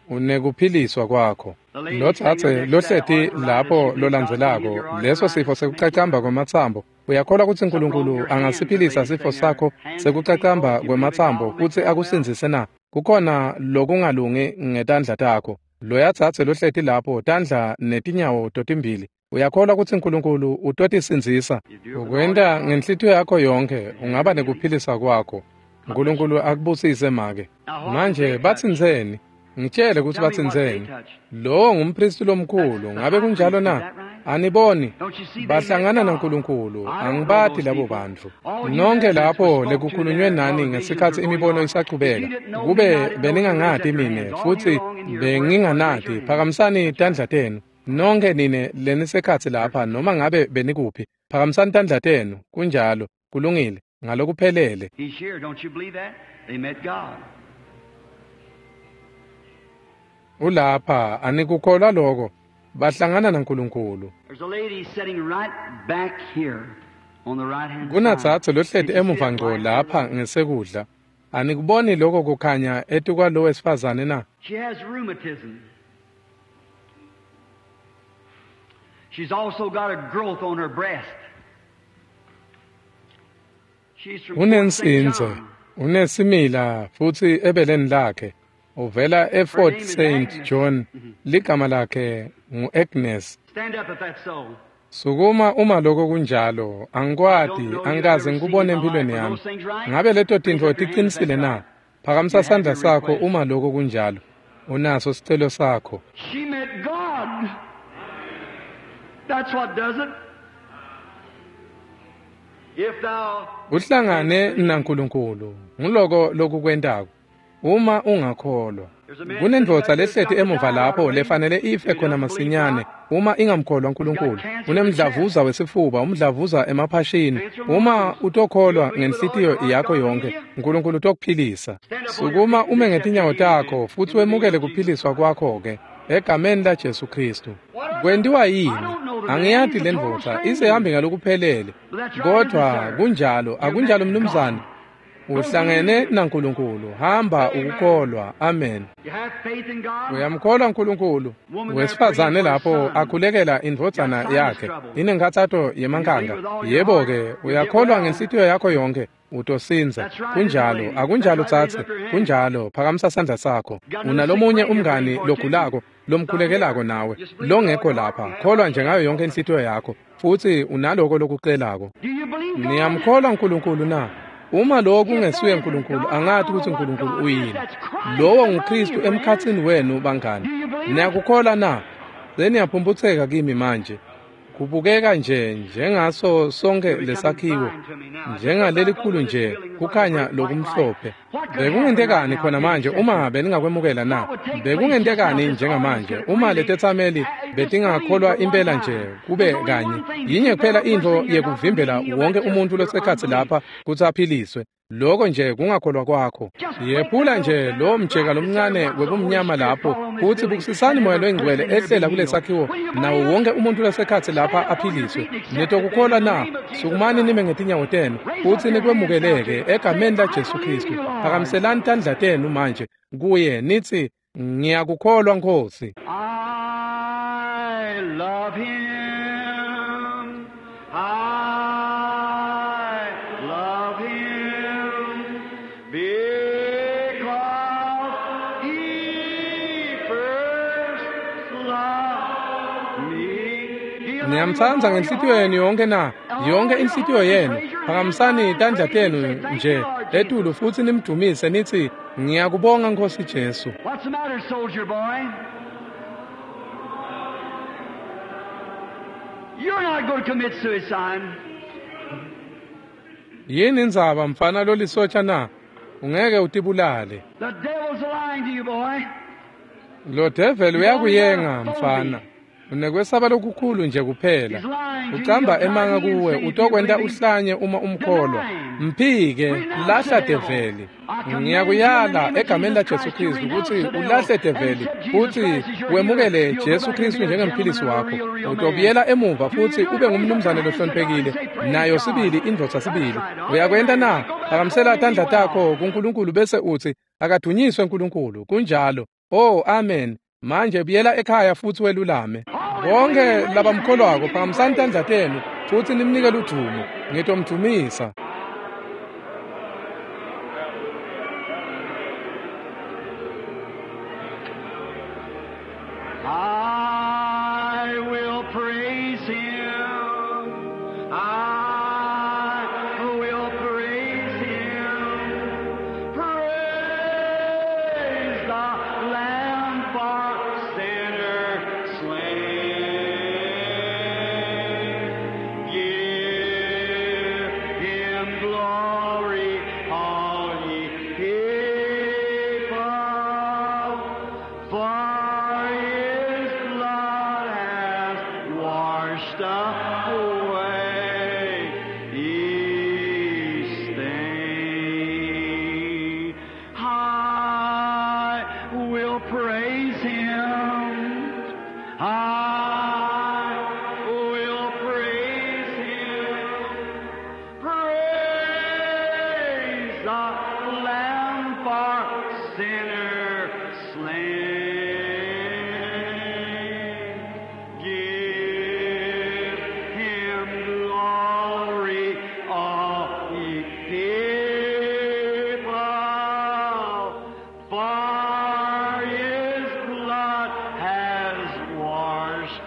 Unekuphiliswa kwakho. Lotsatse lohleti lapho lolandzelako, leso sifo sekucacamba kwematsambo. Uyakholwa kutsi Nkulunkulu angasiphilisa sifo sakho sekucacamba kwematsambo futsi akusindzise na? Kukhona lokungalungi ngetandla takho. Loya tsatse lohleti lapho, tandla netinyawo totimbili. Uyakholwa kutsi Nkulunkulu utotisindzisa? Ukwenta ngenhlitiyo yakho yonkhe, ungaba nekuphilisa kwakho. Nkulunkulu akubusise make. Manje batsintseni? Ngitshele kutsi Tell me what they batsintseni. touched. Lowo ngumpristi lomkhulu, ngabe kunjalo na? Aniboni? Don't you see they met Bahlangana God? naNkulunkulu, I don't know angibati those labo people. bantfu. All you Nonke Methodists were lapho spoke to lekukhulunywe there nani while the visions ngesikhatsi were going imibono on. If isachubeka. you didn't know me, I Kube didn't know you, raise beningangati up your mine hands. All you futsi along in here, where raise your benginganati, hands. phakamisani tandla tenu. Nonke nine lenisekhatsi lapha noma ngabe benikuphi, phakamisani tandla tenu. Kunjalo, kulungile, ngalokuphelele. He's here. Don't you believe that? They met God. Ulapha, anikukholwa lokho? Bahlangana naNkulunkulu. There's a lady sitting right back here on the right hand side. Kunadzadze Did lohleti you see emuva that ngco light there? lapha ngesekudla. Anikuboni lokho kukhanya etukwalo wesifazane na? She has rheumatism. She's also got a growth on her breast. She's from Port Saint Unensinze, John. unesimila futsi ebeleni lakhe. Uvela Her eFort name is Saint Agnes. John. Ligama lakhe ngu-Agnes. Stand up if that's so. Sukuma uma lokho kunjalo, I angikwati, don't know you. I've angikaze never seen you in ngikubone my life. empilweni Are yami. those things right? Ngabe leto Raise tintfo up your hand if ticinisile that's na? right. Phakamisa You have sandla your sakho request. uma lokho kunjalo. Unaso sicelo sakho. She met God. That's what does it. If thou Uhlangane canst believe. naNkulunkulu. Nguloko lokukwentako. Uma ungakholwa. There's a man sitting Kunendvodza back there that's lehleti got to emuva die right lapho away. lefanele ife If he khona doesn't believe masinyane God, uma ingamkholwa he's got uNkulunkulu. cancer of the chest, Unemdlavuza wesifuba, umdlavuza emaphashini. cancer of Uma lungs. You utokholwa believe with all ngenhlitiyo your heart, yakho God will yonke, heal you. uNkulunkulu utokuphilisa. Stand up on your Sukuma feet and ume accept your ngetinyawo healing takho then futsi in the name wemukele of Jesus kuphiliswa Christ. kwakho ke egameni laJesu Kristu. What are Kwentiwa I yini? don't know the man. Angiyati He's a total lendvodza, stranger. isehambe ngalokuphelele. But that's right, isn't it, Kodwa sir? kunjalo, You akunjalo met mnumzane. God. Don't Uhlangene believe it. naNkulunkulu. Hamba Amen. ukukholwa. Amen. You have faith in God. Uyamkholwa uNkulunkulu. Woman there praying Wesifazane for a lapho son. akhulekela Got indvodzana sinus yakhe. trouble. Inenkhatsato You believe yemankanga. with all your Yebo heart, ke, you'll get uyakholwa well. ngenhlitiyo yakho yonke, utosinza. That's right, isn't it, Kunjalo, lady? That's akunjalo right. Raise tsatse. up your hand. Kunjalo, phakamisa sandla sakho. Got another sick Unalomunye friend you're praying umngani for too. logulako, It's not lomkhulekelako here. nawe, Just believe with all longekho your heart lapha. and have Kholwa it. nje ngayo yonke inhlitiyo yakho, futsi unaloko lokucelako. Do you believe God? Niyamkholwa uNkulunkulu na? Uma lokhu If that kungesuye isn't uNkulunkulu, God, I angati don't know kutsi what uNkulunkulu God is. uyini. That's Christ Lowo among nguKristu you, friend. emkhatsini wenu Do bangani. you believe it? Niyakukholwa na? Seniyaphumputseka kimi manje. Kubukeka nje njengaso sonke lesakhiwo, njengalelikhulu nje kukhanya lokumhlophe. Bekungentekani khona manje uma beningakwemukela na? Bekungentekani njengamanje uma letetsameli betingakholwa impela nje kube kanye? Yinye kuphela intfo yekuvimbela wonke umuntu losekhatsi lapha kutsi aphiliswe. Lokho nje kungakholwa kwakho. Yephula nje lo mjeka lomncane webumnyama lapho kutsi bukisisani Moya loyiNgcwele ehlela kulesakhiwo nawo wonke umuntu losekhatsi lapha aphiliswe. Nitokukholwa na? Sukumani nime ngetinyawo tenu futsi nikwemukeleke egameni la Jesu Khristu. Phakamiselani tandla tenu manje kuye nitsi ngiyakukholwa Nkosi. I love him. I love him because he first loved me. Niyamtsandza ngenhlitiyo yenu yonke na? Yonke inhlitiyo yenu. Phakamisani tandla tenu nje etulu futsi nimdumise nitsi ngiyakubonga Nkosi Jesu. What's the matter, soldier boy? You're not going to commit suicide. Yini indzaba mfana lolisotsha na? Ungeke utibulale. The devil's lying to you, boy. Lo devil uyakuyenga mfana. Unekwesaba lokukhulu nje kuphela. Ucamba emanga kuwe utokwenta uhlanye uma umkholwa. Mphike, lahla develi. Ngiyakuyala egameni la Jesu Khristu kutsi ulahle develi futsi wemukele Jesu Khristu njengemphilisi wakho. Utobuyela emuva futsi ube ngumnumzane lohloniphekile nayo sibili indvodza sibili. Uyakwenta na? Phakamisela tandla takho kuNkulunkulu bese utsi akadunyiswe uNkulunkulu. Kunjalo. Oh, amen. Manje buyela ekhaya futsi welulame. Bonke labamkholwako phakamisani tandla tenu futsi nimnike ludumo. Ngitomdumisa. I will praise him. I will praise him. Praise the Lamb for sinner slain. Give him glory, all ye people, for his blood has washed away each stain. I will praise him. I will praise him. Praise the Lamb for sinner slain. Give him glory, all ye people, for his blood has washed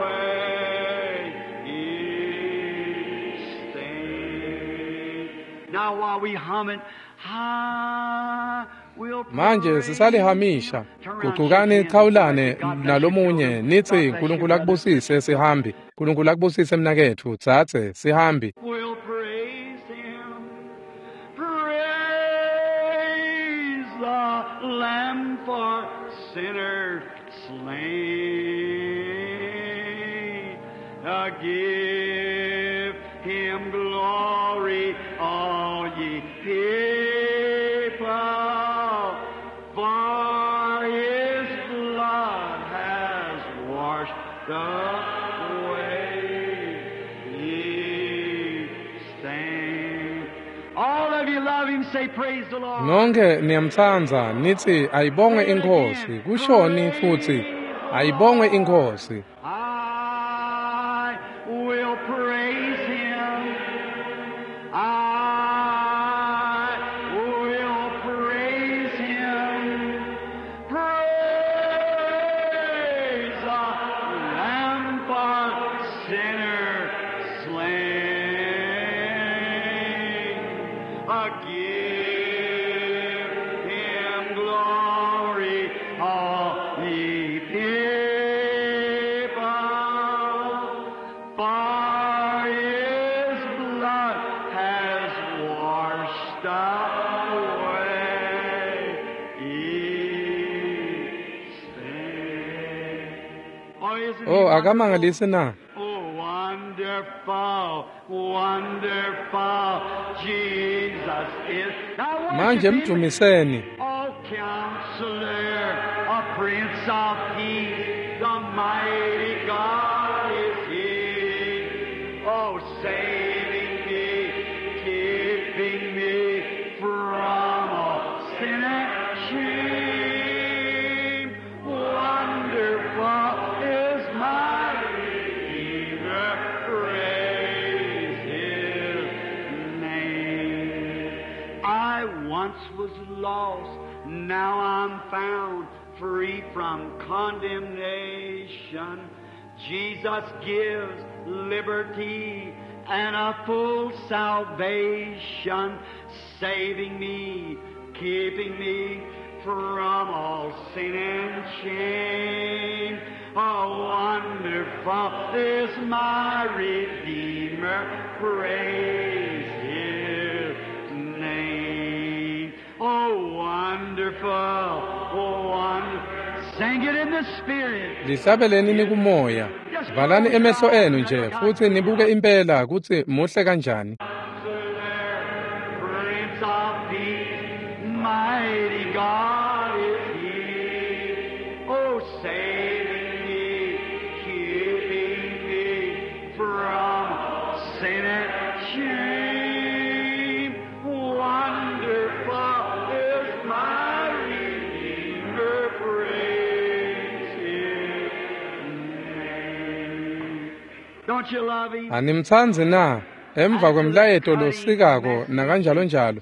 away each stain. Now while we hum it, I will Manje sisalihamisha. Gucukani chawulane nalomunye nitsi uNkulunkulu akubusise sihambi. uNkulunkulu akubusise mnaketfu, dzadze sihambi. will praise him. Praise the Lamb for sinners slain. Uh, give him glory, all ye people, for his blood has washed away ye stain. All of you love him, say praise the Lord. Nonke niyamtsandza nitsi ayibongwe iNkhosi. Kushoni futsi ayibongwe iNkhosi. I will praise him. I will praise him. Praise the Lamb for sinner slain. Uh, Give him glory, all ye people, Oh, akamangalisi na? Oh, wonderful, wonderful Jesus is. Now Manje worship him. mdumiseni. Oh, counselor, a prince of peace, the mighty God is he. Oh, saving me, keeping me from all sin and shame. Wonderful is my Redeemer, praise his name. I once was lost, now I'm found, free from condemnation. Jesus gives liberty and a full salvation, saving me, keeping me from all sin and shame. Oh, wonderful is my Redeemer, praise His name. Oh, wonderful, oh, wonderful. Sing it in the Spirit. Lihlabeleni nikumoya. Valani emehlo enu nje futhi nibuke impela kutsi muhle kanjani. Prince of Peace, mighty God is He. Oh, saving me, keeping me from sin and shame. Wonderful is my Redeemer, praise His name. Don't you love Him? Animtsandzi na? Emva kwemlayeto losikako nakanjalo njalo.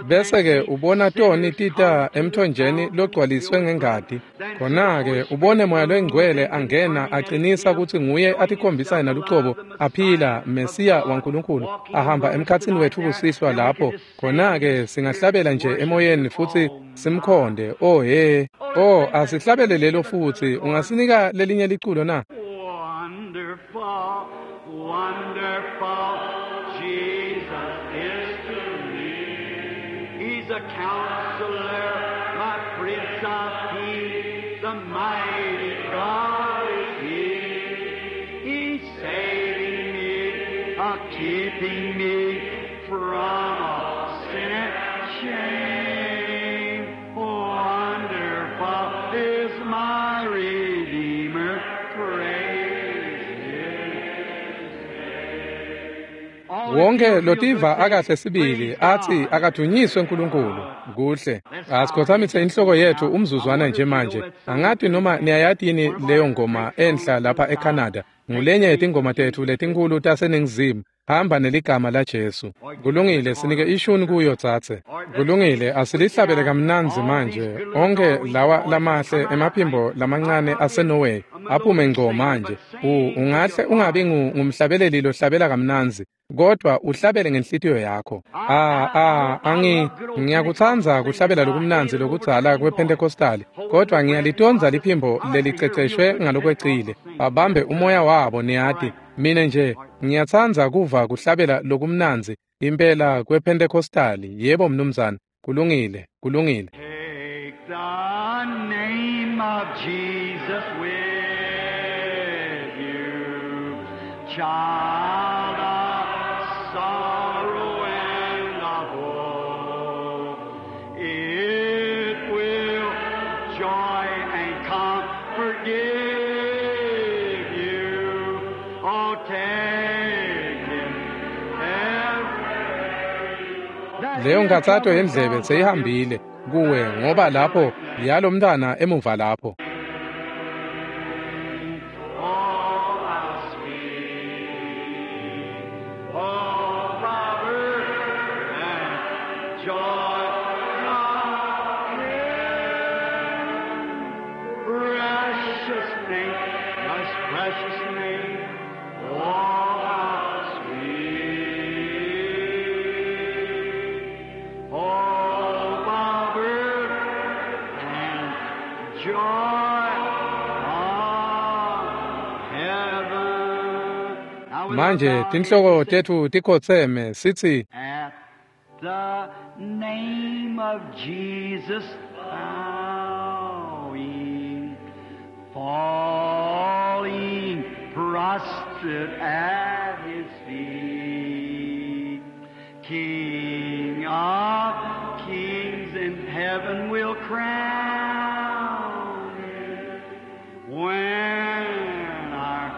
Bese ke ubona toni tita emthonjeni logcwaliswe ngengati. Khona ke ubone moya longcwele angena aqinisa kutsi nguye atikhombisa yena lucobo aphila Mesiya waNkulunkulu ahamba emkhatsini wethu kusihlwa lapho. Khona ke singahlabela nje emoyeni futhi simkhonde. Oh he. Oh, asihlabele lelo futhi. Ungasinika lelinye liculo na? Wonderful, wonderful Jesus is to me. He's a counselor, my Prince of Peace, the mighty God is He. He's saving me, uh, keeping me from all sin and shame. Wonderful is my Redeemer, praise His name. All Wonke if you feel lotiva good, akahle sibili praise athi God. akadunyiswe uNkulunkulu. Kuhle. Asikhothamise inhloko yethu umzuzwana nje manje. Angati noma niyayati yini leyo ngoma enhla lapha eCanada. Ngulenye yetingoma tethu letinkhulu taseNingizimu. Hamba neligama laJesu. Kulungile, sinike ishuni kuyo tsatse. Kulungile, asilihlabele kamnandzi manje. Onke lawa lamahle emaphimbo lamancane aseNorway aphume ngco manje. U ungahle ungabi ngu- ngumhlabeleli lohlabela kamnandzi, kodwa uhlabele ngenhlitiyo yakho. Ah ah angi ngiyakutsandza kuhlabela lokumnandzi lokudzala kwePentecostal, kodwa ngiyalitonza liphimbo leliceceshwe ngalokwecile. Babambe umoya wabo niyati. Mina nje ngiyatsandza kuva kuhlabela lokumnandzi impela kwePentecostal. Yebo mnumzane, kulungile, kulungile. Take the name of Jesus with you, child of sorrow and of woe. It will joy and comfort give you. Oh, take him every. That Leyo ear nkatsato trouble yendlebe gone from you. seyihambile kuwe ngoba lapho yalo mntwana emuva lapho. Oh, how sweet, oh, power and joy of Him. Precious name, most precious name, oh, how sweet. Oh, power and joy of heaven. Now with our Manje bowed tinhloko heads, tethu tikhotseme sithi at the name of Jesus bowing, falling sit at his feet. King of kings in heaven will crown him when our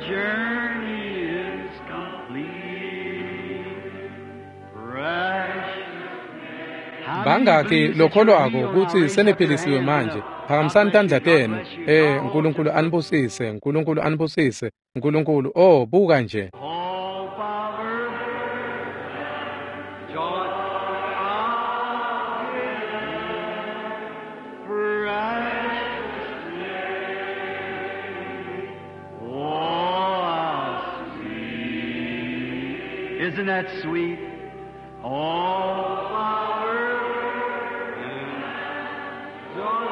journey is complete. Precious. Bangaki lokholwako kutsi seniphilisiwe manje? Phakamisani tandla tenu. Eh, Nkulunkulu anibusise, Nkulunkulu anibusise, Nkulunkulu. Oh, buka nje. Hope of earth, joy of precious name. Oh, how sweet. Isn't that sweet? Oh, power and joy.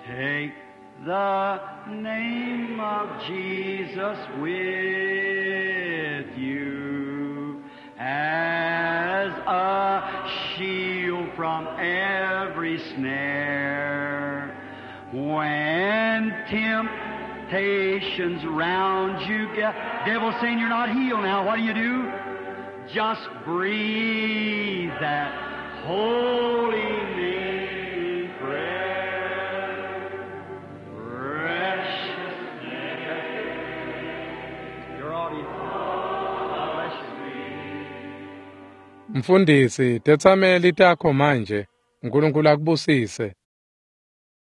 Take the name of Jesus with you as a shield from every snare. When temptations round you get, devil's saying you're not healed now. What do you do? Just breathe that holy name in prayer. Precious name. Your audience. God bless you. Mfundisi, tetsameli takho manje. Nkulunkulu akubusise.